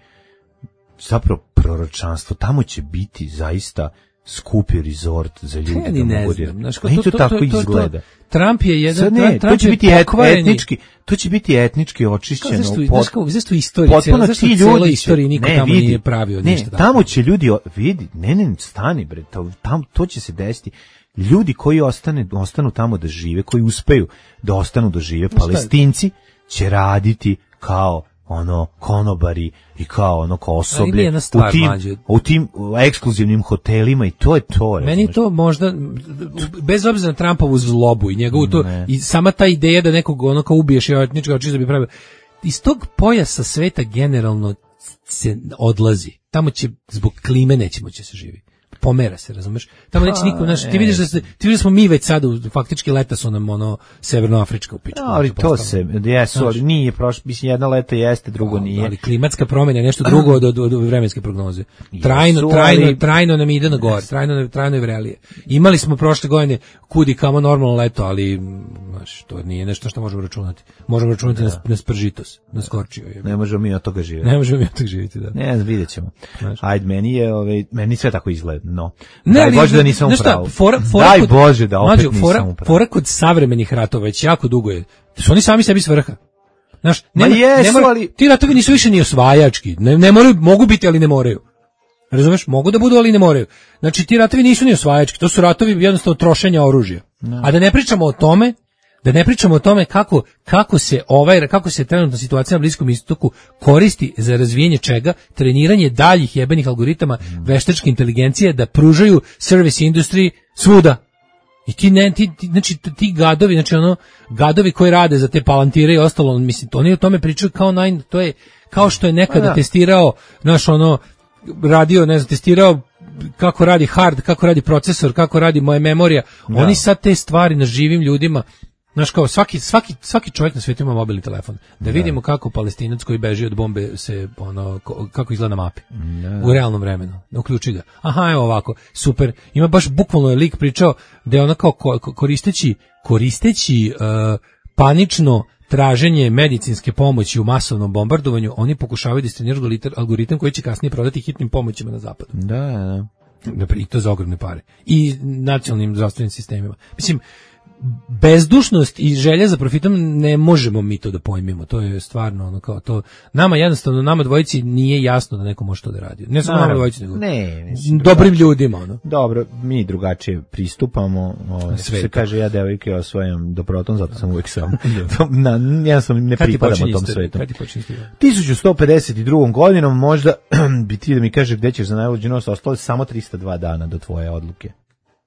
zapravo proročanstvo, tamo će biti zaista skupi rezort za ljude. Ja ni ne znam. Znaš, to, to, to, tako to, to, izgleda. Trump je jedan, ne, Trump to će biti pokvareni. etnički, to će biti etnički očišćeno. Zašto, zašto, zašto istorija, zašto cijela istorija niko ne, tamo vidi, nije pravio ne, ništa. Ne, tamo će ljudi, vidi, ne, ne, stani bre, to, tam, to će se desiti. Ljudi koji ostane, ostanu tamo da žive, koji uspeju da ostanu da žive, Palestinci će raditi kao ono konobari i kao ono kao osoblje u tim, u tim ekskluzivnim hotelima i to je to. Meni je to možda, bez obzira na Trumpovu zlobu i njegovu to, i sama ta ideja da nekog ono kao ubiješ i etnički očisto bi pravio, iz tog pojasa sveta generalno se odlazi. Tamo će, zbog klime nećemo će se živi. Pomera se, razumeš? Tamo neće niko, znaš, ti vidiš da se, ti vidiš da smo mi već sada, faktički leta su nam ono severnoafrička u pičku. Ali to se, jesu, ali nije prošlo, mislim jedna leta jeste, drugo nije. Ali klimatska promjena je nešto drugo od, od, od vremenske prognoze. Trajno, jesu, trajno, ali... trajno nam ide na gore, trajno, trajno je vrelije. Imali smo prošle godine kudi kamo normalno leto, ali znaš, to nije nešto što možemo računati. Možemo računati na, na spržitos, na skorčio. Je. Ne možemo mi od toga živjeti. Ne možemo mi od toga živjeti, da. Ne, vidjet ćemo. Ajde, meni je, ovaj, meni sve tako izgleda. No. Ne, daj Bože da nisam upravo. Fora, fora daj kod, Bože da opet mađu, fora, nisam upravo. Fora kod savremenih ratova već jako dugo je. Su oni sami sebi svrha. Znaš, nema, jesu, nema, ali... ti ratovi nisu više ni osvajački. Ne, ne moraju, mogu biti, ali ne moraju. Razumeš? Mogu da budu, ali ne moraju. Znači, ti ratovi nisu ni osvajački. To su ratovi jednostavno trošenja oružja. No. A da ne pričamo o tome Da ne pričamo o tome kako, kako se ovaj kako se trenutna situacija na Bliskom istoku koristi za razvijanje čega, treniranje daljih jebenih algoritama veštačke inteligencije da pružaju service industry svuda. I ti ne ti, ti znači ti gadovi, znači ono gadovi koji rade za te palantire i ostalo, mislim, to oni o tome pričaju kao naj, to je kao što je nekada da. testirao naš ono radio, ne znam, testirao kako radi hard, kako radi procesor, kako radi moja memorija. Da. Oni sad te stvari na živim ljudima, znaš, kao svaki, svaki, svaki čovjek na svijetu ima mobilni telefon. Da, da vidimo kako Palestinac koji beži od bombe se, ono, kako izgleda na mapi. Da. U realnom vremenu. Uključi ga. Aha, evo ovako, super. Ima baš bukvalno je lik pričao da je ona kao koristeći, koristeći uh, panično traženje medicinske pomoći u masovnom bombardovanju, oni pokušavaju da istreniraju algoritam koji će kasnije prodati hitnim pomoćima na zapadu. Da, da. I to za ogromne pare. I nacionalnim zdravstvenim sistemima. Mislim, bezdušnost i želja za profitom ne možemo mi to da pojmimo. To je stvarno ono kao to. Nama jednostavno, nama dvojici nije jasno da neko može to da radi. Ne samo nama dvojici, nego ne, mislim, dobrim ljudima. Ono. Dobro, mi drugačije pristupamo. O, se kaže ja devojke osvajam do proton, zato sam uvijek sam. Na, ja sam ne pripadam tom svetu. tisuću sto pedeset druga godinom možda bi ti da mi kažeš gde ćeš za najluđi nos, ostalo samo trista dva dana do tvoje odluke.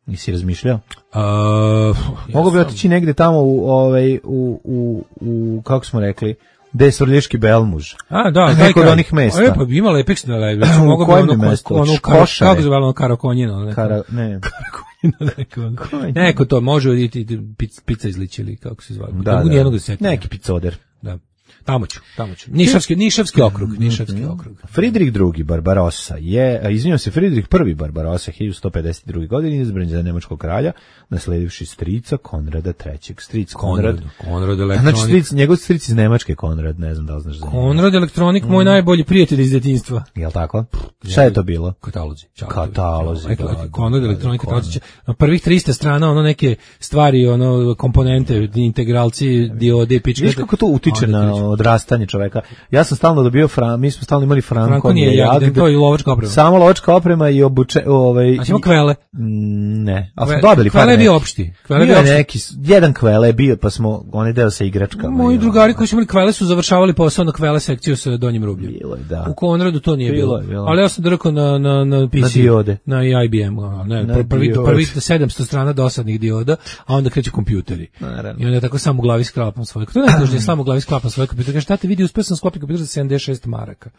Nisi razmišljao? Uh, Mogu bi otići negde tamo u, ovaj, u, u, u, kako smo rekli, gde je Svrljiški Belmuž. A, da, neko od onih mesta. E, pa bi imala epično lebi. U kojem bi mesto? Ono, kako se zove ono Karakonjino? Neko. Kara, ne. Karakonjino, neko. Neko to može oditi pizza izliči ili kako se zove. Da, da, da. Neki picoder. Da. Tamo ću, tamo ću. Nišavski, Nišavski okrug, Nišavski okrug. Friedrich drugi. Barbarossa je, izvinjam se, Friedrich prvi. Barbarossa hiljadu sto pedeset druge. godine izabran za nemačkog kralja, nasledivši strica Konrada trećeg. Stric Konrad. Konrad Elektronik. Znači, stric, njegov stric iz Nemačke Konrad, ne znam da li znaš za njega. Konrad Elektronik, moj mm. najbolji prijatelj iz djetinjstva. Jel tako? Šta je to bilo? Katalozi. Katalozi. Konrad Elektronik, katalozi. Na prvih trista strana, ono neke stvari, ono komponente, integralci, diode, pičke. Viš kako to utiče na odrastanje čoveka. Ja sam stalno dobio fran, mi smo stalno imali franko. Franko nije jagde, to je lovačka oprema. Samo lovačka oprema i obuče, ovaj. A ćemo kvele? Ne, ali smo dobili par. Kvele je bio opšti. Kvele bio neki, jedan kvele je bio, pa smo onaj deo sa igračkama. Moji drugari koji su imali kvele su završavali posao na kvele sekciju sa donjim rubljem. Bilo je, da. U Konradu to nije bilo. bilo. bilo. Ali ja sam drkao na na na P C, na diode, na I B M, ne, na prvi prvi sedamsto strana dosadnih dioda, a onda kreću kompjuteri. I onda tako samo u glavi sklapam svoj. To ne može samo u glavi sklapam svoj kompjuter. Kaže šta te vidi, uspeo sam sklopiti kompjuter za sedamdeset šest maraka.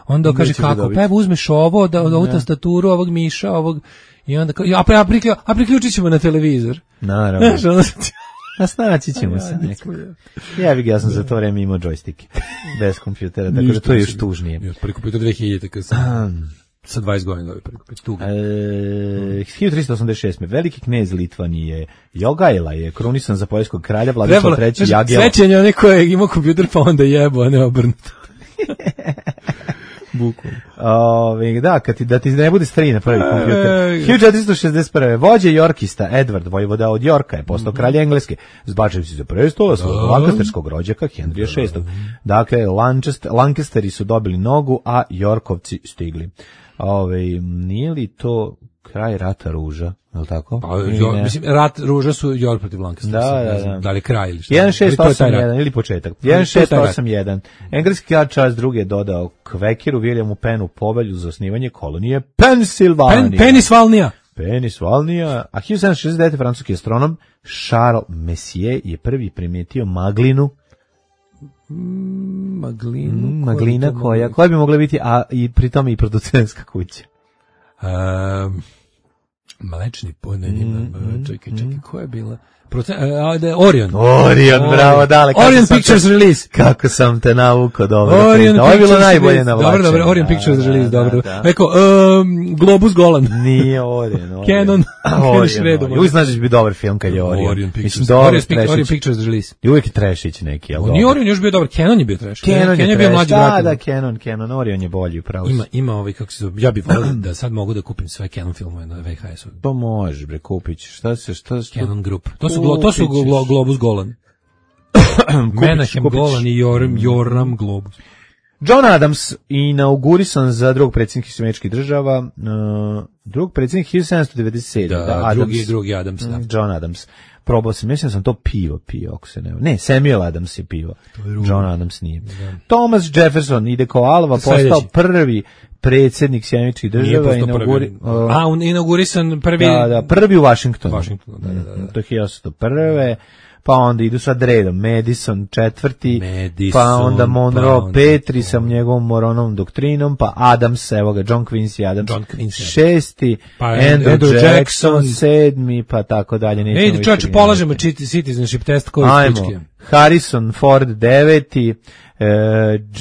Onda kaže kako, pa evo uzmeš ovo, da ovu tastaturu, ovog miša, ovog i onda a pa ja priključio, a priključit ćemo na televizor. Naravno. A snaći ćemo se neko. Ja bih ja sam za to vreme imao džojstike bez kompjutera, tako da to je još tužnije. Još prvi kompjuter dve hiljade kad sam sa dvadeset godina dobio prvi kompjuter. Tuga. E, hiljadu trista osamdeset šeste. Veliki knez Litvanije Jogaila je krunisan za poljskog kralja Vladislav treći Jagela. Srećen je onaj koji je imao kompjuter pa onda jebo, a ne obrnuto. Bukom. Ove, da, kad ti, da ti ne bude stariji na prvi kompjuter. hiljadu četiristo šezdeset prve. Vođa Jorkista, Edward, vojvoda od Jorka, je postao kralj Engleske, zbačivši za prestola svog lankasterskog rođaka Henrija šestog. Dakle, Lancaster, Lancasteri su dobili nogu, a Jorkovci stigli. Ove, nije li to kraj rata ruža, je li tako? Pa, jo, mislim, rat ruža su Jork protiv Lancastera. Da, da, da. Da li kraj ili šta? jedan šest osam jedan ili početak. jedan šest osam jedan. Engleski kralj Charles drugi je dodao Kvekiru Williamu Pennu povelju za osnivanje kolonije Pensilvanija. Pen, Penisvalnija. Penisvalnija. A hiljadu sedamsto šezdeset devete. francuski astronom Charles Messier je prvi primijetio maglinu. Mm, maglinu. Mm, maglina koja, koja bi mogla biti, a i pritom i producentska kuća. Um, Mlečni ponen ima, mm, čekaj, čekaj, koja je bila? Proce, a, da, Orion. Orion, Orion, bravo, dale. Orion Pictures te, release. Kako sam te navukao, dobro. Orion ovo je bilo najbolje na Dobro, dobro, Orion da, Pictures da, release, da, dobro. Da. Eko, um, Globus Golan. Nije Orion. Orion. Canon. Orion. Uvijek znaš da će biti dobar film kad je Orion. Orion Pictures. Orion, Orion Pictures release. I uvijek je trešić neki, jel? Nije Orion još bio dobar, Canon je bio treš. Canon je bio mlađi brat. Da, da, Canon, Canon, Orion je bolji, upravo. Ima, ima ovaj, kako se zove, ja bih volio da sad mogu da kupim sve Canon filmove na V H S-u. To možeš, bre, kupić. Šta se, šta se... Canon Group. To su, to su Globus Golan. Menahem Golan i Joram, Joram Globus. John Adams inaugurisan za drugog predsjednika Američkih država, uh, drugog predsjednik hiljadu sedamsto devedeset sedme. Da, da, drugi, drugi Adams. Da. John Adams. probao sam, mislim sam to pivo pio, ako se ne... Ne, Samuel Adams je pivo. John Adams nije. Thomas Jefferson ide kao Alva, postao prvi predsjednik Sjedinjenih Država. Inauguri, uh, A, on inaugurisan prvi... Da, da, prvi u Washingtonu. Washingtonu, da, da, da. To je hiljadu osamsto prve. Pa onda idu sad redom, Madison četvrti, Madison, pa onda Monroe pa onda Petri sa njegovom Moronovom doktrinom, pa Adams, evo ga, John Quincy Adams, John Quincy. šesti, pa Andrew, Andrew Jackson, Jackson sedmi, pa tako dalje. Ej, čovječe, polažemo citizenship test koji je Ajmo, Harrison Ford deveti, uh,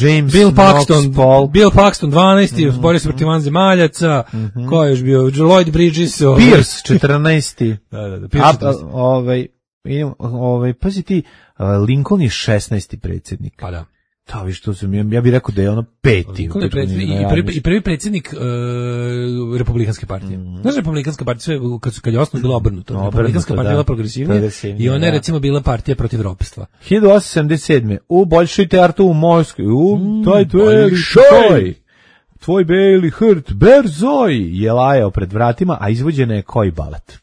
James Bill Paxton, Paul. Bill Paxton dvanaesti, mm-hmm. borio se protiv vanzemaljaca, mm-hmm. ko je još bio, Lloyd Bridges, ovaj. Pierce četrnaesti, da, da, da, Pierce četrnaesti. A, ovaj, idem, ovaj, pazi ti, Lincoln je šesnaesti predsjednik. Pa da. Da, vi što sam, ja, ja bih rekao da je ono peti. I prvi, i prvi predsjednik uh, Republikanske partije. Mm. Znaš, Republikanska partija, sve, kad, su, kad je osnovno bila obrnuto. No, Republikanska partija bila progresivnija i ona je da. recimo bila partija protiv ropstva. hiljadu osamsto sedamdeset sedme u Bolšoj teatru u Moskvi, u mm, taj tvoj šoj, tvoj beli hrt, berzoj, je lajao pred vratima, a izvođena je koji balet.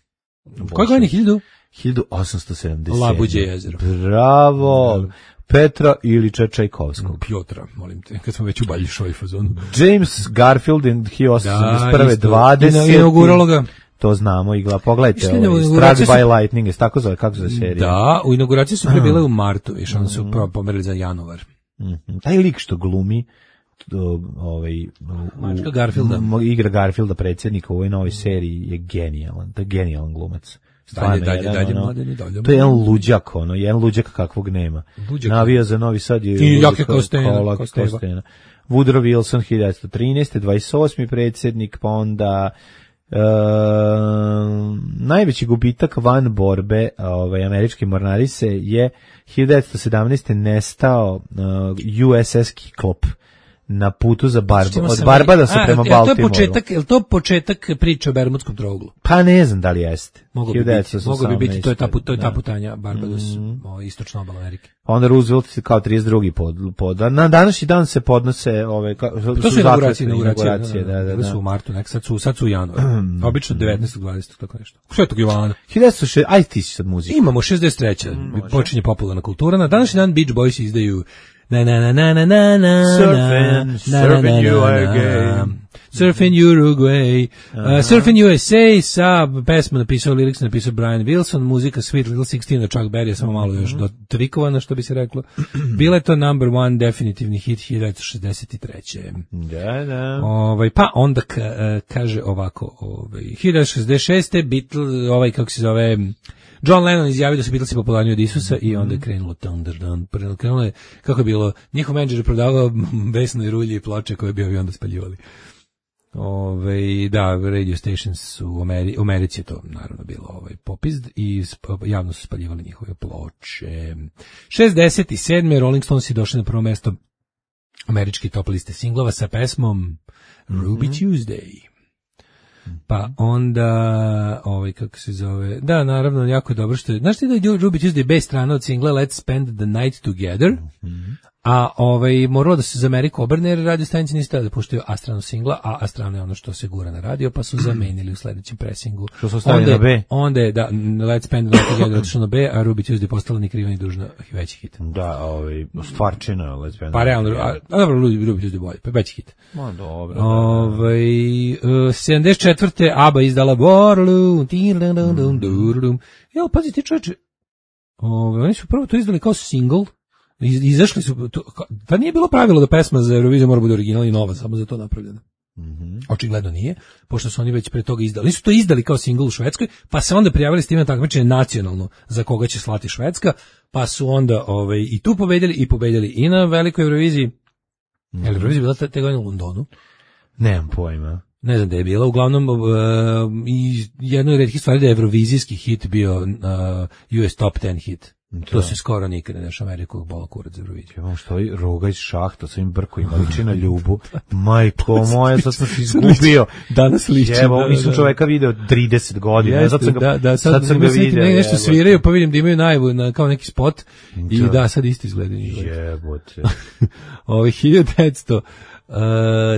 Koji godin je hiljadu? hiljadu osamsto sedamdeset sedme. Labuđe jezero. Bravo. Petra Ilića Čajkovskog. Piotra, molim te, kad smo već u Baljišoj fazonu. James Garfield hiljadu osamsto sedamdeset prve. dvadeseti. Inauguralo ga. To znamo, igla, pogledajte, ovaj, Struck by Lightning, je tako zove, kako zove serija? Da, u inauguraciji su prebile u martu, viš, oni su mm. pomerili za januar. Mm-hmm. Taj lik što glumi, ovaj, Mačka Garfielda. Igra Garfielda predsjednika u ovoj novoj seriji je genijalan, to je genijalan glumac. Dalje, dalje, jedan, dalje, ono, mladeni, dalje. To je jedan luđak, ono, jedan luđak kakvog nema. Luđak. Navija za Novi Sad je... I jake kao stena. Woodrow Wilson, hiljadu devetsto trinaeste. dvadeset osmi predsjednik, pa onda... Uh, najveći gubitak van borbe ovaj, američke mornarice je hiljadu devetsto sedamnaeste. nestao uh, U S S Kiklop na putu za Barbu, od Barbadasa prema Baltimoru. Je to početak, je to početak priče o Bermudskom trouglu? Pa ne znam da li jeste. Mogu bi biti, mogu bi biti, to je ta, to je ta putanja Barbados, mm. o, istočna obala Amerike. Onda Roosevelt kao trideset drugi pod, pod na današnji dan se podnose ove ka, to su inauguracije, inauguracije, da, da, da. Su u martu, nek sad su, sad su u januaru. Obično devetnaestog dvadesetog tako nešto. Svetog Jovana. hiljadu devetsto šezdeset, aj ti si sad muziku. Imamo šezdeset treće. Mm, počinje popularna kultura. Na današnji dan Beach Boys izdaju na na na na na na na Surfing, surfing U R G, Surfing Uruguay, uh, Surfing U S A sa pesma napisao, lyrics napisao Brian Wilson, muzika Sweet Little Sixteen, Chuck Berry je samo malo još dotrikovana, što bi se reklo. Bila je to number one definitivni hit hiljadu devetsto šezdeset treće. Da, da. Ovaj, pa onda ka, kaže ovako, ovaj, hiljadu devetsto šezdeset šeste. Beatles, ovaj, kako se zove... John Lennon izjavio da su Beatlesi popularniji od Isusa i onda je krenulo Thunder Down. Krenulo je, kako je bilo, njihov menadžer je prodavao besnoj rulji i ploče koje bi ovi onda spaljivali. Ove, da, radio stations su u, Ameri, u Americi je to naravno bilo ovaj popizd i javno su spaljivali njihove ploče. šezdeset sedme. Rolling Stones je došli na prvo mesto američki top liste singlova sa pesmom Ruby mm-hmm. Tuesday. Pa onda, ovaj, kako se zove, da, naravno, jako je dobro što je, znaš ti da je Ruby Tuesday B strana od singla Let's Spend the Night Together, mm-hmm. a ovaj, moralo da se za Ameriku obrne, jer radio stanice nisu da puštaju A stranu singla, a A strana je ono što se gura na radio, pa su zamenili u sledećem presingu. Što su ostavili na B? Onda je, da, Let's Spend the Night Together otišao na B, a Ruby Tuesday postala ni kriva ni dužna veći hit. Da, ovaj, stvarčina Let's Spend. Pa realno, a, a dobro, Ruby Tuesday bolje, pa veći hit. Ma dobro. Ovaj, uh, sedamdeset četvrte. ABBA izdala Waterloo, mm. Jel, pazi ti čoveče, ovaj, oni su prvo to izdali kao single, Iz, izašli su, to, da nije bilo pravilo da pesma za Euroviziju mora bude originalna i nova, samo za to napravljena. Mm-hmm. Očigledno nije, pošto su oni već pre toga izdali. Nisu to izdali kao singl u Švedskoj, pa se onda prijavili s tim na takmičenje nacionalno za koga će slati Švedska, pa su onda ovaj, i tu pobedili i pobedili i na velikoj Euroviziji. Mm-hmm. Eurovizija bila te, te godine u Londonu. Nemam pojma. Ne znam da je bila, uglavnom uh, i jedno od retkih stvari da je evrovizijski hit bio uh, U S Top ten hit. To, to se skoro nikad ne dešava Ameriku bola kurac za Euroviziju. Ja vam što je roga iz šahta sa ovim brkovima liči na Ljubu. Majko moja, sad sam se izgubio. Danas liči. Evo, da, nisam da. čoveka video trideset godina. Jeste, sad sam ga, da, da, sad, sad sam ga vidio. Ne, nešto sviraju, pa vidim da imaju najavu na, kao neki spot. I da, da sad isto izgleda. Jebote. Ovi hiljadu devetsto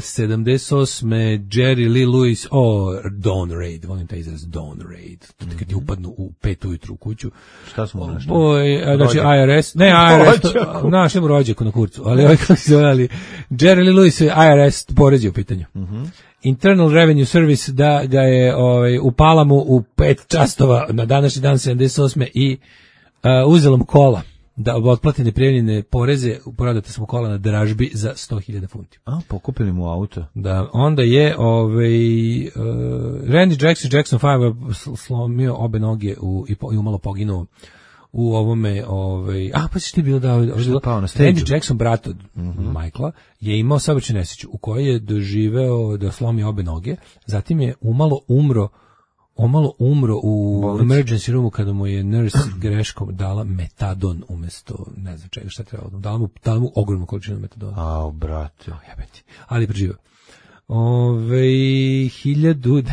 sedamdeset osme Jerry Lee Lewis, o, oh, Dawn Raid, volim taj izraz, Dawn Raid, mm-hmm. kad ti upadnu u pet ujutru u kuću. Šta smo našli? O, znači I R S, ne I R S, našli mu rođaku na kurcu, ali ovaj kako se zove, Jerry Lee Lewis je I R S porezi u pitanju. Mm-hmm. Internal Revenue Service da ga je ovaj, upala mu u pet častova na današnji dan sedamdeset osme i uh, uzela mu kola da otplati neprijavljene poreze, prodate smo kola na dražbi za sto hiljada funti. A, pokupili mu auto. Da, onda je ovaj, uh, Randy Jackson, Jackson pet slomio obe noge u, i, po, i umalo poginuo u ovome, ovaj, a pa si ti bilo da, Randy Jackson, brat od mm-hmm. Michaela, je imao saobraćajnu nesreću u kojoj je doživeo da slomi obe noge, zatim je umalo umro Omalo umro u Bolnici. Emergency roomu kada mu je nurse greškom dala metadon umesto, ne znam čega, šta trebalo. Dala mu, dala mu ogromnu količinu metadona. Ao, brate. O, jebeti. Ali preživio. Ove, hiljadu...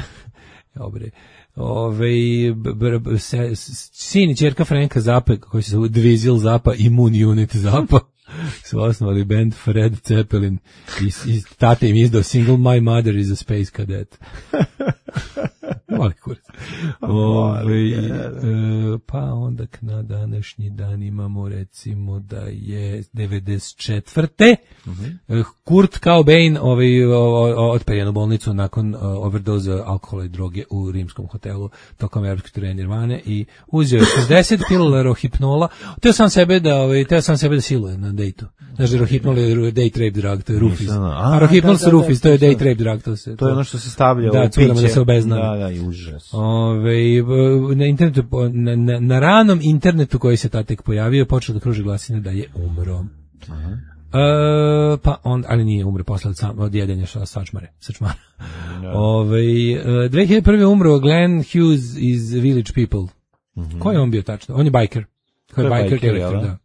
Dobre. Ove, b, b, se, sin i čerka Franka Zappa, koji se zove Dvizil Zappa, Immune Unit Zappa, su osnovali band Fred Zeppelin i, i tate im izdao single My Mother is a Space Cadet. Mali kurac. Ove, e, pa onda na današnji dan imamo recimo da je devedeset četvrte Uh-huh. Kurt Cobain ovaj, otpeljan u bolnicu nakon uh, overdoza alkohola i droge u rimskom hotelu tokom evropske turneje Nirvane i uzeo je šezdeset pilula rohipnola. Teo sam sebe da, ovaj, teo sam sebe da siluje na dejtu. Znaš da rohipnol je date rape drug, to je rufis. A, a rohipnol sa rufis, to je date rape drug. To, se, to je ono što se stavlja da, u piće. Da, se obezna. Da, da, i užas. Ove, na, internetu, na, na, na ranom internetu koji se ta tek pojavio, počeo da kruži glasine da je umro. Aha. Uh, pa on, ali nije umre posle od, sam, od jedenja sačmare, sačmara. No. Ove, uh, dve hiljade prve umro Glenn Hughes iz Village People. Mm-hmm. Ko je on bio tačno? On je biker. Ko je, je biker character, da.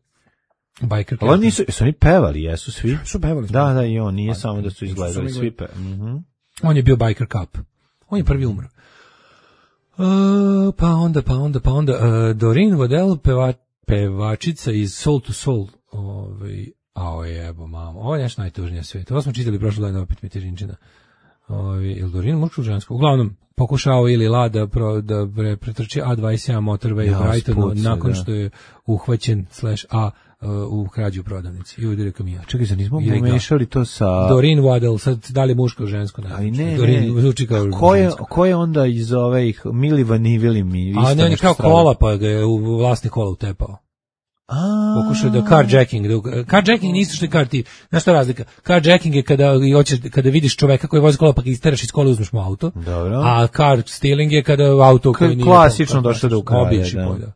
Biker ali oni nisu, su oni pevali, jesu svi? Su pevali. Da, da, i on, nije pa, samo da su izgledali svi pe. Mm-hmm. On je bio biker cop. On je prvi umro. Uh, pa onda, pa onda, pa onda, uh, Doreen Waddell, peva, pevačica iz Soul to Soul, ovaj, a jebo, mamo, ovo je nešto najtužnije svijet. Ovo smo čitali prošlo dana, opet mi tižinčina. Ovi, ili Doreen, muško žensko. Uglavnom, pokušao ili La da, pro, da pre, pretrči A dvadeset jedan motorway ja, u Brightonu nakon da. Što je uhvaćen slash A uh, u krađu u prodavnici i udario kamija. Čekaj, za nismo pomešali to sa... Doreen Waddell, sad da li muško žensko? Ne, ali ne, Doreen, ne. Zvuči kao ko, je, ko je onda iz ovih Mili Vanivili mi? A ne, ne, kao kola, pa ga je u vlasni kola utepao. A pokušao da carjacking, da carjacking nisu što je car ti. Znaš šta razlika? Carjacking je kada hoćeš kada vidiš čoveka koji vozi kola pa ga isteraš iz kola uzmeš mu auto. Dobro. A car stealing je kada auto koji nije klasično došao da ukrade, da.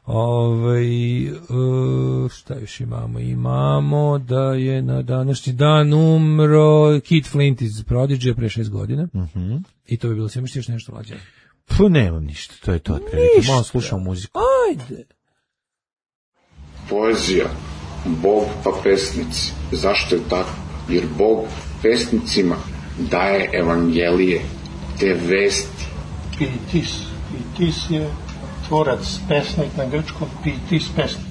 Ovaj uh, šta još imamo? Imamo da je na današnji dan umro Keith Flint iz Prodigy pre šest godina. Mhm. Uh-huh. I to bi bilo sve misliš nešto mlađe. Pa nemam ništa, to je to otprilike. Malo slušam muziku. Ajde. Poezija, Bog pa pesnici. Zašto je tako? Jer Bog pesnicima daje evangelije, te vesti. Pitis. Pitis je tvorac, pesnik na grčkom, pitis pesnik.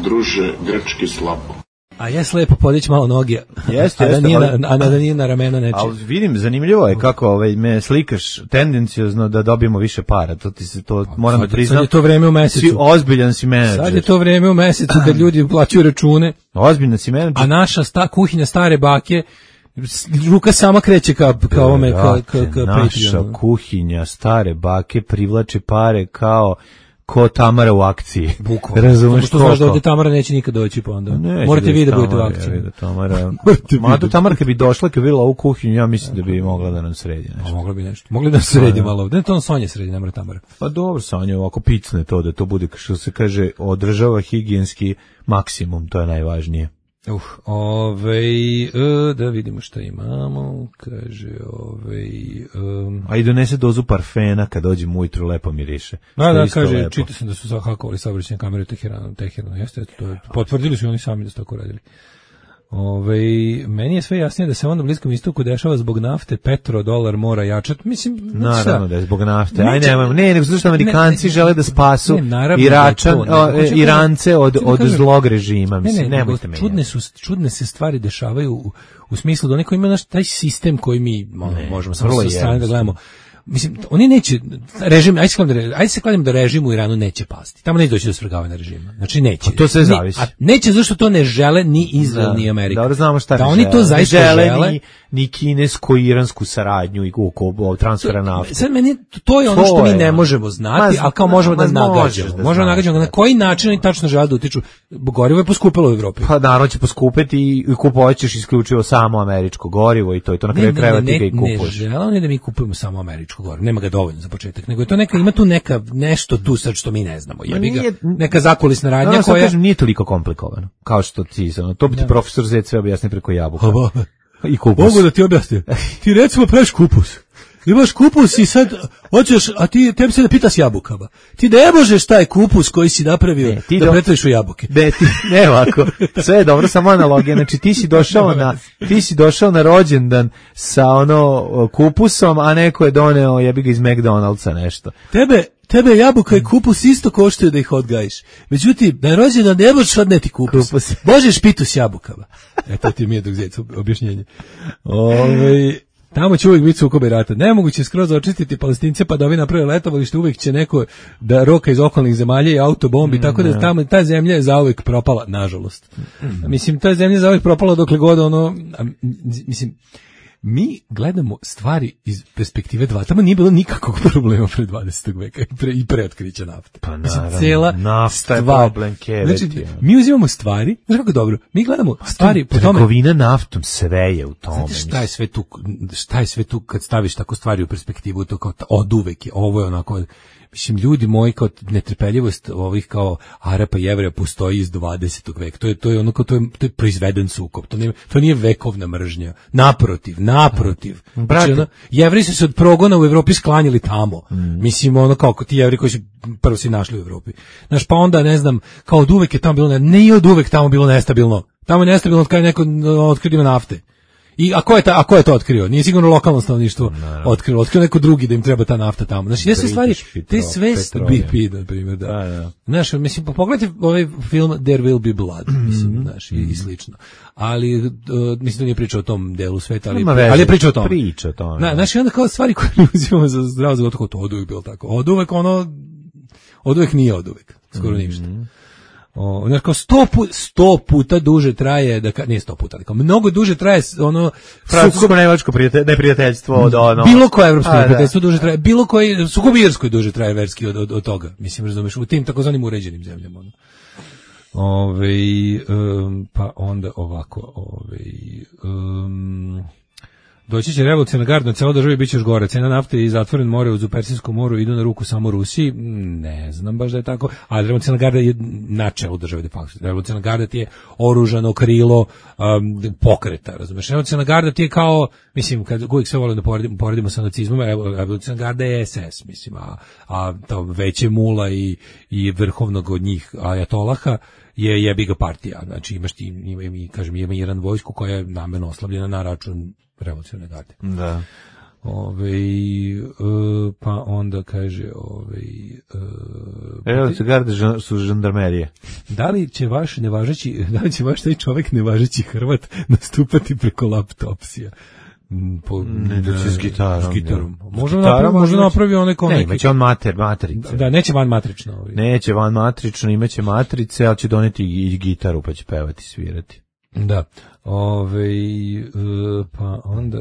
Druže, grčki slabo. A jes lepo podići malo noge, jeste, a, da nije ali, na, a da nije na ramena neče. Ali vidim, zanimljivo je kako ovaj, me slikaš tendenciozno da dobijemo više para. To ti se to moram da priznam. Sad je to vreme u mesecu. Si ozbiljan si menadžer. Sad je to vreme u mesecu da ljudi plaćaju račune. Ozbiljan si menadžer. A naša sta, kuhinja stare bake, ruka sama kreće ka, ka ovome, ka, ka, ka naša Patreon. Kuhinja stare bake privlači pare kao ko Tamara u akciji. Bukvalno. Razumeš što znaš da ovdje Tamara neće nikad doći pa onda. Neće morate vi da budete u akciji. Da Tamara. Mada Tamara kad bi došla, kad bi bila u kuhinju, ja mislim da bi mogla da nam sredi nešto. A mogla bi nešto. Mogli da sredi malo. Da to on Sonja sredi, ne mora Tamara. Pa dobro, Sonja, ovako picne to da to bude što se kaže održava higijenski maksimum, to je najvažnije. Uh, ovej, uh, da vidimo šta imamo, kaže, ovej... Um, a i donese dozu parfena kad dođem ujutru, lepo miriše. Da, da, kaže, čita sam da su zahakovali saobraćajne kamere u Teheranu, Teheranu, jeste, to je, potvrdili su oni sami da su tako radili. Ove, meni je sve jasnije da se onda na Bliskom istoku dešava zbog nafte, petro, dolar mora jačati. Mislim, naravno da je zbog nafte. Aj nemojmo, ne, nego zato što Amerikanci ne, žele da spasu ne, Iračan, da to, ne, Irance od, od kažem, zlog režima. Mislim, ne, ne, nemojte me. Čudne su, čudne se stvari dešavaju u, u smislu da neko ima naš taj sistem koji mi ono, ne, možemo samo sa strane da gledamo. Mislim, oni neće, režim, ajde se kladimo da, ajde se kladimo da režim u Iranu neće pasti. Tamo neće doći do svrgavanja režima. Znači neće. A to sve zavisi. A neće zašto to ne žele ni Izrael da, ni Amerika. Dobro znamo šta da ne oni žele. to zaista žele. žele. Ni, ni kinesko-iransku saradnju i oko transfera nafte. Sad meni, to je ono to što mi ne možemo znati, a kao možemo da nagađamo. Možemo da nagađamo na koji način oni tačno žele da utiču. Gorivo je poskupilo u Evropi. Pa naravno će poskupiti i kupovaćeš isključivo samo američko gorivo i to je to na kraju krajeva ti ga i kupuješ. Ne žele oni da mi kupujemo samo američko gorivo. Nema ga dovoljno za početak, nego je to neka, ima tu neka nešto tu sad što mi ne znamo. Jebi ga, neka zakulisna radnja no, koja kažem, nije toliko komplikovano. Kao što ti ono, to bi ti ja. profesor Zec sve objasni preko jabuka. I kupus. Mogu da ti objasnim. Ti recimo praviš kupus. Imaš kupus i sad hoćeš, a ti tebi se da pitaš jabukama. Ti ne možeš taj kupus koji si napravio ne, ti da do... pretvoriš u jabuke. Ne, ti, ne ovako. Sve je dobro, samo analogija. Znači ti si došao na ti si došao na rođendan sa ono kupusom, a neko je doneo jebi ga iz McDonald'sa nešto. Tebe Tebe jabuka i kupus isto koštaju da ih odgajiš. Međutim, na rođendan ne možeš odneti kupus. kupus. Možeš pitu s jabukama. E, to ti mi je dok zec objašnjenje. Ove, tamo će uvijek biti sukobe rata. Nemoguće skroz očistiti Palestince pa da ovi naprave letovalište, uvijek će neko da roka iz okolnih zemalja i autobombi, mm, tako da tamo ta zemlja je zauvijek propala, nažalost. Mm. Mislim, ta zemlja je zauvijek propala dokle god ono, a, mislim, mi gledamo stvari iz perspektive dva. Tamo nije bilo nikakvog problema pre dvadesetog veka i pre, i pre otkrića nafte. Pa naravno, cela nafta je problem keveti. Znači, mi uzimamo stvari, znači kako dobro, mi gledamo stvari po tome. Trgovina naftom, sve je u tome. Znate šta je sve tu, šta je sve tu kad staviš tako stvari u perspektivu, to kao od uvek je, ovo je onako, mislim, ljudi moji, kao netrpeljivost ovih kao Arapa i Jevreja postoji iz dvadesetog veka. To je, to je ono kao, to je, to je proizveden sukob. To nije, to nije vekovna mržnja. Naprotiv, naprotiv. Znači, ono, Jevreji su se od progona u Evropi sklanjali tamo. Mm. Mislim, ono kao ti Jevreji koji su prvo si našli u Evropi. Znaš, pa onda, ne znam, kao od uvek je tamo bilo, ne i od uvek tamo bilo nestabilno. Tamo je nestabilno od kada je neko otkrio nafte. I a ko je ta, a ko je to otkrio? Nije sigurno lokalno stanovništvo otkrilo, otkrio neko drugi da im treba ta nafta tamo. Znači, sve stvari, te sve B P, na primjer, da. da, da. Znaš, mislim, pogledajte ovaj film There Will Be Blood, mislim, mm-hmm. znaš, i, i slično. Ali, uh, mislim da nije pričao o tom delu sveta, ali, ali je pričao o tom. Priča o tom. Na, znači, onda kao stvari koje mi uzimamo za zdravo za gotovo, to od uvek bilo tako. Od uvek ono, od uvek nije od uvek, skoro mm-hmm. ništa. O, znači kao sto, pu, sto puta duže traje, da ka, nije sto puta, ali kao mnogo duže traje ono francusko-nemačko prijatelj, neprijateljstvo od ono. Bilo koje evropsko neprijateljstvo duže traje, bilo koji sukob irskoj duže traje verski od, od, od toga. Mislim, razumeš, u tim takozvanim uređenim zemljama. Ono. Ove, um, pa onda ovako, ove, um, doći će revolucionarna garda, na celo državi bit će još gore. Cena nafte i zatvoren more uz Persijskom moru idu na ruku samo Rusiji. Ne znam baš da je tako. A revolucionarna garda je na čelu države de facto. Revolucionarna garda ti je oružano krilo um, pokreta, razumeš? Revolucionarna garda ti je kao, mislim, kad uvijek sve volim da poredimo, poredimo sa nacizmom, revolucionarna garda je S S, mislim, a, a to veće mula i, i vrhovnog od njih ajatolaha je jebiga partija. Znači imaš ti, ima, ima, kažem, ima Iran vojsku koja je namerno oslabljena na račun revolucionarne garde. Da. Ove, uh, pa onda kaže ove, uh, revolucionarne garde su žandarmerije. Da li će vaš nevažeći, da li će vaš taj čovjek nevažeći Hrvat nastupati preko laptopsija? Po, ne, da će s gitarom. S gitarom. Možda napravi, možda napravi onaj kao ne, neki. imaće on mater, matrice. Da, neće van matrično. Ovaj. Neće van matrično, imaće matrice, ali će doneti i gitaru pa će pevati, svirati. Da. Ove, pa onda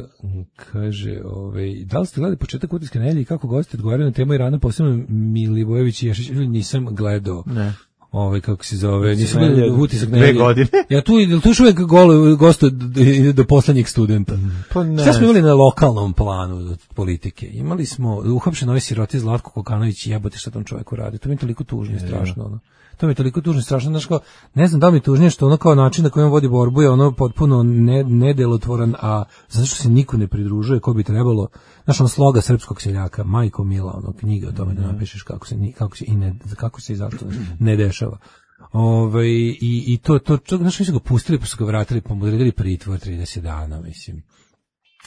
kaže, ove, da li ste gledali početak Utorske nedelje i kako gosti odgovaraju na temu Irana, posebno Milivojević i Ješić? Nisam gledao. Ne. Ovaj kako se zove, nisam gledao utisak na dve godine. Ja tu ili tu uvek golo gosto do, do poslednjeg studenta. Pa ne. Šta smo imali na lokalnom planu politike? Imali smo uhapšen ovaj siroti Zlatko Kokanović, jebote šta tam čovjeku radi. To mi je toliko tužno i strašno, ono. To mi je toliko tužno i strašno, znači kao, ne znam da li mi tužnije što ono kao način na koji on vodi borbu je ono potpuno ne, nedelotvoran, a zato što se niko ne pridružuje ko bi trebalo, znaš on sloga srpskog seljaka, majko mila, ono knjiga o tome da napišeš kako se, kako se i ne, kako se i zašto ne dešava. Ovaj i i to to to znači su ga pustili pa su ga vratili pa mu odredili pritvor trideset dana, mislim.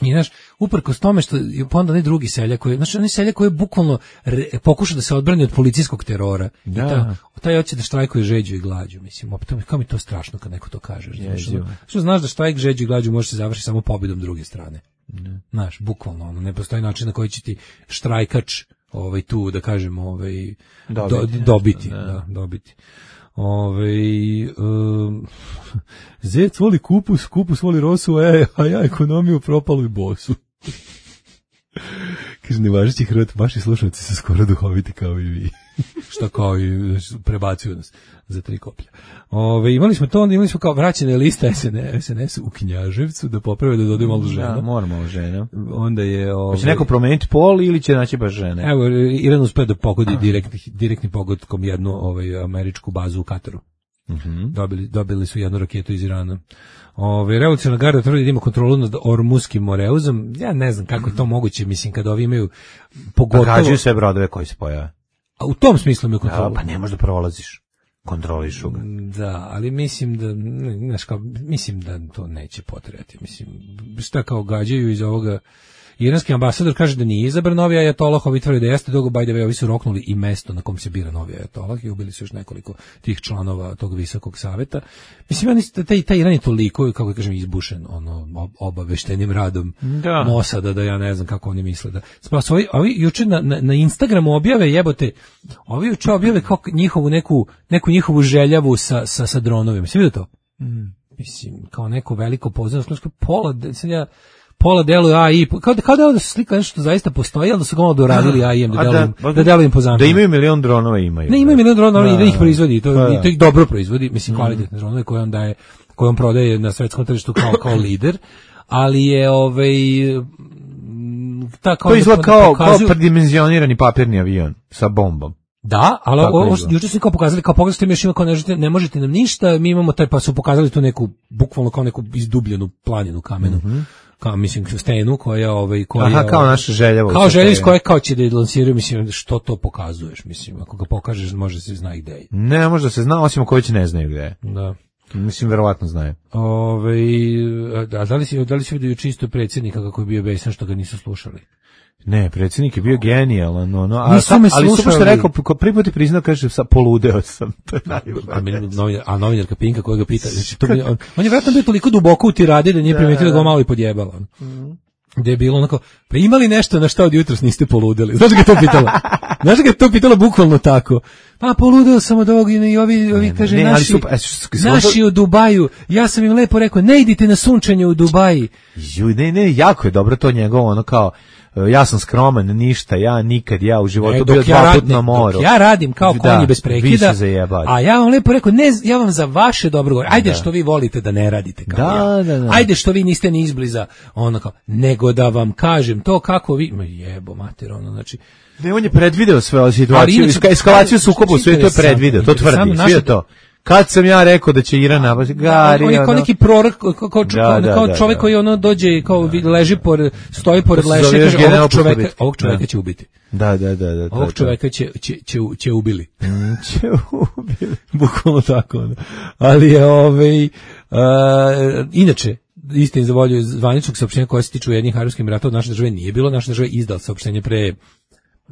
I znaš, uprkos tome što pa onda ne drugi seljak koji, znači oni seljak koji je bukvalno re, pokuša da se odbrani od policijskog terora. Da. I ta, taj hoće da štrajkuje žeđu i glađu, mislim. Opet kao mi to strašno kad neko to kaže. Znaš, ono, što znaš da štrajk žeđu i glađu može se završiti samo pobjedom druge strane. Ne. Znaš, bukvalno, ono, ne postoji način na koji će ti štrajkač ovaj tu da kažemo ovaj dobiti, do, dobiti, da, da, dobiti. Ove, um, zec voli kupus, kupus voli rosu, e, a ja ekonomiju propalu i bosu. Kaže, nevažeći Hrvat, vaši slušalci su skoro duhoviti kao i vi. Šta kao i prebacuju nas za tri koplja. Ove, imali smo to, onda imali smo kao vraćene lista S N S u Knjaževcu, da poprave da dodaju malo žena. Da, moramo malo žena. Onda je... Ove, će neko promeniti pol ili će naći baš žene? Evo, Iran uspio da pogodi direktni, direktni pogodkom jednu ovaj, američku bazu u Kataru. Mm-hmm. Dobili, dobili su jednu raketu iz Irana. Ove, revolucionarna garda tvrdi da ima kontrolu nad Ormuskim Moreuzom. Ja ne znam kako je to moguće, mislim, kada ovi imaju pogotovo... Gađaju sve brodove koji se pojave. A u tom smislu imaju kontrolu. Ja, pa ne možda prolaziš. Kontrolišu ga. Da, ali mislim da, znaš kao, mislim da to neće potrebati. Mislim, šta kao gađaju iz ovoga... Iranski ambasador kaže da nije izabran novi ajatolah, ovi tvrde da jeste, dogo by the way, ovi su roknuli i mesto na kom se bira novi ajatolah i ubili su još nekoliko tih članova tog visokog saveta. Mislim, ja taj, taj Iran je toliko, kako kažem, izbušen ono, obaveštenim radom da. Mosada, da ja ne znam kako oni misle. Da. Spas, ovi, ovi juče na, na, na Instagramu objave, jebote, ovi juče objave kao njihovu neku, neku njihovu željavu sa, sa, sa dronovima. Sve vidio to? Mm. Mislim, kao neko veliko pozornost, pola, sad ja... Pola deluje A I, kao da, kao da je ovo slika nešto zaista postoji, ali da su ga malo doradili A I-em, da delujem, da, da delujem po zamenu. Da imaju milion dronova, imaju. Ne, imaju milion dronova i da ih proizvodi, to, da, da. to ih dobro proizvodi, mislim, kvalitetne dronove koje on daje, koje on prodaje na svetskom tržištu kao, kao lider, ali je, ovaj, ta kao... To izgleda kao, pokazuju... kao predimenzionirani papirni avion sa bombom. Da, ali ovo juče su kao pokazali, kao pogledajte mi još ima kao ne možete, ne možete nam ništa, mi imamo taj, pa su pokazali tu neku, bukvalno kao neku izdubljenu planinu kamenu. Mm-hmm. Kao mislim stenu koja ovaj koja Aha, kao naša želja kao želja iz koje kao će da lansiraju, mislim što to pokazuješ, mislim ako ga pokažeš može se zna gde je. Ne, može da se zna, osim ako već ne znaju gde je. Da. Mislim verovatno znaju. Ovaj a da li si da li si vidio čisto predsjednika kako je bio besan što ga nisu slušali? Ne, predsjednik je bio genijalan, no, no, a sa, ali super što je rekao, ko prvi put je priznao, kaže, sa poludeo sam. To je najbolje. A novinarka Pinka koja ga pita, znači, to bi, on, on je vjerojatno bio toliko duboko u tiradi da nije primetio da ga malo i podjebala. Mm. Gde je bilo onako, pa imali nešto na šta od jutros niste poludeli? Znaš ga to pitala? Znaš ga to pitala bukvalno tako? Pa poludeo sam od ovog i ovi, ovi ne, kaže, ne, naši, super, naši u Dubaju, ja sam im lepo rekao, ne idite na sunčanje u Dubaji. Ju, ne, ne, jako je dobro to njegovo, ono kao, ja sam skroman, ništa, ja nikad, ja u životu bio dva ja put na moru. Dok ja radim kao da, konji bez prekida, a ja vam lepo rekao, ne, ja vam za vaše dobro govorim, ajde da. Što vi volite da ne radite kao da, ja, da, da. Ajde što vi niste ni izbliza, ono kao, nego da vam kažem to kako vi, ma jebo mater, ono, znači, ne, on je predvideo sve o situaciju, eskalaciju sukoba u svijetu je predvideo, to tvrdi, sve to. Kad sam ja rekao da će Iran napasti, Gari, on je kao neki prorok, kao, kao, da, da, kao čovjek da, da. Koji ono dođe, kao leži pored, stoji pored leša, kaže ovog čovjeka, ovog čovjeka da. Će ubiti. Da, da, da, da. Ovog čovjeka će, će, će, će ubili. Će ubili. Bukvalno tako. Ono. Ali je, ovaj, uh, inače, istini za volju zvaničnog saopštenja koje se tiču Ujedinjenih Arapskih Emirata od naše države nije bilo, naša država je izdala saopštenje pre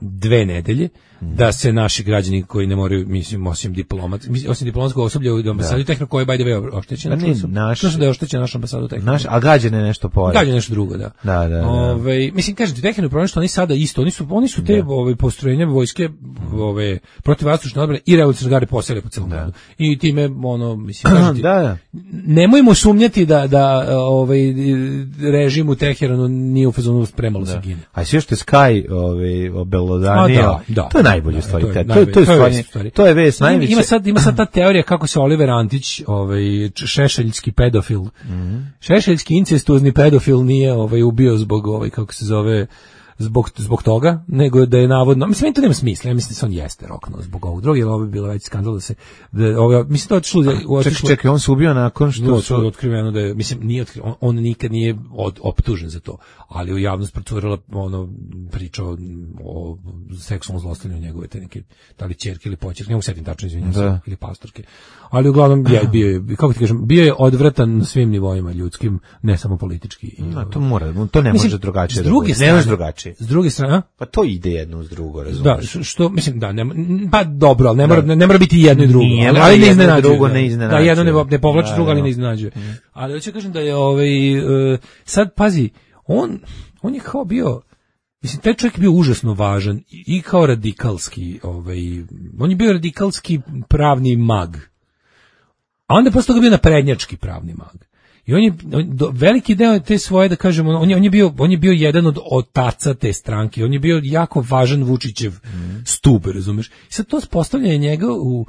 dve nedelje, mm. da se naši građani koji ne moraju, mislim, osim diplomat, osim diplomatskog osoblja u ambasadi Tehniko koji je by the way oštećena, čuo su, naš, čuo su da je oštećena naša ambasada Tehniko. Naš, a gađene nešto pored. Gađene nešto drugo, da. Da, da, da. Ove, mislim, kažete, Tehniko je problem što oni sada isto, oni su, oni su te da. Ove, postrojenja vojske ove, protivvazdušne odbrane i revolucionarne garde posele po celom gradu. I time, ono, mislim, kažete, da, da. nemojmo sumnjati da, da ovaj, režim u Teheranu nije u fazonu spremalo se gine. A sve što je Sky ovaj, obelodanio, da, da, to je najbolje da, stvari. To je, to je, to je, to je, stvari. To je vest najveće. Ima sad, ima sad ta teorija kako se Oliver Antić, ovaj, šešeljski pedofil, mm-hmm. šešeljski incestuozni pedofil nije ovaj, ubio zbog, ovaj, kako se zove, zbog, zbog toga, nego da je navodno, mislim, to nema smisla, ja mislim da se on jeste roknuo zbog ovog drugog, jer ovo bi bilo već skandal da se, da, ovo, mislim, to otišlo, čekaj, čekaj, on se ubio nakon što su otkriveno da je, mislim, nije otkriveno, on, on nikad nije od, optužen za to, ali u javnost procurila ono, priča o, o seksualnom zlostavljanju njegove te neke, da li ćerke ili počerke, ne mogu setim tačno, izvinjam se, ili pastorke, ali uglavnom je bio je, kako ti kažem, bio je odvratan na svim nivoima ljudskim, ne samo politički. No, to mora, to ne mislim, može drugačije. S druge da strane, ne može drugačije. S druge strane, pa to ide jedno uz drugo, razumiješ. Da, što mislim da ne, pa dobro, al ne mora ne, ne mora biti jedno i drugo, nije, ali, ali ne iznenađuje. Drugo ne iznenađuje. Da, jedno ne, ne povlači da, drugo, ali da. ne iznenađuje. Mm. Ali hoću kažem da je ovaj uh, sad pazi, on on je kao bio, mislim, taj čovjek je bio užasno važan i, i kao radikalski, ovaj, on je bio radikalski pravni mag. A onda posle toga bio naprednjački pravni mag. I on je on, do, veliki deo te svoje, da kažemo, on je, on je bio on je bio jedan od otaca te stranke. On je bio jako važan Vučićev mm. stub, razumeš? I sad to postavljanje njega u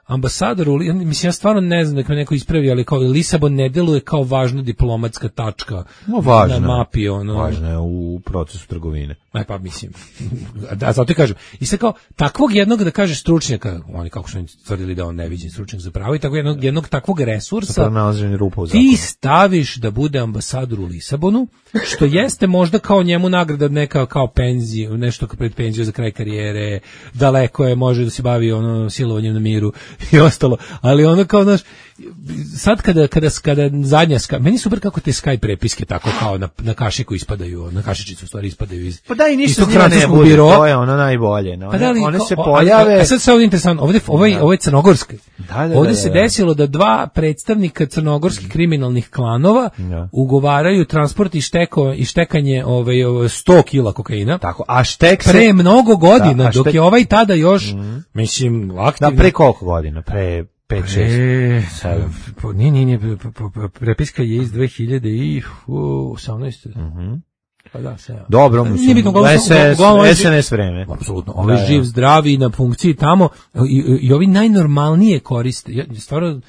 ambasadoru, mislim, ja stvarno ne znam da me neko ispravi, ali kao Lisabon ne deluje kao važna diplomatska tačka no, važna, na mapi. Ono. Važna je u procesu trgovine. Aj pa mislim, da, zato ti kažem. I sad kao, takvog jednog, da kažeš, stručnjaka, oni kako su oni tvrdili da on neviđen stručnjak za pravo, i tako jednog, jednog takvog resursa ti staviš da bude ambasador u Lisabonu, što jeste možda kao njemu nagrada neka kao penziju, nešto pred penziju za kraj karijere, daleko je, može da se bavi ono silovanjem na miru i ostalo, ali ono kao, znaš, sad kada, kada, kada zadnja, meni super kako te Skype prepiske tako kao na, na kašiku ispadaju, na kašičicu u stvari ispadaju iz pa da i ništa njima ne bude, biroa. To je ono najbolje. No, pa da li, one ko, se pojave. A sad se ovdje interesantno, ovdje, ovaj, ovo je crnogorski. Da, da, ovdje da, se da, da. desilo da dva predstavnika crnogorskih kriminalnih klanova da. ugovaraju transport i, šteko, i štekanje ovaj, sto kila kokaina. Tako, a štek se... Pre mnogo godina, da, dok štek... je ovaj tada još, mm. mislim, aktivno. Da, pre koliko godina? Pre... pet šest sedam Nije, nije, nije, prepiska je iz dve hiljade osamnaeste Mhm. Pa da, se. Dobro, mislim. S N S vreme. Apsolutno. Ovaj da, živ, zdravi na funkciji tamo i, i ovi najnormalnije koriste. Ja, stvarno,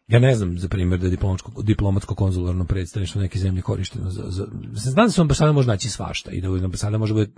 ja ne znam, za primjer, da je diplomatsko, diplomatsko konzularno predstavništvo neke zemlje korišteno za, za... Znam da se ambasada može naći svašta i da ambasada može biti...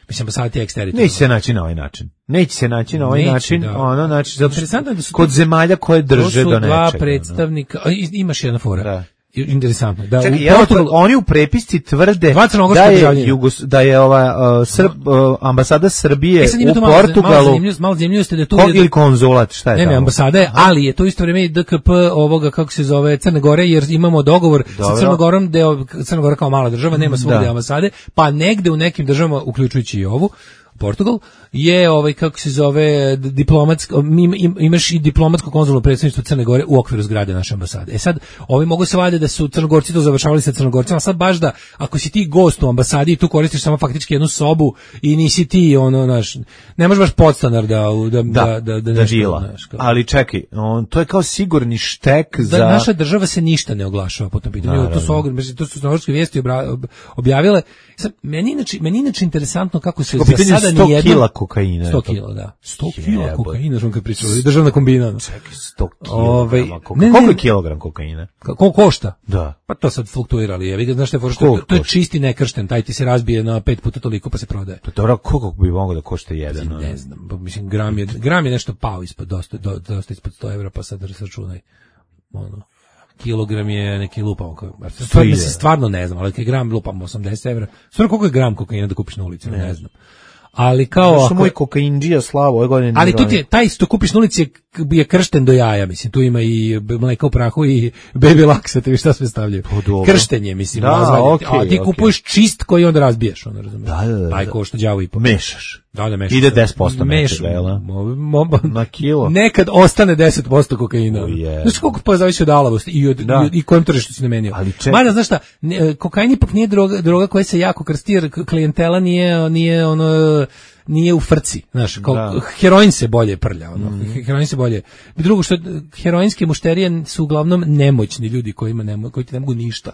Mislim, ambasada ti je eksteritorijalna. Neće se naći na ovaj način. Neće se naći na ovaj Neće, način. Da. Ono, znači, zato što da su kod to, zemalja koje drže do nečega. To su dva predstavnika... No. Imaš jedna fora. Da. Interesantno. Da, čekaj, u Portugal, oni u prepisci tvrde da je, Jugos, da je ova uh, Srb, uh, ambasada Srbije e, u Portugalu malo zemljivo ste da tu kog ili konzulat, šta je ne, tamo? Ne, ambasada je, ali je to isto vrijeme i D K P ovoga, kako se zove, Crne Gore, jer imamo dogovor Dobro. sa Crnogorom, deo Crna Gora kao mala država, nema svugde ambasade, pa negde u nekim državama, uključujući i ovu, Portugal, je ovaj, kako se zove, diplomatsko, imaš i diplomatsko konzularno predstavništvo Crne Gore u okviru zgrade naše ambasade. E sad, ovi mogu se vade da su Crnogorci to završavali sa Crnogorcima, a sad baš da, ako si ti gost u ambasadi i tu koristiš samo faktički jednu sobu i nisi ti, ono, naš, ne možeš baš podstanar da, da, da, da, da, da žila. Naš, ali čekaj, on, to je kao sigurni štek da, za... Naša država se ništa ne oglašava po tom pitanju. To su, ogr, to su crnogorske vijesti objavile. Sad, meni inače, meni inače interesantno kako se za sada sto kila kokaina. sto kila, da. sto kila kokaina, što kad pričali, državna kombina. Čekaj, sto kilograma kokaina. Koliko je kilogram kokaina? Koliko košta? Da. Pa to sad fluktuira, ali je, vi znaš što je, što to je čisti nekršten, taj ti se razbije na pet puta toliko pa se prodaje. Pa dobro, koliko bi moglo da košta jedan? Ne, ne znam, mislim, gram je, gram je nešto pao ispod, dosta, dosta ispod sto evra, pa sad računaj, ono. Kilogram je neki lupam, stvarno, stvarno ne znam, ali kad gram lupam osamdeset evra, stvarno koliko je gram kokaina da kupiš na ulici, ne, ne znam. Ali kao ako moj kokaindžija Slavo ove godine. Ali tu ti je, taj što kupiš na ulici je, je kršten do jaja, mislim, tu ima i mleka u prahu i baby laksa, te šta sve stavljaju. Kršten je, mislim, da, okay, a ti kupuješ okay. čist koji onda razbiješ, ono, razumiješ. Da, da, da. Taj košta đavo i po. Mešaš. Da, da mešaš. Ide deset posto mešaš, jel? Na kilo. Nekad ostane deset posto kokaina. Znaš koliko pa zavisi od alavosti i od da. i, i kojem tržištu si namenio. Mada, znaš šta, ne, kokain ipak nije droga, droga koja se jako krsti, jer klijentela nije, nije ono... nije u frci, znaš, kao da. Heroin se bolje prlja, ono, mm-hmm. heroin se bolje. Drugo što heroinske mušterije su uglavnom nemoćni ljudi kojima ne, koji ti ne mogu ništa.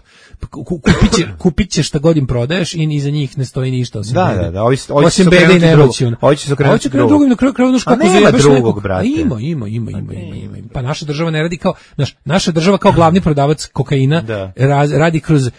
Kupit, će, kupit će šta god im prodaješ i iza njih ne stoji ništa osim da, bede. Da, da, ovi, osim bede i nemoći. Hoće se okrenuti drugog. Drugim, na kraju kraju kako nema drugog, brate. Ima, ima, ima, ima, ima, ima. Pa naša država ne radi kao, naš, naša država kao glavni prodavac kokaina da. radi kroz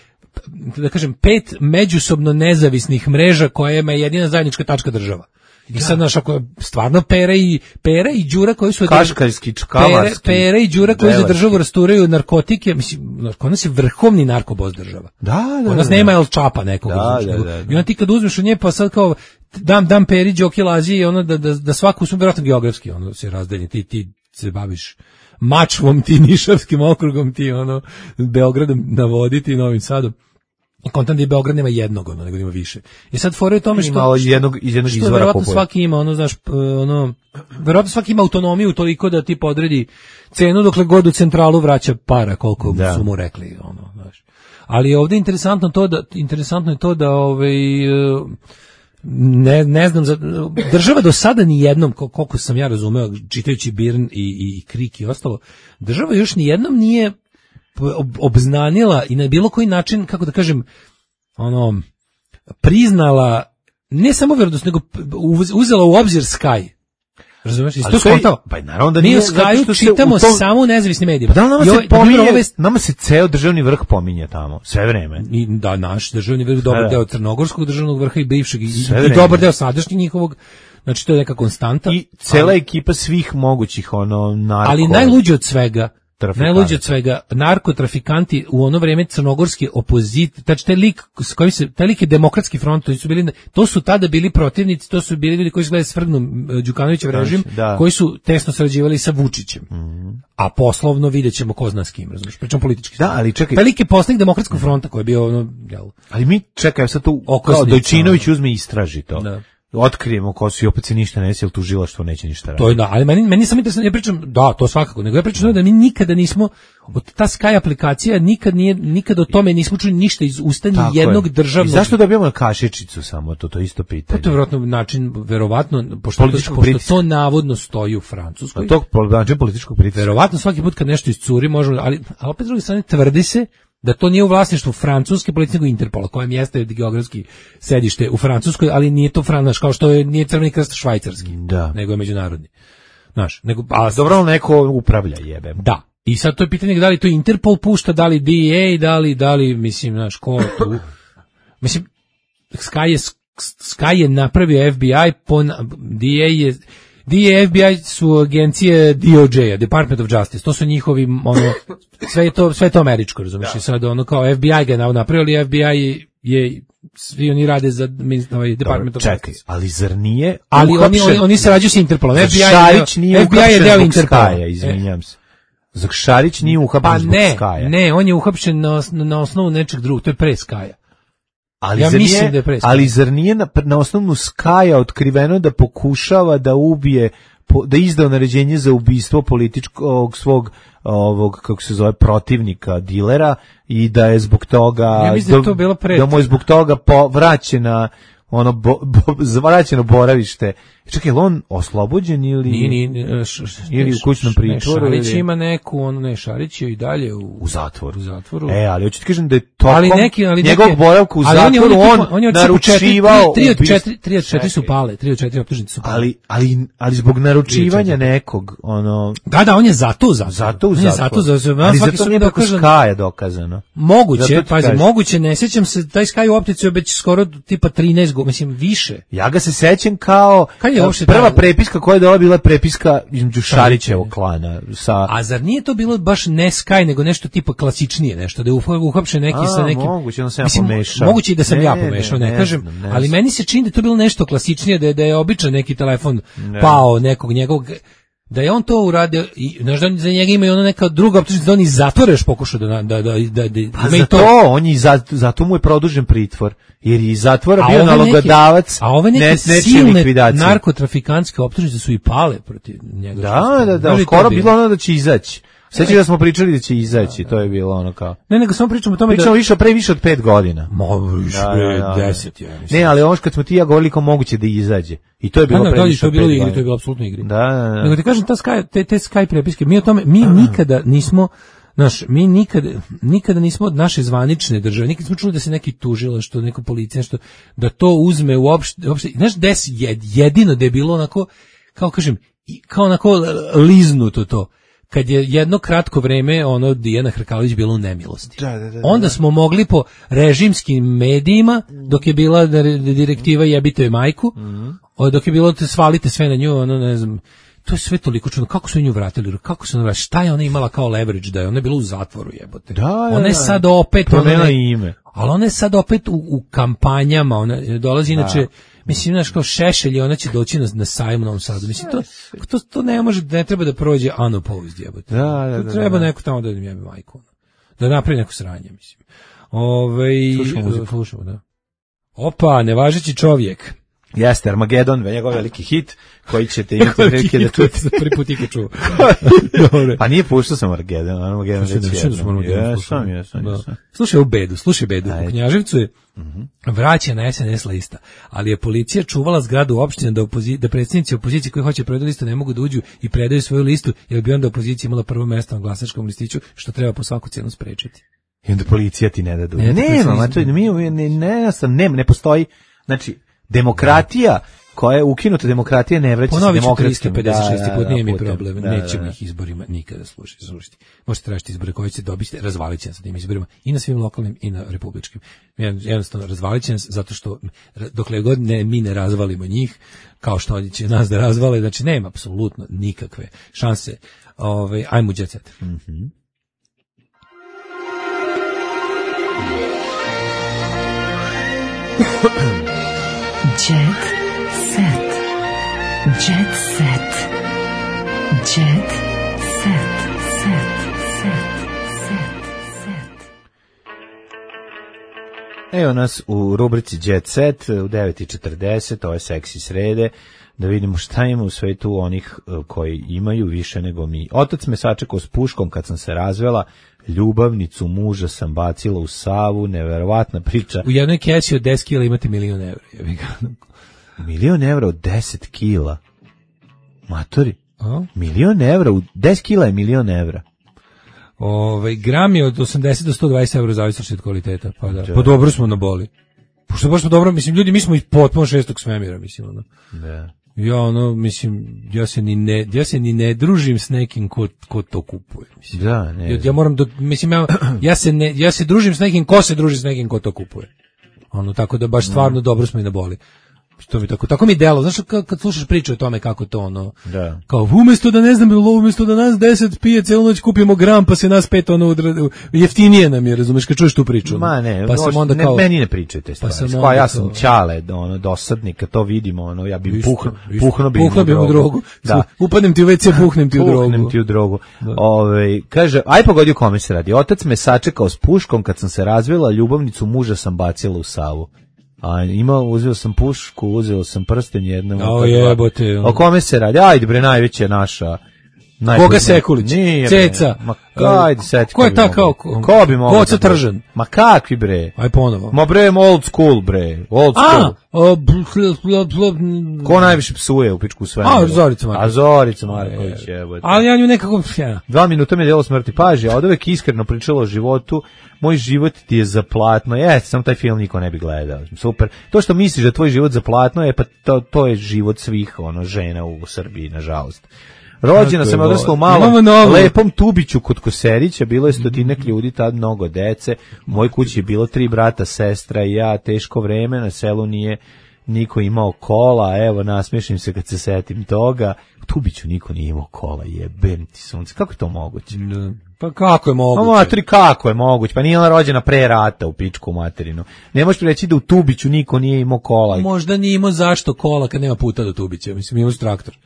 da kažem, pet međusobno nezavisnih mreža kojima je jedina zajednička tačka država. I sad, znaš, ako je stvarno Pera i, Pera i Đura koji su... Kaškarski, čkavarski. Pera, Pera i Đura koji za državu rasturaju narkotike, mislim, kod nas je vrhovni narkobos država. Da, da, kod nas da, nema El Čapa nekog. Da, da, da, da. I onda ti kad uzmeš u nje, pa sad kao, dam, dam Peri, Đoki, Lazi, ono, da, da, da svaku, smo vjerojatno geografski, ono, se razdelje, ti, ti se baviš Mačvom, ti Nišavskim okrugom, ti, ono, Beogradom na vodi, ti Novim Sadom. I kontam da je Beograd nema jednog, ono, nego ima više. I sad fora je tome što... Ima jednog, iz jednog što izvora verovatno kupuje. svaki ima, ono, znaš, ono, verovatno svaki ima autonomiju toliko da ti podredi cenu dokle god u centralu vraća para, koliko da. su mu rekli, ono, znaš. Ali je ovde interesantno to da, interesantno je to da, ovaj, ne, ne znam, država do sada ni jednom, koliko sam ja razumeo, čitajući Birn i, i, i Krik i ostalo, država još ni jednom nije obznanila i na bilo koji način, kako da kažem, ono, priznala ne samo verodostojnost, nego uzela u obzir Sky. Razumeš? Isto to skontao. Pa naravno da mi nije, u Skyu čitamo tom... samo u nezavisnim medijima. Pa da, nama, se pominje, ove... nama se ceo državni vrh pominje tamo, sve vreme. I, da, naš državni vrh, dobar da. deo crnogorskog državnog vrha i bivšeg, i, i dobar deo sadašnjeg njihovog, znači to je neka konstanta. I cela ali, ekipa svih mogućih, ono, narko... Ali najluđe od svega, najluđe od svega, narkotrafikanti u ono vreme crnogorske opozit, znači taj lik s kojim se, taj lik je demokratski front, to su bili, to su tada bili protivnici, to su bili ljudi koji su gledali svrgnu Đukanovićev režim, da. koji su tesno sarađivali sa Vučićem. Mm. A poslovno videćemo ko zna s kim, razumiješ, pričam politički. Da, ali čekaj. Taj lik je poslanik demokratskog fronta koji je bio ono, jel. Ali mi čekaj, sad tu kao Dojčinović uzme i istraži to. Da. Otkrijemo ko su i opet se ništa ne desi, jer tužilaštvo neće ništa raditi. To je da, ali meni, meni sam interesantno, ja pričam, da, to svakako, nego ja pričam da mi nikada nismo, od ta Sky aplikacija nikad nije, nikad o tome nismo čuli ništa iz usta ni jednog je. državnog. I zašto dobijamo kašičicu samo, to to isto pitanje? Pa to je vjerojatno način, verovatno, pošto, to, pošto to navodno stoji u Francuskoj. A to način političkog pritiska. Verovatno svaki put kad nešto iscuri možemo, ali, ali opet s druge strane tvrdi se da to nije u vlasništvu francuske policije, nego Interpola, kojem jeste geografski sedište u Francuskoj, ali nije to Francuska, kao što je nije Crveni krst švajcarski, da. nego je međunarodni. Znaš, nego a dobro neko upravlja, jebe. Da. I sad to je pitanje da li to Interpol pušta, da li D E A, da li da li mislim, znaš, ko tu. Mislim Sky je Sky je napravio F B I, po D E A je D E A, F B I su agencije D O J-a, Department of Justice, to su njihovi, ono, sve je to, sve je to američko, razumiješ, i sad ono kao F B I ga je napravio, ali F B I je, svi oni rade za ovaj Department of Justice. Čekaj, ali zar nije ali oni, oni, oni se rađu s Interpolom, F B I Šarić nije F B I je deo Interpola, izvinjam se. Zar Šarić nije uhapšen zbog Skaja? Pa ne, ne, on je uhapšen na, na osnovu nečeg drugog, to je pre Skaja. Ali, ja zar mislim nije, da je pre Skaja. Ali zar nije na, na osnovnu Skaja otkriveno da pokušava da ubije, po, da izdao naređenje za ubistvo političkog svog ovog, kako se zove, protivnika, dilera, i da je zbog toga, ja mislim da, je to bilo pre, da mu je zbog toga po, vraćena ono bo, bo, vraćeno boravište. Čekaj, je li on oslobođen ili nije, nije, š, š, ili u kućnom pritvoru? Šarić ili... ima neku, ono ne, Šarić je i dalje u, u zatvoru. U zatvoru. E, ali hoću ti kažem da je tokom ali neki, ali njegovog neke, boravka u zatvoru on, on, on je naručivao tri od četiri, tri od četiri su pale, tri od četiri optužnice su pale. Ali, ali, ali zbog naručivanja nekog, ono... Da, da, on je zato u zatvoru. Zato u zatvoru. Zato, zato, ali zato nije preko Skaja dokazano. Moguće, pazi, moguće, ne sjećam se, taj Skaj u optici je već skoro tipa trinaest godina, mislim, više. Ja ga se sećam kao prva prepiska koja je dala bila prepiska između Šarićevog klana sa... A zar nije to bilo baš ne Sky, nego nešto tipa klasičnije, nešto da je uhapšen neki A, sa nekim... Moguće, on se ja pomešao. Moguće i da sam ne, ja pomešao, ne, ne, ne kažem, ne, ne, ali meni se čini da je to bilo nešto klasičnije, da je, da je običan neki telefon ne. pao nekog njegovog... Da je on to uradio i znaš da za njega ima i ona neka druga optužnica da on iz zatvora još pokušao da da da da, da, da pa za to, to on je zato, zato mu je produžen pritvor jer je iz zatvora bio nalogodavac. A ove neke ne, silne narkotrafikantske optužnice su i pale protiv njega. Da, da, da, skoro bilo ono da će izaći. Sveći da smo pričali da će izaći, da, da. To je bilo ono kao... Ne, nego samo pričamo o tome pričamo da... više, pre više od pet godina. Mo, više, da, da, da, deset, ja mislim. Ne, ali ono kad smo ti ja govorili kao moguće da izađe. I to je bilo da, pre da, više od pet godina. To je bilo apsolutno igri. Da, da, da. Nego ti kažem, ta Sky, te, te Sky prepiske, mi o tome, mi nikada nismo... Znaš, mi nikada, nikada nismo od naše zvanične države, nikad smo čuli da se neki tužila, što neko policija, što da to uzme uopšte, uopšte, znaš, des jedino da je bilo onako, kao kažem, kao onako liznuto to. kad je jedno kratko vreme ono Dijana Hrkalović bila u nemilosti. Da, da, da, da. Onda smo mogli po režimskim medijima, dok je bila direktiva jebite joj majku, mm-hmm. dok je bilo svalite sve na nju, ono ne znam, to je sve toliko čudno. Kako su nju vratili? Kako su ona, šta je ona imala kao leverage da je? Ona je bila u zatvoru, jebote. Da, ona je sad opet promenila ime. Ali ona je sad opet u, u kampanjama, ona dolazi inače, mislim, znaš, kao Šešelj, ona će doći na, na sajmu u Novom Sadu. Mislim, to, to, to ne može, ne treba da prođe unopposed, jebote. Da, da, da, treba da. neko tamo da im jebe majku. Da napravi neko sranje, mislim. Ove, slušamo muziku. Slušamo, da. Opa, nevažeći čovjek. Jeste, Armagedon, njegov veliki hit, koji ćete imati prilike da čujete. Prvi put ikad čuo. Pa nije puštao sam Armagedon, Armagedon već jednom. Jesam, jesam, jesam. Slušaj u Bedu, slušaj Bedu. U Knjaževcu je vraća na S N S lista, ali je policija čuvala zgradu opštine da, opozi, da predsjednici opozicije koji hoće predati listu ne mogu da uđu i predaju svoju listu, jer bi onda opozicija imala prvo mesto na glasačkom listiću, što treba po svaku cijenu sprečiti. I onda policija ti ne da dođu. Nema, ma to mi ne, ne, ne, ne, ne postoji, znači, demokratija koja je ukinuta, demokratija ne vraća se demokratskim. tristo pedeset šesti put, nije mi problem, da, nećemo da, ih izborima nikada slušati. slušati. Možete tražiti izbore koje ćete dobiti, razvalit će nas sa tim izborima i na svim lokalnim i na republičkim. Jednostavno, razvalit će nas zato što dokle god ne, mi ne razvalimo njih, kao što oni će nas da razvale, znači nema apsolutno nikakve šanse. Ove, ajmo jet set. Mhm. Jet set. Jet set. Jet set. Set. Set. Set. Set. Evo nas u rubrici Jet Set u devet i četrdeset, ovo je seksi srede, da vidimo šta ima u svetu onih koji imaju više nego mi. Otac me sačekao s puškom kad sam se razvela, ljubavnicu muža sam bacila u Savu, neverovatna priča. U jednoj kesi od deset kila imate milion evra. Milion evra od deset kila? Matori? A? Milion evra, u deset kila je milion evra. Ove, gram je od osamdeset do sto dvadeset evra zavisno od kvaliteta. Pa da, pa dobro smo na boli. Pošto baš smo dobro, mislim, ljudi, mi smo i potpuno šestog svemira, mislim, ono. Da. Ja, ono, mislim, ja se ni ne, ja se ni ne družim s nekim ko, ko to kupuje, mislim. Da, ne. Ja, ja moram da, mislim, ja, ja se ne, ja se družim s nekim ko se druži s nekim ko to kupuje. Ono, tako da baš stvarno mm. dobro smo i na boli. To mi tako, tako mi delo, znaš, kad, kad slušaš priču o tome kako to, ono, da. Kao, umjesto da ne znam, umjesto da nas deset pije cijelu noć kupimo gram, pa se nas pet, ono, jeftinije nam je, razumeš, kad čuješ tu priču. Ma ne, pa sam onda kao, ne, meni ne pričajte stvari, pa kao, ja sam čale, ono, dosadnik, kad to vidimo, ono, ja bi puhno, puhno bi puhno bi u drogu, da. Upadnem ti u ve ce, puhnem ti u drogu. Puhnem ti u drogu. Ove, kaže, aj pogodio kome se radi, otac me sačekao s puškom kad sam se razvela, ljubavnicu muža sam bacila u Savu. A ima, uzeo sam pušku, uzeo sam prsten jednom. O jebote. O kome se radi? Ajde bre, najveća je naša. Koga Sekulić? Nije, Ceca. Ma, ajde, seti. Ko je ta kao? Ko bi mogao? Boca Tržan. Ma kakvi bre? Aj ponovo. Ma bre, old school bre. Old school. A, ko najviše psuje u pičku sve? A, Zorica Marković. A, Zorica Marković, jebote. Ali ja nju nekako... Ja. Dva minuta mi je delo smrti. Paži, a od uvek iskreno pričala o životu. Moj život ti je za platno. Jeste, samo taj film niko ne bi gledao. Super. To što misliš da tvoj život za platno je, pa to, to je život svih ono žena u Srbiji, nažalost. Rođena sam, odrasla u malom, lepom Tubiću kod Koserića, bilo je stotinak ljudi, tad mnogo dece, u mojoj kući je bilo tri brata, sestra i ja, teško vreme, na selu nije niko imao kola, evo, nasmiješim se kad se setim toga, u Tubiću niko nije imao kola, jebem ti sunce, kako je to moguće? Pa kako je moguće? Pa materi, kako je moguće? Pa nije ona rođena pre rata u pičku materinu. Ne možeš reći da u Tubiću niko nije imao kola. Možda nije imao zašto kola kad nema puta do Tubića, mislim, imao traktor.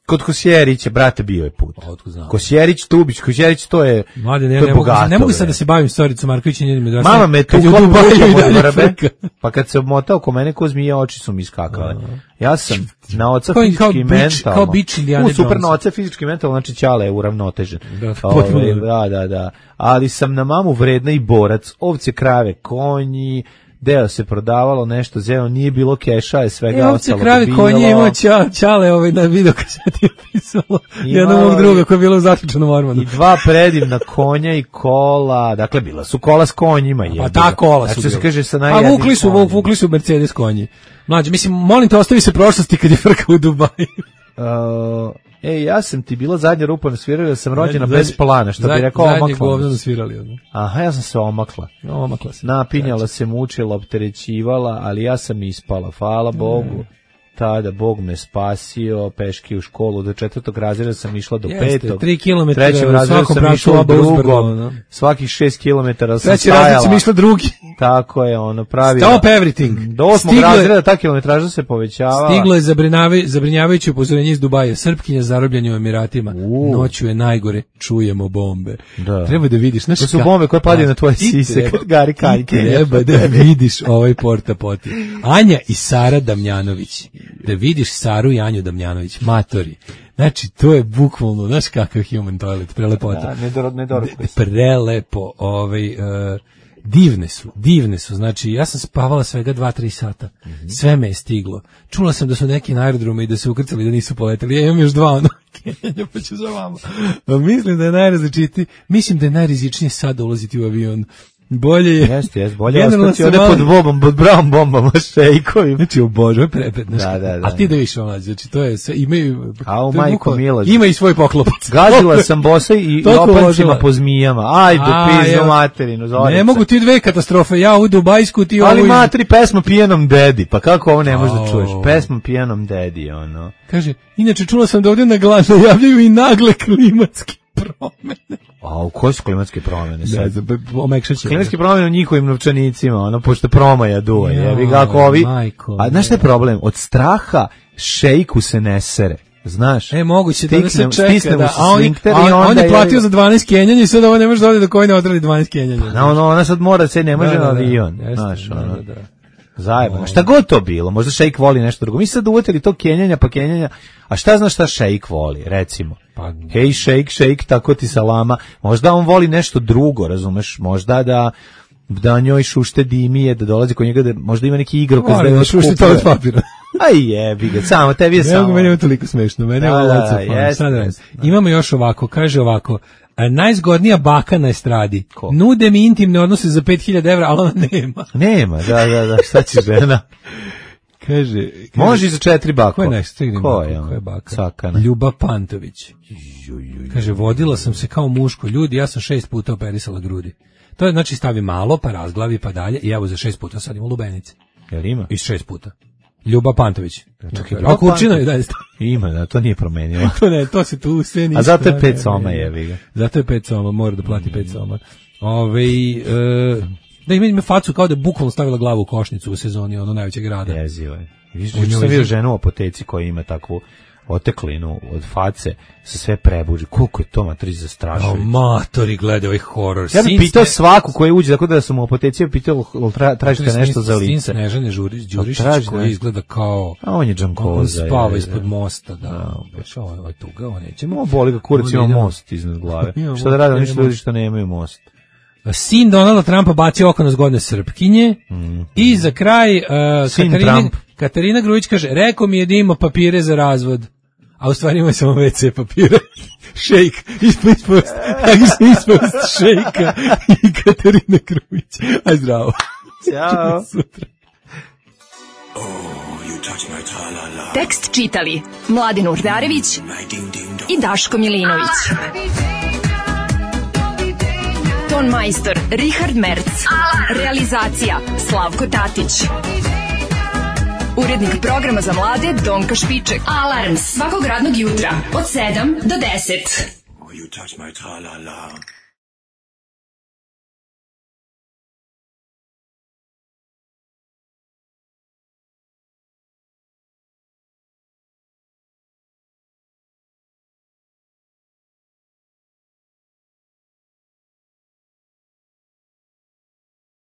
Kod Kosjerića, brate, bio je put. Znam. Kosjerić, Tubić, Kosjerić, to je, Mlade, ne, to je ne bogato. Mogu, ne mogu sad da se bavim Storicom Marković i njenim odraslim. Mama me tu vrbe, pa kad se omotao ko mene, ko zmije, oči su mi iskakale. Ja sam na oca kao, fizički kao i mentalno. Kao bić Indiana U, super na oca fizički i mentalno, znači Ćale je uravnotežen. Da, Ove, da, da, da. Ali sam na mamu vredna i borac, ovce, krave, konji, deo se prodavalo nešto, zelo nije bilo keša, je svega e, ostalo dobijalo. Ovce, krave, konje imao ča, Ćale ovaj, na video kaseti je pisalo jednog mog druga koja je bila u zaključenom ormanu. I dva predivna konja i kola, dakle bila su kola s konjima. Pa ta kola su znači, se kaže sa A vukli su, konjima. vukli su Mercedes konji. Mlađe, mislim, molim te, ostavi se prošlosti kad je frka u Dubaju. Uh, Ej, ja sam ti bila zadnja rupa na svirali, da sam rođena zadnje, bez plana, što bi rekao omakla. Zadnje govno na svirali. Ono. Aha, ja sam se omakla. Omakla se. Napinjala znači. se, mučila, opterećivala, ali ja sam ispala, hvala Bogu. Mm. Tada Bog me spasio, peške u školu, do četvrtog razreda sam išla do Jeste, petog. tri kilometra trećem razredu sam išla drugom, no? Svakih šest kilometara sam Treći stajala. Treći razred sam išla drugi. Tako je, ono, pravi. Stop everything. Do osmog Stigle, razreda ta kilometraža se povećavala. Stiglo je zabrinjavajuće upozorenje iz Dubaja. Srpkinja zarobljenja u Emiratima. Uh. Noću je najgore, čujemo bombe. Da. Treba da vidiš. Znaš, to su bombe koje padaju na tvoje sise, kad gari kaljke. Treba da vidiš ovaj porta poti. Anja i Sara Damjanović. Da vidiš Saru i Anju Damjanović, matori. Znači, to je bukvalno, znaš kakav human toilet, prelepota. Da, nedor, nedor, prelepo, ovaj, uh, divne su, divne su, znači, ja sam spavala svega dva tri sata, mm-hmm. sve me je stiglo. Čula sam da su neki na aerodromu i da se ukrcali da nisu poletali, ja imam još dva, ono, kenjanja, pa ću za vama. Mislim da je najrazličitiji, mislim da je najrizičnije sada ulaziti u avion. Bolje je. Jeste, jeste, bolje je ostati ovdje pod bombom, pod brown bombama, šejkovim. Znači, obožuje prepet. Da, da, da. A ti da više mlađe, znači, to je sve, imaju... A u majko Miloš. Ima i svoj poklopac. Gazila sam bosa i lopancima po zmijama. Ajde, pizdu materinu, zorica. Ne mogu ti dve katastrofe, ja u Dubajsku, ti ovo... Ali matri, pesma Pijanom dedi, pa kako ovo ne možeš da čuješ? Pesma Pijanom dedi, ono. Kaže, inače čula sam da ovdje na glas najavljaju i nagle klimatske promene. A u koje su klimatske promene sad? Da, omekšat će. Klimatske promene u njihovim novčanicima, ono, pošto promaja duva. Jebi ga, ako ovi... Majko, a znaš šta je problem? Od straha šejku se ne sere. Znaš? E, moguće da se čeka. Stisnemo da, se a on, sfinkter a on, i onda... on je platio za dvanaest kenjanja i sad ovo ne može da ode do koje ne odradi dvanaest kenjanja. Pa, no, no, ona sad mora se, ne može da, da, na avion. Da, znaš, da, ono. da, da. Zajebano. Šta god to bilo, možda šejk voli nešto drugo. Mi sad uvetili to kenjanja pa kenjanja, a šta znaš šta šejk voli, recimo? Pa, hej, šejk, šejk, tako ti salama. Možda on voli nešto drugo, razumeš? Možda da da njoj šušte dimije, da dolazi kod njega, da možda ima neki igrokaz da je šušte to od papira. Aj jebi ga, samo tebi je ne samo. Meni je toliko smešno, mene je ovo laco. Imamo još ovako, kaže ovako, najzgodnija baka na estradi. Ko? Nude mi intimne odnose za pet hiljada evra, ali ona nema. Nema, da, da, da, šta će žena? Kaže, kaže, može i za četiri bako. Ko je nešto? Stignim Ko bako, je, ko je baka? Sakana. Ljuba Pantović. Kaže, vodila sam se kao muško. Ljudi, ja sam šest puta operisala grudi. To je, znači, stavi malo, pa razglavi, pa dalje. I evo za šest puta sadim u lubenici. Jel ima? I šest puta. Ljuba Pantović. A Kurčina je dalje stavi. Ima, da, to nije promenilo. to ne, to se tu sve nije. A zato je pet soma, jevi ga. Zato je pet soma, mora da plati pet soma. Ove, e, da ima, ima facu kao da je bukvalno stavila glavu u košnicu u sezoni ono najvećeg grada. Jezivo je. Viš, sam vidio ženu u apoteci koja ima takvu oteklinu od face, se sve prebuži. Koliko je to matrić zastrašujući. O, matori, gledaj ovaj horor. Ja bih pitao svaku koja uđe, tako da sam u apoteci pitao, tra, tražite nešto za lice. Sin Snežane Đurišić, koji izgleda kao... A on je džankoza. On spava ispod mosta, da. Ovo je ovaj tuga, ovo nećemo. Ovo boli ga kurac, ima most iznad glave. Šta da rade, oni što ljudi što nemaju most. Sin Donalda Trumpa bacio oko na zgodne Srpkinje. Mm. I za kraj uh, Katarina, Katarina Grujić kaže, rekao mi je da ima papire za razvod, a u stvari ima samo ve ce papire. Šejk, ispost, ispost, ispost šejka i Katarina Grujić. Aj zdravo. Ćao. Sutra. Tekst čitali Mladin Urdarević i Daško Milinović. Ton majstor Richard Merc. Realizacija Slavko Tatić. Urednik programa za mlade Donka Špiček. Alarms svakog radnog jutra od sedam do deset. Oh, you touch my tra-la-la.